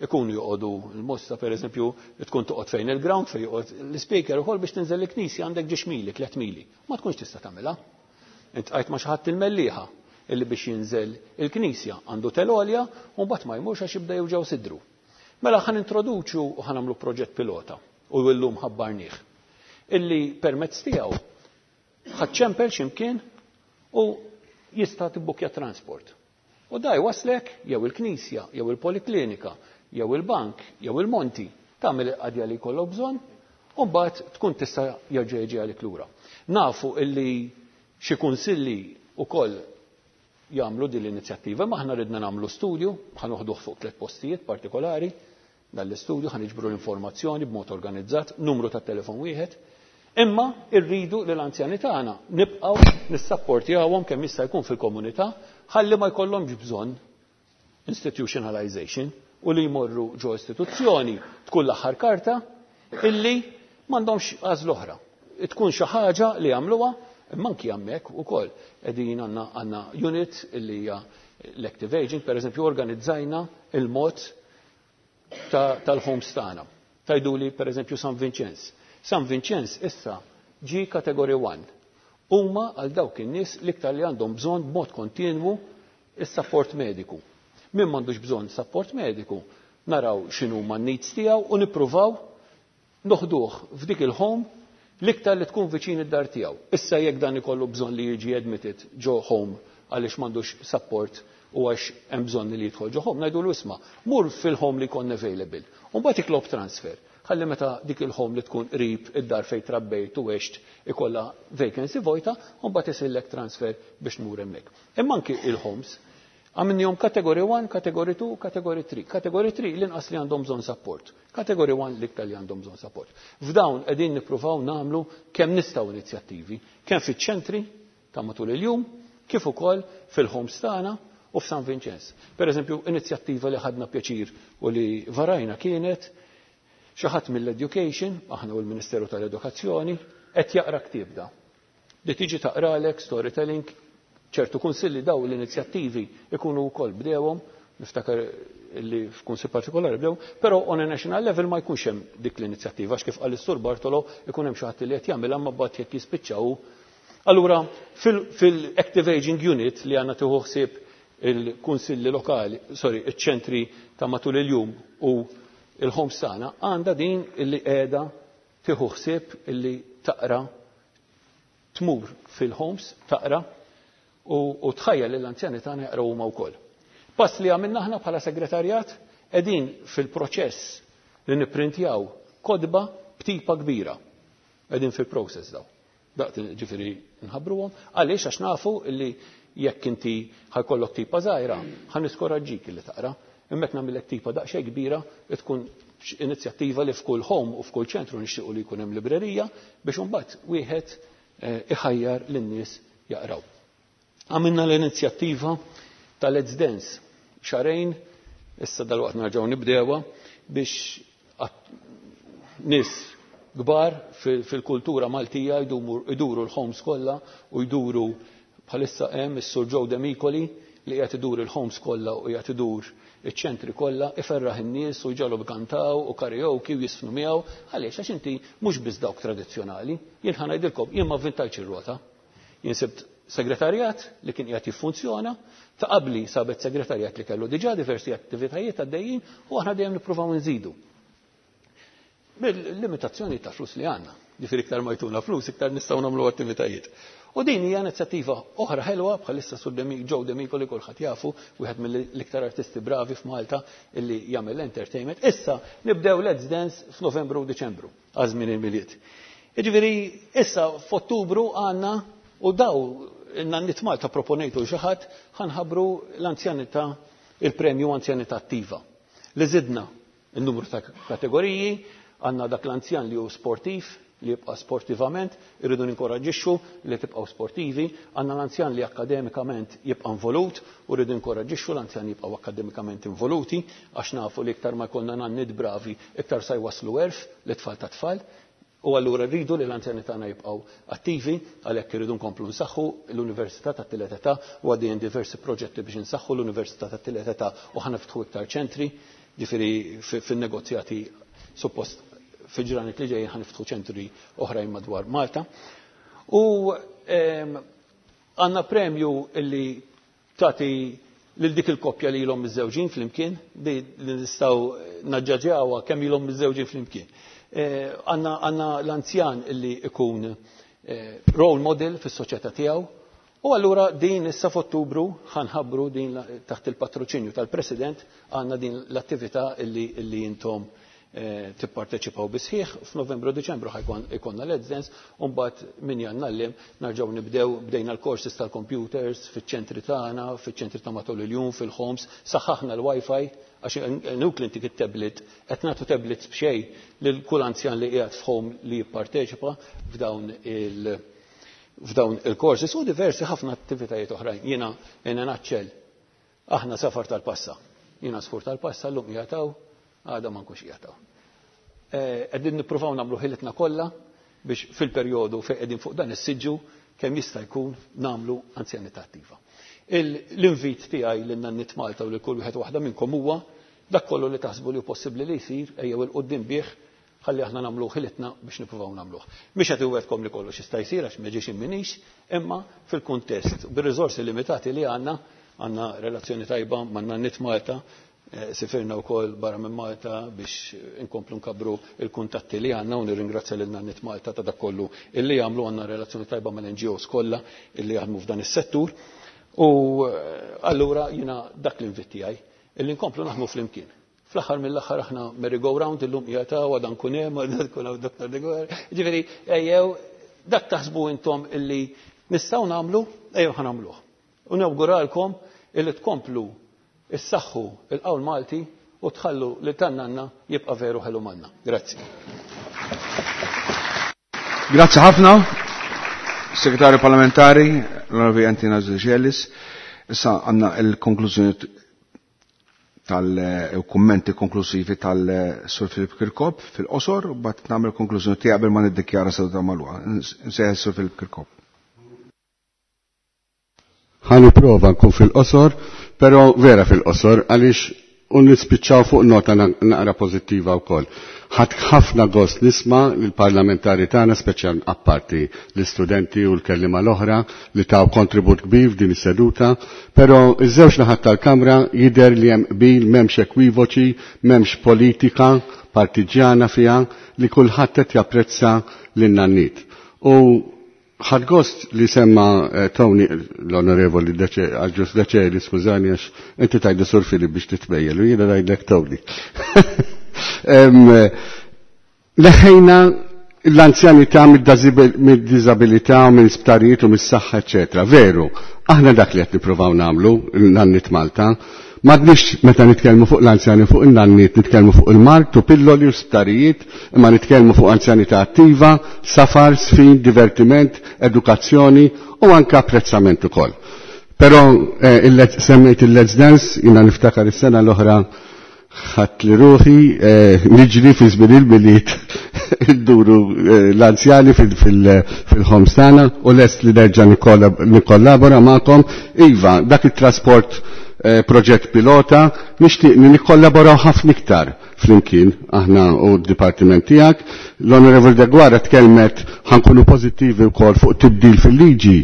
ikunu joqogħdu l-Mosta pereżempju tkun toqgħod fejn il-ground fejn joqgħod l-ispeaker ukoll biex tinżel il-knisja għandek ġiex mili, 3 mili. Ma tkunx tista' tagħmilha. Intqajt ma' xi ħadd il-Mellieħa illi biex jinżel il-knisja għandu telgħolja u mbagħad ma jmurx għax jibda jewġgħu sidru. Mela ħa nintroduċu u ħa nagħmlu proġett pilota u llum ħabbarnieh illi permezz tiegħu ħa ċċempel x'imkien u jista' tibbukja transport. U da jwasslek jew il-knisja, jew il-poliklinika, jew il-bank, jew il-monti, tagħmel il-qadja li jkollok bżonn, u mbagħad tkun tista' jerġa' jiġi għalik lura. Nafu illi xi kunsilli wkoll jagħmlu din l-inizjattiva, imma aħna ridna nagħmlu studju, ħa noħduh fuq tliet postijiet partikolari, Dan l-istudju ħa niġbru l-informazzjoni b'mod organizzat, numru ta' telefon wieħed, imma rridu li l-anzjani tagħna nibqgħu nissapportjawhom kemm jista' jkun fil-komunità ħalli ma jkollhomx bżonn institutionalization u li jmorru ġo istituzzjoni tkun l-aħħar karta illi m'għandhomx għażla oħra. Tkun xi ħaġa li jagħmluha imma anki hemmhekk ukoll qegħdin għandna għandna unit illi hija l-active aging, pereżempju organizzajna il-mod tal-homes tagħna. Tgħiduli pereżempju San Vinċenz. San Vinċenz issa ġie Category 1. Huma għal dawk in-nies l-iktar li għandhom bżonn b'mod kontinwu is-sapport mediku. Min m'għandux bżonn sapport mediku, naraw x'inhuma n-needs tiegħu u nippruvaw noħduh f'dik il-home l-iktar li tkun viċin id-dar tiegħu. Issa jekk dan ikollu bżonn li jiġi admitted ġo home għaliex m'għandux support u għax hemm bżonn li jidħol ġo home, ngħidulu isma' mur fil-home li jkollna available. U mbagħad itlob transfer. Ħalli meta dik il-home li tkun qrib id-dar fejn trabbejt u għext ikollha vacancy vojta, u mbagħad isirlek transfer biex tmur hemmhekk. Imma anki il-homes Għamilnihom Category 1, Category 2, Category 3. Category 3 l-inqas li għandhom bżonn support. Category 1 l-iktar li għandhom bżonn support. F'dawn qegħdin nippruvaw nagħmlu kemm nistgħu inizjattivi, kemm fiċ-ċentri ta' matul il-jum, kif ukoll fil-homes tagħna u f'San Vinċenz. Per eżempju, inizjattiva li ħadna pjaċir u li varajna kienet xi ħadd mill-education, aħna u l-Ministeru tal-Edukazzjoni, qed jaqra ktieb da. Li tiġi taqralek storytelling, ċertu kunsilli daw l-inizjattivi ikunu wkoll bdewhom, niftakar li f'kunsill partikolari bdew, però on a national level ma jkunx hemm dik l-inizjattiva għax kif qal is-Sur Bartolo ikun hemm xi ħadd li qed jagħmilha imma mbagħad jekk jispiċċa hu. Allura fil-Active Aging Unit li għandna tieħu ħsieb il-kunsilli lokali, sorry, iċ-ċentri ta' matul il-jum u il-homes tagħna għandha din illi qiegħda tieħu ħsieb illi taqra tmur fil-homes taqra u tħajjar lill-anzjani tagħna jaqraw huma wkoll. Pass li għamilna aħna bħala segretarjat qegħdin fil-proċess li nipprintjaw kotba b'tipa kbira. Qegħdin fil-process daw. Daqt ġifieri nħabbruhom. Għaliex għax nafu li jekk inti ħajkollok tipa żgħira, ħa niskoraġġik li taqra. Imma jekk nagħmillek tipa daqsxejn kbira, tkun inizjattiva li f'kull home u f'kull ċentru nixtiequ li jkun hemm librerija biex imbagħad wieħed eh, iħajjar lin-nies jaqraw. Għamilna l-inizjattiva ta' Let's Dance xarejn, issa dal-waqt nerġgħu nibdewha biex nies kbar fil-kultura Maltija jduru l-homes kollha u jduru bħalissa hemm is-Sur Joe Demicoli li qiegħed idur il-homes kollha u qiegħed idur iċ-ċentri kollha iferraħ in-nies u jġagħalhom ikantaw u karaoke u jiżfnu miegħu. Għaliex? Għax inti mhux biss dawk tradizzjonali. Jien ħa ngħidilkom, jien ma vvintajtx ir-rota. Jien sibt segretarjat li kien qiegħed jiffunzjona, ta' qabli sabet segretarjat li kellu diġà diversi attivitajiet għaddejjin u aħna dejjem nippruvaw nżidu. Bil-limitazzjoni ta' flus li għandna. Ġifieri iktar ma jtuna flus, iktar nistgħu nagħmlu attivitajiet. U din hija inizjattiva oħra ħelwa bħalissa sur Joe Demiko li kulħadd jafu, wieħed mill-iktar artisti bravi f'Malta illi jagħmel entertainment. Issa nibdew Let's Dance f'Novembru u Diċembru għal żmien il-Milied. Jiġifieri issa f'Ottubru għandna u daw in-nanniet Malta proponejtu xi ħadd ħa nħabbru l-anzjanità il-premju anzjanità attiva li żidna. In-numru ta' kategoriji, għandna dak l-anzjan li hu sportiv, li jibqa' sportivament, irridu ninkoraġġixxu li tibqgħu sportivi, għandna l-anzjan li akkademikament jibqa' involut u rridu ninkoraġġixxu l-anzjan jibqgħu akkademikament involuti għax nafu li iktar ma jkollna nanniet bravi iktar sa jwasslu għerf lit-tfal tat-tfal. U allura rridu li l-anzjani tagħna jibqgħu attivi, għalhekk irridu nkomplu nsaħħu l-Università tat-Tielet Età u għaddejjin diversi proġetti biex insaħħu l-Università tat-Tielet Età u ħa niftħu iktar ċentri, ġifieri fin-negozjati suppost fil-ġranet li ġejjin ħa niftħu ċentri oħrajn madwar Malta. U għandna premju li tagħti lil dik il-koppja li ilhom miżżewġin flimkien, li nistgħu naġġaġjawha kemm ilhom miżżewġin flimkien. Għandna l-anzjan li ikun role model fis-soċjetà tiegħu. U allura din issa f'Ottubru ħanħabbru din taħt il-patroċinju tal-President għandna din l-attività illi intom tipparteċipaw bisħiħ. F'Novembru u Diċembru ħajkon ikonna Let's Dance, u mbagħad min Jannar nerġgħu nibdew, bdejna l-courses tal-computers fiċ-ċentri tagħna, fiċ-ċentri ta' matul il-jum, fil-homes, saħħaħna l-Wi-Fi għax inutli intik it-tablet, qed nagħtu tablets b'xejn lil kull anzjan li qiegħed f'home li jipparteċipa f'dawn il-courses u diversi ħafna attivitajiet oħrajn. Jiena in a nutshell, aħna safar tal-passa. Jiena sfur tal-passa llum qiegħed għada ma nkunx qiegħed Qegħdin nippruvaw nagħmlu ħilitna kollha biex fil-perjodu fejn qegħdin fuq dan is-siġġu kemm jista' jkun nagħmlu anzjanità attiva. L-invit tiegħi lil Nanniet Malta u lil kull wieħed waħda minnkom huwa dak kollu li taħsbu li hu possibbli li jsir ejjew 'il quddiem bih ħalli aħna nagħmlu ħilitna biex nippruvaw nagħmluh. Mhix qed iwedkom li kollox jista' jsir għax ma ġiex imminix, imma fil-kuntest bir-riżorsi limitati li għandna, għandna relazzjoni tajba ma' Nanniet Malta, sifirna wkoll barra minn Malta biex inkomplu nkabru il-kuntatti li għandna u nirringrazzja lil Nanniet Malta ta' dak kollu illi jagħmlu, għandna relazzjoni tajba mal-NGOs kollha illi jaħdmu f'dan is-settur. U allura jiena dak l-invit tiegħi illi nkomplu naħdmu flimkien. Fl-aħħar mill-aħħar aħna merry go round illum qiegħed hawn għada nkun hemm, għada nkun hawn Dr. Deguara. Ġifieri ejjew dak taħsbu intom illi nistgħu nagħmlu, ejjew ħa nagħmluh. U nawguralkom illi tkomplu issaħħu il-qawl Malti u tħallu li tan-nanna jibqa' veru ħelu manna. Grazzi. Grazzi ħafna, Segretarju Parlamentari, l-Onorevoli Anthony Agius. Issa għandna il-konklużjoni tal-kummenti konklusivi tal-Sur Filip Kirkop fil-qosor, u bat nagħmel konklużjoni tiegħi qabel ma niddikjara seduta magħluqa. Nsejħ Sur Filip Kirkop. Ħa nipprova nkun fil-qosor, però vera fil-qosor għaliex u nispiċċaw fuq nota naqra pożittiva wkoll. Ħadt ħafna gost nisma' lill-parlamentari tagħna, speċjal apparti l-istudenti u l-kellima l-oħra li taw kontribut kbir f'din is-seduta, però iż-żewġ naħat tal-Kamra jidher li hemm qbil, m'hemmx ekwivoċi, m'hemmx politika partiġjana fiha li kulħadd qed japprezza lin-nanniet. U ħadt gost li semma Tony, l-onorevoli Agius Decelis, skużani għax inti tajdu Sur Filip biex titbejjel, u jiena ngħidlek Tony. Leħejna l-anzjanità mid-diżabilità, mill-isptarijiet u mis-saħħa, eċetera. Veru, aħna dak li qed nippruvaw nagħmlu, l-Nanniet Malta, M'għadniex meta nitkellmu fuq l-anzjani fuq in-nanniet nitkellmu fuq il-mard u pilloli u sptarijiet, imma nitkellmu fuq anzjanità attiva, safar, sfin, divertiment, edukazzjoni u anke apprezzament ukoll. Però semmejt il-Let's Dance, jiena niftakar is-sena l-oħra ħadd li ruħi niġri fi żmien il-Milied idduru l-anzjani fil-homes tagħna u lest li nerġa' nikkollabora magħkom. Iva, dak it-trasport proġett pilota, nixtieq li nikkollaboraw ħafna iktar flimkien aħna u d-dipartiment tiegħek. L-Onorevoli Deguara tkellmet ħankunu pożittivi wkoll fuq tibdil fil-liġi.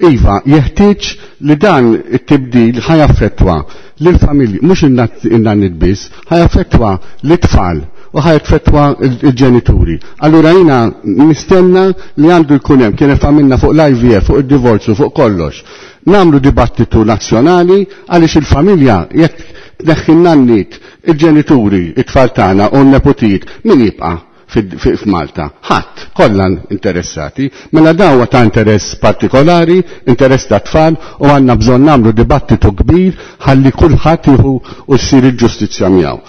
Iva, jeħtieġ li dan it-tibdil ħajaffettwa lill-familji, mhux in-nanniet biss, ħajaffettwa l-tfal u ħajaffettwa il-ġenituri. Allura jiena nistenna li għandu jkun hemm, kien għamilna fuq l-IVF, fuq id-divorzju, fuq kollox. Namlu dibattitu nazzjonali għaliex il-familja jekk tneħħi n-nanniet, il-ġenituri, it-tfal tagħna u n-nepotijiet, min jibqa' f'Malta? Ħadd, kollha interessati. Mela dawa ta' interess partikolari, interess ta' tfal u għandna bżonn nagħmlu dibattitu kbir ħalli kulħadd jieħu u ssir il-ġustizzja miegħu.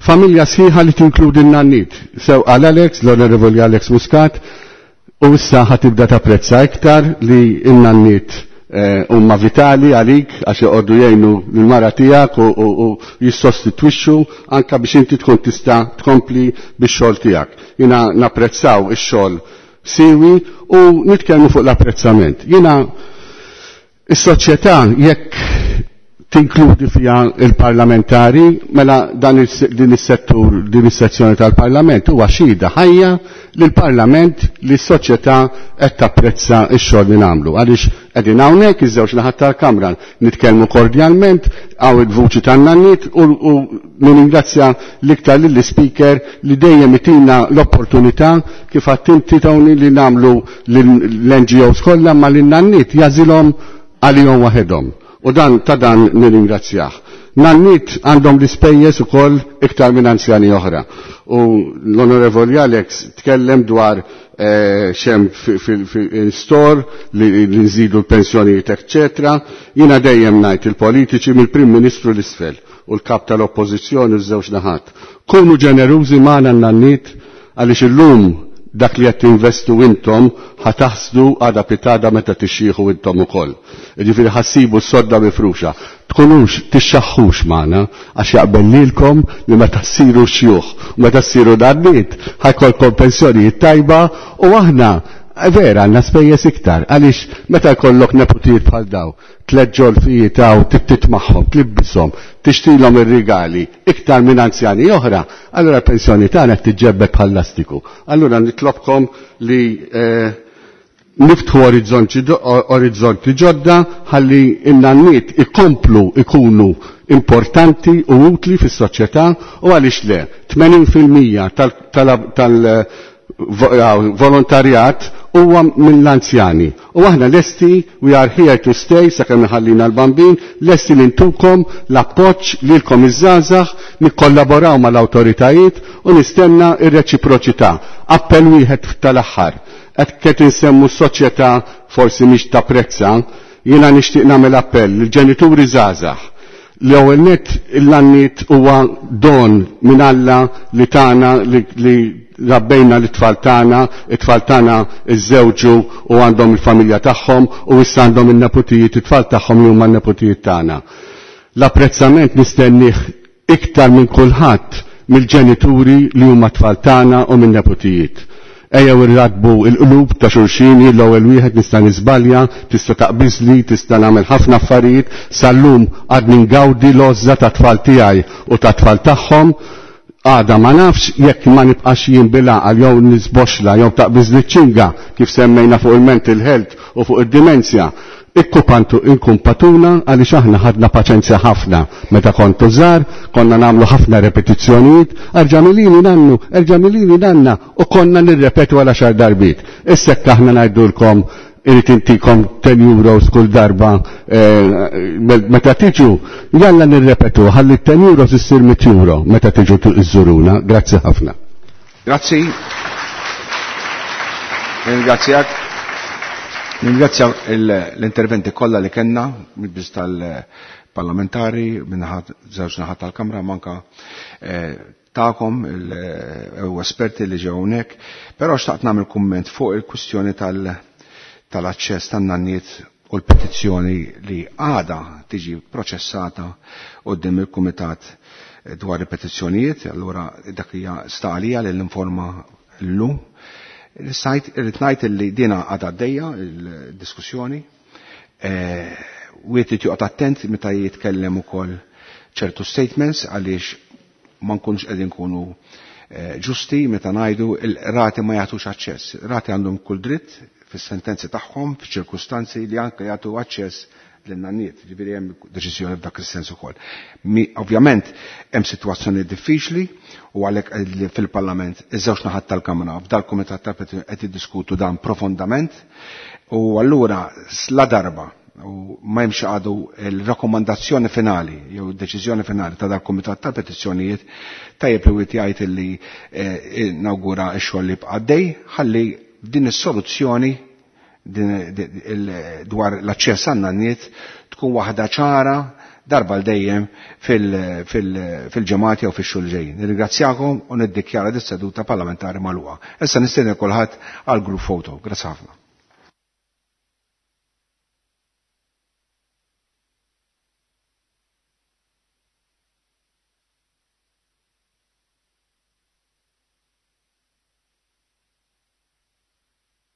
Familja sħiħa li tinkludi n-nannit. Sew għal Alex, l-Onorevoli Alex Muscat, u issa ħatibda tapprezza iktar li n-nannit eh, huma vitali għalik għax joqogħdu jgħinu l-mara tiegħek u jissostitwixxu anke biex inti tkun tista' tkompli bix-xogħol tiegħek. Jiena napprezzaw ix-xogħol siwi u nitkellmu fuq l-apprezzament. Jiena is-soċjetà jekk tinkludi fija il-parlamentari, mela dan din is-settur, din is-sezzjoni tal-parlament huwa xhieda ħajja li l-parlament li s-soċjetà qed tapprezza x-xogħol li nagħmlu. Għaliex qegħdin hawnhekk iż-żewġ naħat tal-Kamra nitkellmu kordjalment hawn il-vuċi tan-nanniet u nirringrazzja l-iktar lill-ispeaker li dejjem itina l-opportunità kif għadt inti Tony li nagħmlu l-NGOs kollha ma lin-nanniet jażilhom għalihom waħedhom. U dan ta' dan nirringrazzjah. Nannit għandhom l-ispejjeż ukoll iktar minn anzjani oħra. U l-Onorevoli Alex tkellem dwar eh, xem fil-store li nżidu l-pensjonijiet, eccetera. Jiena dejjem ngħid il-politiċi mill-Prim Ministru l-isfel u l-kap tal-Oppożizzjoni u ż-żewġ naħat. Kunu ġenerużi magħna n-nannit għaliex illum dak li qed tinvestu intom ħataħsdu għada pitada meta tixjieħu intom ukoll. Jiġifieri ħassibu s-sodda mifruxa. Tkunux tixxaħħux magħna għax jaqbel lilkom li meta ssiru xjuħ u meta ssiru nanniet ħajkolkom pensjonijiet tajba u aħna vera għandna spejjeż iktar għaliex meta jkollok neputijiet bħal daw tliet ġolfijiet hawn tittit magħhom, tlibbishom, tixtilhom ir-rigali iktar minn anzjani oħra, allura l-pensjoni tagħna qed tiġġebbed bħal lastiku. Allura nitlobkom li eh, niftħu orizzonti ġodda ħalli in-nanniet ikomplu ikunu importanti u utli fis-soċjetà u għaliex le 80% tal-volontarjat huwa mill-anzjani. U aħna lesti, we are here to stay, sakemm iħallina l-bambin, lesti li ntukom l-appoġġ lilkom iż-żgħażagħ, nikkollaboraw mal-awtoritajiet u nistenna ir-reċiproċità. Appell wieħed tal-aħħar. Qed qed insemmu s-soċjetà forsi mhix tapprezza, jiena nixtieq nagħmel appell lill-ġenituri żgħażagħ. L-ewwel nett l-għanniet huwa don minn Alla li tagħna li rabbejna l-tfal tagħna, it-tfal tagħna iżżewġu u għandhom il-familja tagħhom u issa għandhom in-neputijiet it-tfal tagħhom li huma n-neputijiet tagħna. L-apprezzament nistennih iktar minn kulħadd mill-ġenituri li huma tfal tagħna u minn-neputijiet. Ejjew irradbu il-qlub ta' xulxin, jien l-ewwel wieħed nista' niżbalja, tista' taqbiżli, tista' nagħmel ħafna affarijiet, sal-lum għadni ngawdi l-għożża tat-tfal tiegħi u tat-tfal tagħhom, għada ma nafx jekk ma nibqax jien bil-għaqal jew nisboxla jew taqbiżli ċ-ċinga kif semmejna fuq il-mental health u fuq id-dimensja. Ikkupantu inkumpatuna għaliex aħna ħadna paċenzja ħafna meta kontu żgħar, konna nagħmlu ħafna repetizzjonijiet, erġa' milini nannu, erġa' milini nanna u konna nirrepetu għal għaxar darbiet. Issa jekk aħna ngħidulkom irrid intikom 10 euros kull darba eh, meta tiġu, jalla nirrepetu ħalli 10 euros issir 100 euro meta tiġu iżżuruna. Grazzi ħafna. Grazzi. Ringrazzjak. Ringrazzja l-interventi kollha li kellna mill-biż tal-parlamentari minnaħat żewġ naħat tal-Kamra manka eh, ta'kom eh, u esperti li ġew hawnhekk, però xtaqt nagħmel kumment fuq il-kwistjoni tal-aċċess tan-nanniet u l-petizzjoni li għada tiġi proċessata qudiem il-Kumitat dwar il-petizzjonijiet, allura dak hija sta għalija li l-informa llum. Sajt irrid ngħid li dina għadha għaddejja il-diskussjoni. Eh, wieħed irid joqgħod attent meta jitkellem ukoll ċertu statements għaliex ma nkunux qegħdin nkunu eh, ġusti meta ngħidu il-rati ma jagħtux aċċess. Rati għandhom kull dritt fis-sentenzi tagħhom, f'ċirkustanzi li anke jagħtu aċċess lin-nanniet, ġifieri hemm deċiżjoni f'dak is-sens ukoll. Ovvjament hemm sitwazzjoni diffiċli u għalhekk li fil-Parlament iż-żewġ naħat tal-Kamra f'dal-Kumitat tal qed jiddiskutu dan profondament u allura la darba u ma jimx għadu il-rakkomandazzjoni finali jew deċiżjoni finali ta' dal-Kumitat tal-Petizzjonijiet tajjeb li wieħed jgħid illi eh, nawgura x-xogħol li bqaddej ħalli din is-soluzzjoni dwar l-aċċess għan-nanniet tkun waħda ċara, darba l dejjem fil-ġemati jew fix-xhur ġejjin. Nirringrazzjakom u niddikjara dis-seduta parlamentari magħluqa. Issa nistenni kulħadd għal group photo. Grazzi ħafna.